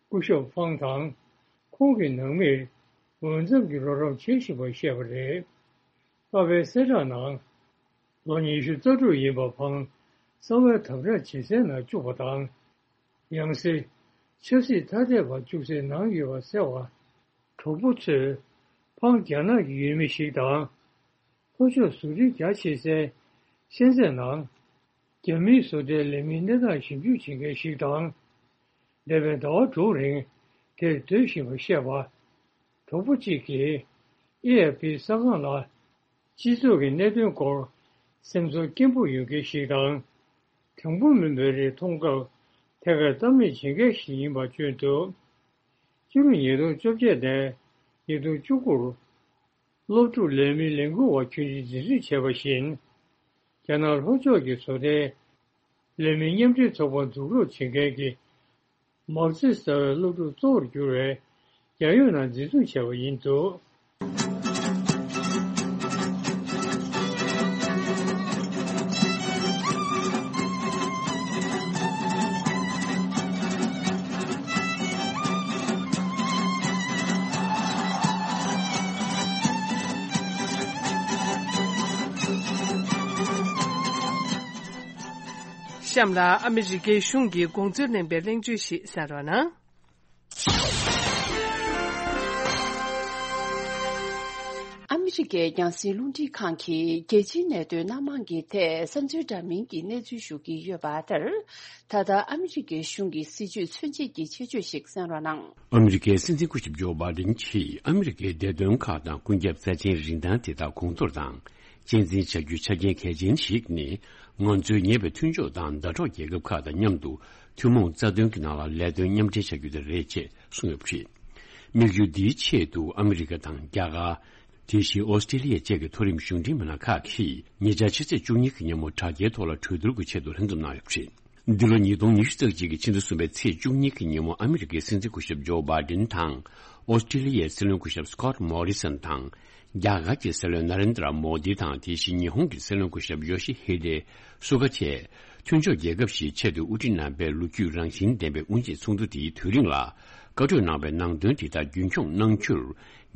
སྐུ་ཞབས་ཧྥང་དང་ཁོང་གི་ནང་མིར་འོས་འཚམ་གྱི་རོགས་རམ་བྱེད་བཞིན་པ་བཤད་པ་རེད། གསར་པའི་གསལ་བསྒྲགས་ནང་། ལོ་ཉི་ཤུ་རྩ་དྲུག་ཡིན་པ་ཧྥང་གསང་བའི་དམ་དྲག་བྱེད་སའི་ནང་བཅུག་པ་དང་། ཡང་སྲིད་ཆབ་སྲིད་ཐ་དད་པ་བཅུག་སའི་ནང་ཡོད་པ་གསལ་བ། གྲོགས་པོ་ཚོས་ཕང་རྒྱ་ནག་གི་ཡུལ་མི་ཞིག་དང་། ལྷོ་ཕྱོགས་བཟོ་སྐྲུན་རྒྱ་ཆེ་སའི་ཤན་ཙེན་ནང་རྒྱ་མིའི་བཟོ་གྲྭའི་ལས་མིའི་གནས་སྟངས་ཞིབ་འཇུག་བྱེད་མཁན་ཞིག་དང་། འདས་པའི་ཟླ་བ་དྲུག་རིང་དེར་སྡོད་བཞིན་པ་བཤད་པ། གྲོགས་པོ་གཅིག་གིས་ཨེ་ཨེཕ་པི་གསར་ཁང་ལ། སྤྱི་ཚོགས་ཀྱི་གནད་དོན་སྐོར་སེམས་ཚོར་སྐྱེན་པོ་ཡོད་མཁན་ཞིག་དང་། དྲང་པོ་མིན་པའི་རིགས་མཐོང་སྐབས་ཐད་ཀར་གཏམ་གླེང་བྱེད་མཁན་ཞིག་ཡིན་པ་བརྗོད་འདུག་ཕྱི་ལོ་ཉིས་སྟོང་བཅོ་བརྒྱད་ནས་ཉིས་སྟོང་བཅུ་དགུར་སློབ་ཕྲུག་ལས་མི་ལས་འགུལ་བ་ཁྱོན་ཆེ་འཛིན་བཟུང་བྱས་པ་བཞིན། རྒྱ་ནག་ལྷོ་ཕྱོགས་ཀྱི་བཟོ་གྲྭའི་ལས་མི་མཉམ་འབྲེལ་ཚོགས་པ་འཛུགས་རོགས་བྱེད་མཁན་གྱི། མའོ་ཙེ་ཟེར་བའི་སློབ་ཕྲུག་གཙོ་བོར་གྱུར་བའི་རྒྱལ་ཡོངས་ནང་འཛིན་བཟུང་བྱས་པ་ཡིན་འདུག་གཤམ་ལ་ཨ་མི་རི་ཀའི་གཞུང་གི་དགོངས་ཚུལ་གླེང་པའི་གླེང་བརྗོད་ཞིག་གསན་རོགས་གནང་། ཨ་མི་རི་ཀའི་རྒྱང་སྲིང་རླུང་འཕྲིན་ཁང་གིས་རྒྱལ་སྤྱིའི་གནད་དོན་སྣ་མང་གི་ཐད་བསམ་ཚུལ་འདྲ་མིན་གྱི་གནས་ཚུལ་ཞུ་གི་ཡོད་པ་ལྟར། ད་ལྟ་ཨ་མི་རི་ཀའི་གཞུང་གི་སྲིད་བྱུས་མཚོན་བྱེད་ཀྱི་ཆེད་བརྗོད་ཞིག་གསན་རོགས་གནང་། ཨ་མི་རི་ཀའི་སྲིད་འཛིན་སྐུ་ཞབས་ཇོ་བྷའི་ཌེན་གྱིས་ཨ་མི་རི་ཀའི་བདེ་དོན་ཁག་དང་ཀུན་ཁྱབ་རྩ་ཆེན་རིན་ཐང་དེ་དག་གོང་མཐོར་དང་གཅེས་འཛིན་བྱ་རྒྱུའི་ཆ་རྐྱེན་གལ་ཆེན་ཞིག་ནི། ང་ཚོའི་ཉེ་བའི་མཐུན་ཕྱོགས་དང་ཟླ་གྲོགས་རྒྱལ་ཁབ་ཁག་དང་མཉམ་དུ་ཐུན་མོང་རྩ་དོན་གྱི་ནང་ལ་ལས་དོན་མཉམ་འབྲེལ་བྱ་རྒྱུ་དེ་རེད་ཅེས་གསུངས་ཡོད་པ་རེད། དམིགས་ཡུལ་འདིའི་ཆེད་དུ་ཨ་མི་རི་ཀ་དང་རྒྱ་གར། དེ་བཞིན་ཨོ་སི་ཀྲི་ལི་ཡ་བཅས་ཀྱི་མཐོ་རིམ་གཞུང་འབྲེལ་མི་སྣ་ཁག་གིས་ཉེ་ཆར་ཕྱི་ཚེས་བཅུ་གཉིས་ཀྱི་ཉིན་མོ་དྲ་རྒྱའི་ཐོག་ལ་གྲོས་བསྡུར་གྱི་ཆེད་དུ་ལྷན་འཛོམས་གནང་ཡོད་པ་རེད། འདི་ལོ་ཉིས་སྟོང་ཉི་ཤུ་རྩ་གཅིག་གི་ཕྱི་ཟླ་གསུམ་པའི་ཚེས་བཅུ་གཉིས་ཀྱི་ཉིན་མོ་ཨ་མི་རི་ཀའི་སྲིད་འཛིན་སྐུ་ཞབས་ཇོ་བྷའི་ཌེན་དང་། ཨོ་སི་ཀྲི་ལི་ཡའི་སྲིད་བློན་སྐུ་ཞབས་སི་ཀོཊ་མོ་རི་སན་དང་། རྒྱ་གར་གྱི་སྲིད་བློན་ན་རེན་དྲ་མོ་དི་དང་། དེ་བཞིན་ཉི་ཧོང་གི་སྲིད་བློན་སྐུ་ཞབས་ཡོ་ཤི་ཧི་ཌེ་སུ་ག་བཅས་མཐུན་ཕྱོགས་རྒྱལ་ཁབ་བཞིའི་ཆེད་དུ་དབུ་ཁྲིད་རྣམ་པས་ལོ་རྒྱུས་རང་བཞིན་ལྡན་པའི་དབུ་འབྱེད་ཚོགས་འདུ་དེའི་དུས་རིང་ལ་བཀའ་གྲོས་གནང་བའི་ནང་དོན་དེ་དག་རྒྱུན་འཁྱོངས་གནང་རྒྱུར།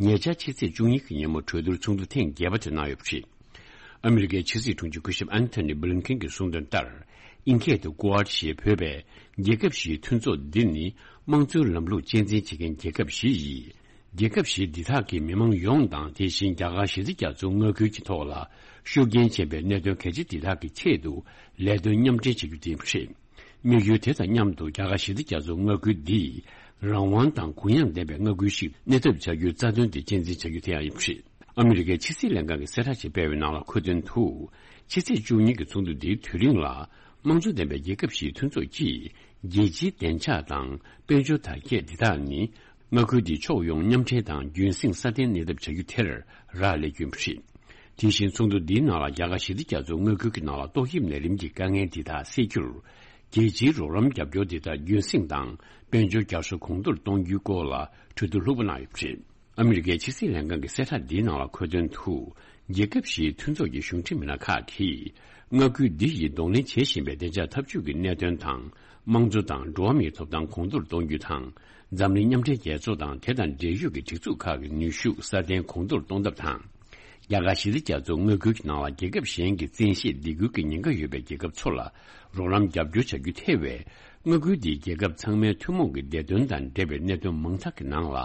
ཉེ་ཆར་ཕྱི་ཚེས་བཅུ་གཉིས་ཀྱི་ཉིན་མོ་གྲོས་བསྡུར་ཚོགས་འདུ་ཐེངས་བརྒྱད་པ་དེ་གནང་ཡོད་པ་རེད། ཨ་མི་རི་ཀའི་ཕྱི་སྲིད་དྲུང་ཆེ་སྐུ་ཞབས་ཨན་ཐོ་ནི་བྷི་ལིན་ཁེན་གྱིས་གསུངས་དོན་ལྟར། ཨིན་སྐད་དུ་ཀུ་ཨཌ་ཞེས་འབོད་པའི་རྒྱལ་ཁབ་བཞིའི་མཐུན་ཚོགས་འདི་ནི་དམངས་གཙོའི་ལམ་ལུགས་གཅེས་འཛིན་བྱེད་མཁན་རྒྱལ་ཁབ་བཞི་ཡིས། རྒྱལ་ཁབ་བཞི་འདི་དག་གི་མི་མང་ཡོངས་དང་། དེ་བཞིན་རྒྱ་གར་གཞི་རྩའི་རྒྱ་མཚོའི་མངའ་ཁུལ་གྱི་ཐོག་ལ་ཤུགས་རྐྱེན་ཅན་པའི་གནད་དོན་གལ་ཆེ་འདི་དག་གི་ཆེད་དུ་ལས་དོན་མཉམ་འབྲེལ་བྱེད་རྒྱུ་དེ་ཡིན་པ་རེད། དམིགས་ཡུལ་དེ་དང་མཉམ་དུ་རྒྱ་གར་གཞི་རྩའི་རྒྱ་མཚོའི་མངའ་ཁུལ་འདི་རང་དབང་དང་གུ་ཡངས་ལྡན་པའི་མངའ་ཁུལ་ཞིག་གནས་ཐབས་བྱ་རྒྱུའི་རྩ་དོན་དེ་གཅེས་འཛིན་བྱ་རྒྱུ་དེ་ཡང་ཡིན་པ་རེད། ཨ་མི་རི་ཀའི་ཕྱི་སྲིད་ལྷན་ཁང་གིས་གསལ་བསྒྲགས་ཤིག་སྤེལ་བའི་ནང་ལ་འཁོད་དོན་དུ། ཕྱི་ཚེས་བཅུ་གཉིས་ཀྱི་ཚོགས་འདུ་འདིའི་དུས་རིང་ལ། དམངས་གཙོ་ལྡན་པའི་རྒྱལ་ཁབ་བཞིའི་མཐུན་ཚོགས་ཀྱིས། རྒྱལ་སྤྱིའི་བདེ་འཇགས་དང་དཔལ་འབྱོར་དར་རྒྱས་འདི་དག་ནི། མངའ་ཁུལ་འདིའི་ཕྱོགས་ཡོངས་མཉམ་འབྲེལ་དང་རྒྱུན་སྲིང་སྲ་བརྟན་གནས་ཐབས་བྱ་རྒྱུ་དེར་རག་ལས་རྒྱུ་ཡིན་པ་རེད། དེ་བཞིན་ཚོགས་འདུ་འདིའི་ནང་ལ་རྒྱ་གར་གཞི་རྩའི་རྒྱ་མཚོའི་མངའ་ཁུལ་གྱི་ནང་ལ་ཏོག་དབྱིབས་ནད་རིམས་ཀྱི་དཀའ་ངལ་འདི་དག་སེལ་རྒྱུར། རྒྱལ་སྤྱིའི་རོགས་རམ་རྒྱབ་སྐྱོར་འདི་དག་རྒྱུན་སྲིང་དང་དཔལ་འབྱོར་རྒྱ་མཚོ་གོང་མཐོར་གཏོང་རྒྱུའི་སྐོར་ལ་གྲོས་བསྡུར་ལྷུག་པོ་གནང་ཡོད་པ་རེད། ཨ་མི་རི་ཀའི་ཕྱི་སྲིད་ལྷན་ཁང་གི་གསལ་བསྒྲགས་འདིའི་ནང་ལ་འཁོད་དོན་དུ། རྒྱལ་ཁབ་བཞིའི་མཐུན་ཚོགས་ཀྱི་གཞུང་འབྲེལ་མི་སྣ་ཁག་གིས། མངའ་ཁུལ་འདི་ཡིས་གདོང་ལེན་བྱེད་བཞིན་པའི་བདེ་འཇགས་འཐབ་ཇུས་ཀྱི་གནད་དོན་དང་། དམངས་གཙོ་དང་འགྲོ་བ་མིའི་ཐོབ་ཐང་གོང་མཐོར་གཏོང་རྒྱུ་དང་། འཛམ་གླིང་མཉམ་འབྲེལ་རྒྱལ་ཚོགས་དང་དེ་དང་འབྲེལ་ཡོད་ཀྱི་སྒྲིག་འཛུགས་ཁག་གི་ནུས་ཤུགས་སྲ་བརྟན་གོང་མཐོར་གཏོང་ཐབས་དང་། རྒྱ་གར་གཞི་རྩའི་རྒྱ་མཚོའི་མངའ་ཁུལ་གྱི་ནང་ལ་རྒྱལ་ཁབ་གཞན་གྱི་བཙན་ཤེད་སྡིགས་སྐུལ་གྱི་ཉེན་ཁ་ཡོད་པའི་རྒྱལ་ཁབ་ཚོ་ལ་རོགས་རམ་རྒྱབ་སྐྱོར་བྱ་རྒྱུ་ཐེ་བའི། མངའ་ཁུལ་འདིའི་རྒྱལ་ཁབ་ཚང་མའི་ཐུན་མོང་གི་བདེ་དོན་དང་འབྲེལ་བའི་གནད་དོན་མང་དག་གི་ནང་ལ་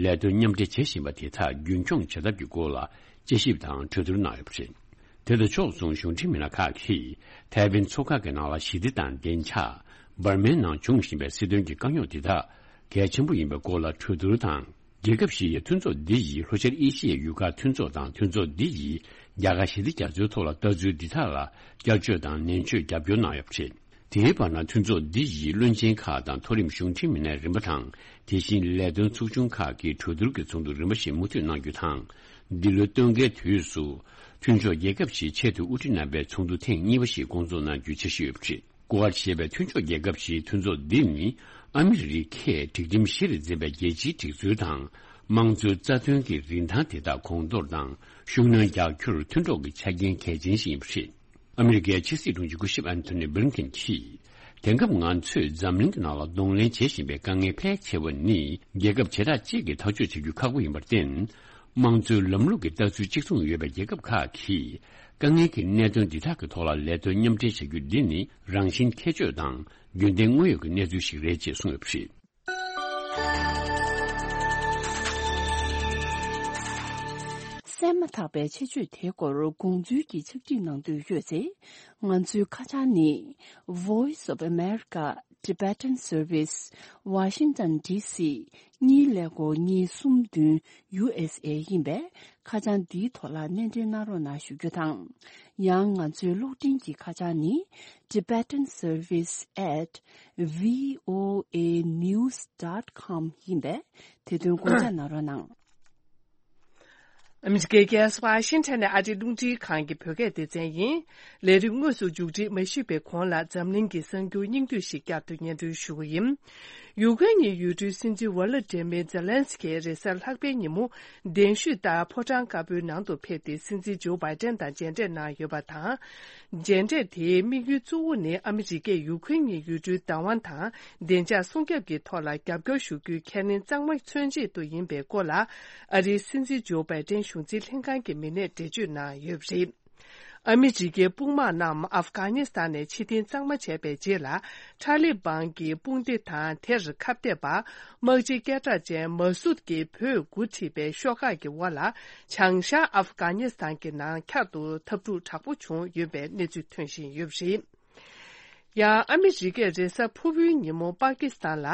ལས་དོན་མཉམ་འབྲེལ་བྱེད་བཞིན་པ་དེ་དག་རྒྱུན་འཁྱོངས་བྱ་ཐབས་ཀྱི་སྐོར་ལ་དཔྱད་ཞིབ་དང་གྲོས་བསྡུར་གནང་ཡོད་པ་རེད། དེ་དང་ཕྱོགས་མཚུངས་གཞུང་འབྲེལ་མི་སྣ་ཁག་གིས་ཐའེ་ཝན་མཚོ་ཁ་གི་ནང་ལ་ཞི་བདེ་དང་བདེ་འཇགས། འབར་མའི་ནང་འབྱུང་བཞིན་པའི་སྲིད་དོན་གྱི་དཀའ་རྙོག་དེ་དག་ གལ་ཆེན་པོ་ཡིན་པའི་སྐོར་ལ་གྲོས་བསྡུར་དང་། རྒྱལ་ཁབ་བཞི་ཡི་མཐུན་ཚོགས་འདི་ཡིས་ལྷོ་ཤར་ཨེ་ཤི་ཡའི་ཡུལ་ཁག་མཐུན་ཚོགས་དང་མཐུན་ཚོགས་འདི་ཡིས་རྒྱ་གར་ཞི་བདེ་རྒྱ་མཚོའི་ཐོག་ལ་ལྟ་ཚུལ་འདི་དག་ལ་བསྐྱར་བཅོས་དང་ནན་བརྗོད་རྒྱབ་སྐྱོར་གནང་ཡོད་པ་རེད། དེའི་བར་ན་མཐུན་ཚོགས་འདི་ཡི་བློན་ཆེན་ཁག་དང་མཐོ་རིམ་གཞུང་འབྲེལ་མི་སྣའི་རིམ་པ་དང་། དེ་བཞིན་ལས་དོན་ཚོགས་ཆུང་ཁག་གི་གྲོས་བསྡུར་གྱི་ཚོགས་འདུ་རིམ་པ་བཞིན་མུ་མཐུད་གནང་རྒྱུ་དང་། འདི་ལོའི་སྟོན་ཁའི་དུས་སུ་མཐུན་ཕྱོགས་རྒྱལ་ཁབ་བཞིའི་ཆེས་མཐོའི་དབུ་ཁྲིད་རྣམ་པའི་ཚོགས་འདུ་ཐེངས་གཉིས་པ་ཞིག་སྐོང་ཚོགས་གནང་རྒྱུའི་འཆར་གཞི་ཡོད་པ་རེད། ཀུ་ཝཱཌ་ཞེས་པའི་མཐུན་ཕྱོགས་རྒྱལ་ཁབ་བཞིའི་མཐུན་ཚོགས་འདི་ནི་ཨ་མི་རི་ཀས་སྒྲིག་ཁྲིམས་གཞི་རུ་འཛིན་པའི་རྒྱལ་སྤྱིའི་སྒྲིག་འཛུགས་དང་། དམངས་གཙོའི་རྩ་དོན་གྱི་རིན་ཐང་དེ་དག་གོང་མཐོར་དང་ཤུགས་སྣོན་རྒྱག་རྒྱུར་མཐུན་གྲོགས་ཀྱི་ཆ་རྐྱེན་གལ་ཆེན་ཞིག་ཡིན་པ་རེད། ཨ་མི་རི་ཀའི་ཕྱི་སྲིད་དྲུང་ཆེ་སྐུ་ཞབས་ཨན་ཐོ་ནི་བྷི་ལིན་ཀེན་གྱིས། དེང་སྐབས་ང་ཚོས་འཛམ་གླིང་གི་ནང་ལ་གདོང་ལེན་བྱེད་བཞིན་པའི་དཀའ་ངལ་ཕལ་ཆེ་བ་ནི་རྒྱལ་ཁབ་བྱེ་བྲག་གཅིག་གིས་ཐག་གཅོད་བྱ་རྒྱུ་ཁག་པོ་ཡིན་པར་བརྟེན། དམངས་གཙོའི་ལམ་ལུགས་ཀྱི་ལྟ་ཚུལ་གཅིག་མཚུངས་ཡོད་པའི་རྒྱལ་ཁབ་ཁག་གིས་དཀའ་ངལ་གྱི་གནད་དོན་འདི་དག་གི་ཐོག་ལ་ལས་དོན་མཉམ་འབྲེལ་བྱ་རྒྱུ་འདི་ནི་རང་བཞིན་ཁྱད་ཆོས་དང་རྒྱུན་ལྡན་དངོས་ཡོད་ཀྱི་གནས་ཚུལ་ཞིག་རེད་ཅེས་གསུངས་ཡོད་པ་རེད། གསན་མ་ཐག་པའི་ཆེད་བརྗོད་དེའི་སྐོར་དགོངས་ཚུལ་གྱི་ཕྱག་བྲིས་གནང་འདོད་ཡོད་ཚེ། ང་ཚོའི་ཁ་བྱང་ནི། Voice of America Tibetan Service, Washington D C གཉིས་ཀླད་ཀོར་གཉིས་གསུམ་བདུན་ཡུ་ཨེས་ཨེ་ཡིན་པས། ཁ་བྱང་འདིའི་ཐོག་ལ་སྣེ་འདྲེན་གནང་རོགས་གནང་ཞུ་རྒྱུ་དང་། ཡང་ང་ཚོའི་གློག་འཕྲིན་གྱི་ཁ་བྱང་ནི། Tibetan Service at V O A news dot com ཡིན་པས། དེ་དོན་དགོངས་འཇགས་གནང་རོགས་གནང་། ཨ་མི་རི་ཀའི་རྒྱལ་ས་ཝ་ཤིང་ཊོན་ནས་ཨ་རིའི་རླུང་འཕྲིན་ཁང་གི་བོད་སྐད་སྡེ་ཚན་ཡིན། ལས་རིམ་དངོས་སུ་མཇུག་སྒྲིལ་མ་ཞུས་པའི་གོང་ལ་འཛམ་གླིང་གི་གསར་འགྱུར་སྙིང་བསྡུས་ཤིག་བསྐྱར་དུ་སྙན་སྒྲོན་ཞུ་གི་ཡིན། ཡུ་ཀེ་རེན་གྱི་ཡུལ་གྲུའི་སྲིད་འཛིན་ཝོ་ལོ་ཏི་མིར་ཛེ་ལན་སི་ཀིས་རེས་གཟའ་ལྷག་པའི་ཉིན་མོ་གདན་ཞུས་ལྟར་ཕོ་བྲང་དཀར་པོའི་ནང་དུ་ཕེབས་ཏེ་སྲིད་འཛིན་ཇོ་བྷའི་ཏན་དང་མཇལ་འཕྲད་གནང་ཡོད་པ་དང་། མཇལ་འཕྲད་དེའི་དམིགས་ཡུལ་གཙོ་བོ་ནི་ཨ་མི་རི་ཀས་ཡུ་ཀེ་རེན་གྱི་ཡུལ་གྲུའི་བདག་དབང་དང་བདེ་འཇགས་སྲུང་སྐྱོབ་ཀྱི་ཐོག་ལ་རྒྱབ་སྐྱོར་ཞུ་རྒྱུའི་ཁས་ལེན་གཙང་མ་མཚོན་ཆེད་དུ་ཡིན་པའི་སྐོར་ལ། ཨ་རིའི་སྲིད་འཛིན་ཇོ་བྷའི་ཏན་གཞུང་འཛིན་ལྷན་ཁང་གི་མི་སྣས་འགྲེལ་བརྗོད་གནང་ཡོད་པ་རེད། ཨ་མི་རི་ཀའི་དཔུང་དམག་རྣམས་ཨབ་གྷ་ནི་སི་ཐན་ནས་ཕྱིར་འཐེན་གཙང་མ་བྱས་པའི་རྗེས་ལ། ཐ་ལི་བན་གྱི་དཔུང་སྡེ་དང་དེར་ཁ་གཏད་པ། དམག་སྤྱི་སྐད་གྲགས་ཅན་མ་སུད་ཀྱིས་བོད་འགོ་ཁྲིད་པའི་ཤོག་ཁག་གི་འོག་ལ། བྱང་ཤར་ཨབ་གྷ་ནི་སི་ཐན་གྱི་ནང་འཁྱར་དུ་འཐབ་འཁྲུག་དྲག་པོ་བྱུང་ཡོད་པའི་གནས་ཚུལ་ཐོན་བཞིན་ཡོད་པ་རེད། ཡང་ཨ་མི་རི་ཀས་རེས་གཟའ་ཕུར་བུའི་ཉིན་མོ་པ་ཀི་སི་ཐན་ལ་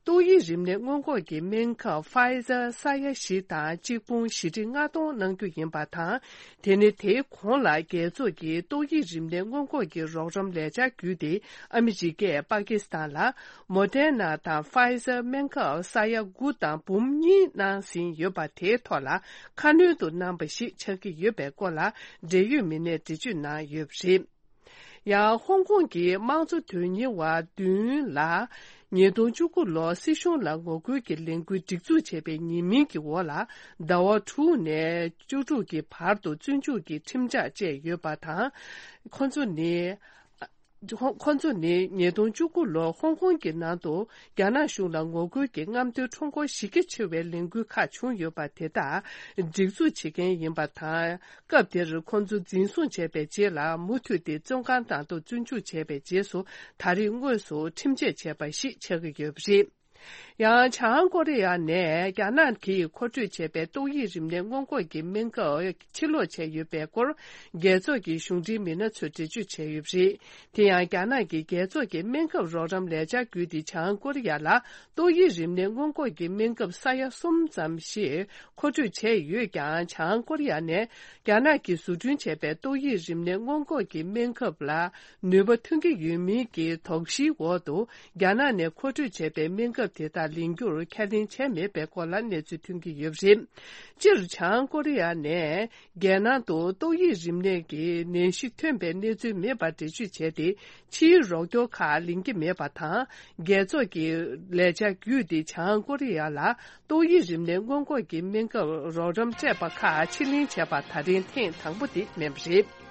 ཏོག་དབྱིབས་རིམས་ནད་སྔོན་འགོག་གི་སྨན་ཁབ་ཕ་ཡི་ཛར་ས་ཡ་བཞི་དང་གཅིག་ཕུང་བཞི་ཁྲི་ལྔ་སྟོང་གནང་རྒྱུ་ཡིན་པ་དང་། དེ་ནི་དེའི་གོང་ལ་རྒྱལ་ཚོགས་ཀྱི་ཏོག་དབྱིབས་རིམས་ནད་སྔོན་འགོག་གི་རོགས་རམ་ལས་འཆར་བརྒྱུད་དེ་ཨ་མི་རི་ཀས་པ་ཀི་སི་ཐན་ལ་མོ་ཌེར་ན་དང་ཕ་ཡི་ཛར་སྨན་ཁབ་ས་ཡ་དགུ་དང་འབུམ་གཉིས་གནང་ཟིན་ཡོད་པ་དེའི་ཐོག་ལ་ཁ་སྣོན་དུ་གནང་བ་ཞིག་ཆགས་ཀྱི་ཡོད་པའི་སྐོར་ལ་འབྲེལ་ཡོད་མི་སྣས་འགྲེལ་བརྗོད་གནང་ཡོད་པ་རེད། ཡང་ཧོང་ཀོང་གི་དམངས་གཙོ་དོན་གཉེར་བ་བདུན་ལ་ཉིས་སྟོང་བཅུ་དགུ་ལོར་སྲིད་གཞུང་ལ་ངོ་རྒོལ་གྱི་ལས་འགུལ་སྒྲིག་འཛུགས་བྱས་པའི་ཉེས་མིང་གི་འོག་ལ་ཟླ་བ་དྲུག་ནས་བཅུ་དྲུག་གི་བར་དུ་བཙོན་འཇུག་གི་ཁྲིམས་ཆད་བཅད་ཡོད་པ་དང་། ཁོ་ཚོ་ནི། ཁོ་ཚོ་ནི་ཉིས་སྟོང་བཅུ་དགུ་ལོར་ཧོང་ཀོང་གི་ནང་དུ་རྒྱ་ནག་གཞུང་ལ་ངོ་རྒོལ་གྱི་རྔམ་སྟོན་ཁྲོམ་སྐོར་གཞི་རྒྱ་ཆེ་བའི་ལས་འགུལ་ཁག་བྱུང་ཡོད་པ་དེ་དག་སྒྲིག་འཛུགས་བྱེད་མཁན་ཡིན་པ་དང་། སྐབས་དེར་ཁོ་ཚོ་འཛིན་བཟུང་བྱས་པའི་རྗེས་ལ་མུ་མཐུད་དེ་བཙོན་ཁང་ནང་དུ་བཙོན་འཇུག་བྱས་པའི་རྗེས་སུ་ད་རེས་དངོས་སུ་ཁྲིམས་ཆད་བཅད་པ་ཞིག་ཆགས་ཀྱི་ཡོད་པ་རེད། ཡང་བྱང་ཀོ་རི་ཡ་ནས་རྒྱ་ནག་གིས་མཁོ་སྤྲོད་བྱས་པའི་ཏོག་དབྱིབས་རིམས་ནད་སྔོན་འགོག་གི་སྨན་ཁབ་ཕྱིར་སློག་བྱས་ཡོད་པའི་སྐོར་རྒྱལ་ཚོགས་ཀྱི་གཞུང་འབྲེལ་མི་སྣ་ཚོས་འགྲེལ་བརྗོད་བྱས་ཡོད་པ་རེད། དེ་ཡང་རྒྱ་ནག་གིས་རྒྱལ་ཚོགས་ཀྱི་སྨན་ཁབ་རོགས་རམ་ལས་འཆར་བརྒྱུད་དེ་བྱང་ཀོ་རི་ཡ་ལ་ཏོག་དབྱིབས་རིམས་ནད་སྔོན་འགོག་གི་སྨན་ཁབ་ས་ཡ་གསུམ་ཙམ་ཞིག་མཁོ་སྤྲོད་བྱས་ཡོད་ཀྱང་། བྱང་ཀོ་རི་ཡ་ནས་རྒྱ་ནག་གིས་བཟོ་སྐྲུན་བྱས་པའི་ཏོག་དབྱིབས་རིམས་ནད་སྔོན་འགོག་གི་སྨན་ཁབ་ལ་ནུས་པ་ཐོན་གྱི་ཡོད་མིན་གྱི་དོགས་གཞིའི་འོག་ཏུ། རྒྱ་ནག་ནས་མཁོ་སྤྲོད་བྱས་པའི་སྨན་ཁབ་དེ་དག་ལེན་རྒྱུར་ཁས་ལེན་བྱས་མེད་པའི་སྐོར་ལ་གནས་ཚུལ་ཐོན་གྱི་ཡོད་པ་རེད། སྤྱིར་བྱང་ཀོ་རི་ཡ་ནས་རྒྱལ་ནང་དུ་ཏོག་དབྱིབས་རིམས་ནད་ཀྱི་ནད་གཞི་ཐོན་པའི་གནས་ཚུལ་མེད་པར་འགྲེལ་བརྗོད་བྱས་ཏེ། ཕྱིའི་རོགས་སྐྱོར་ཁག་ལེན་གྱི་མེད་པ་དང་། རྒྱལ་ཚོགས་ཀྱི་ལས་འཆར་བརྒྱུད་དེ་བྱང་ཀོ་རི་ཡ་ལ་ཏོག་དབྱིབས་རིམས་ནད་སྔོན་འགོག་གི་སྨན་ཁབ་རོགས་རམ་སྤྲད་པ་ཁག་ཕྱིར་ལེན་བྱས་པ་ད་རིང་ཐེངས་དང་པོ་དེ་མིན་པ་རེད།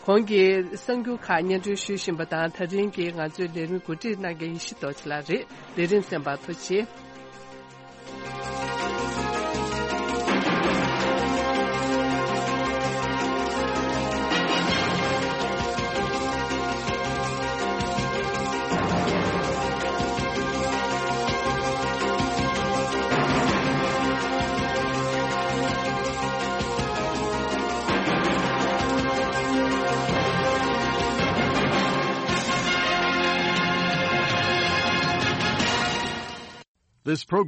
གོང་གི་གསར་འགྱུར་ཁག་སྙན་སྒྲོན་ཞུ་བཞིན་པ་དང་། ད་རིང་གི་ང་ཚོའི་ལས་རིམ་གོ་སྒྲིག་གནང་མཁན་ཡེ་ཤེས་རྡོ་རྗེ་ལགས་རེད། ལས་རིམ་གསན་པར་ཐུགས་རྗེ་ཆེ། This program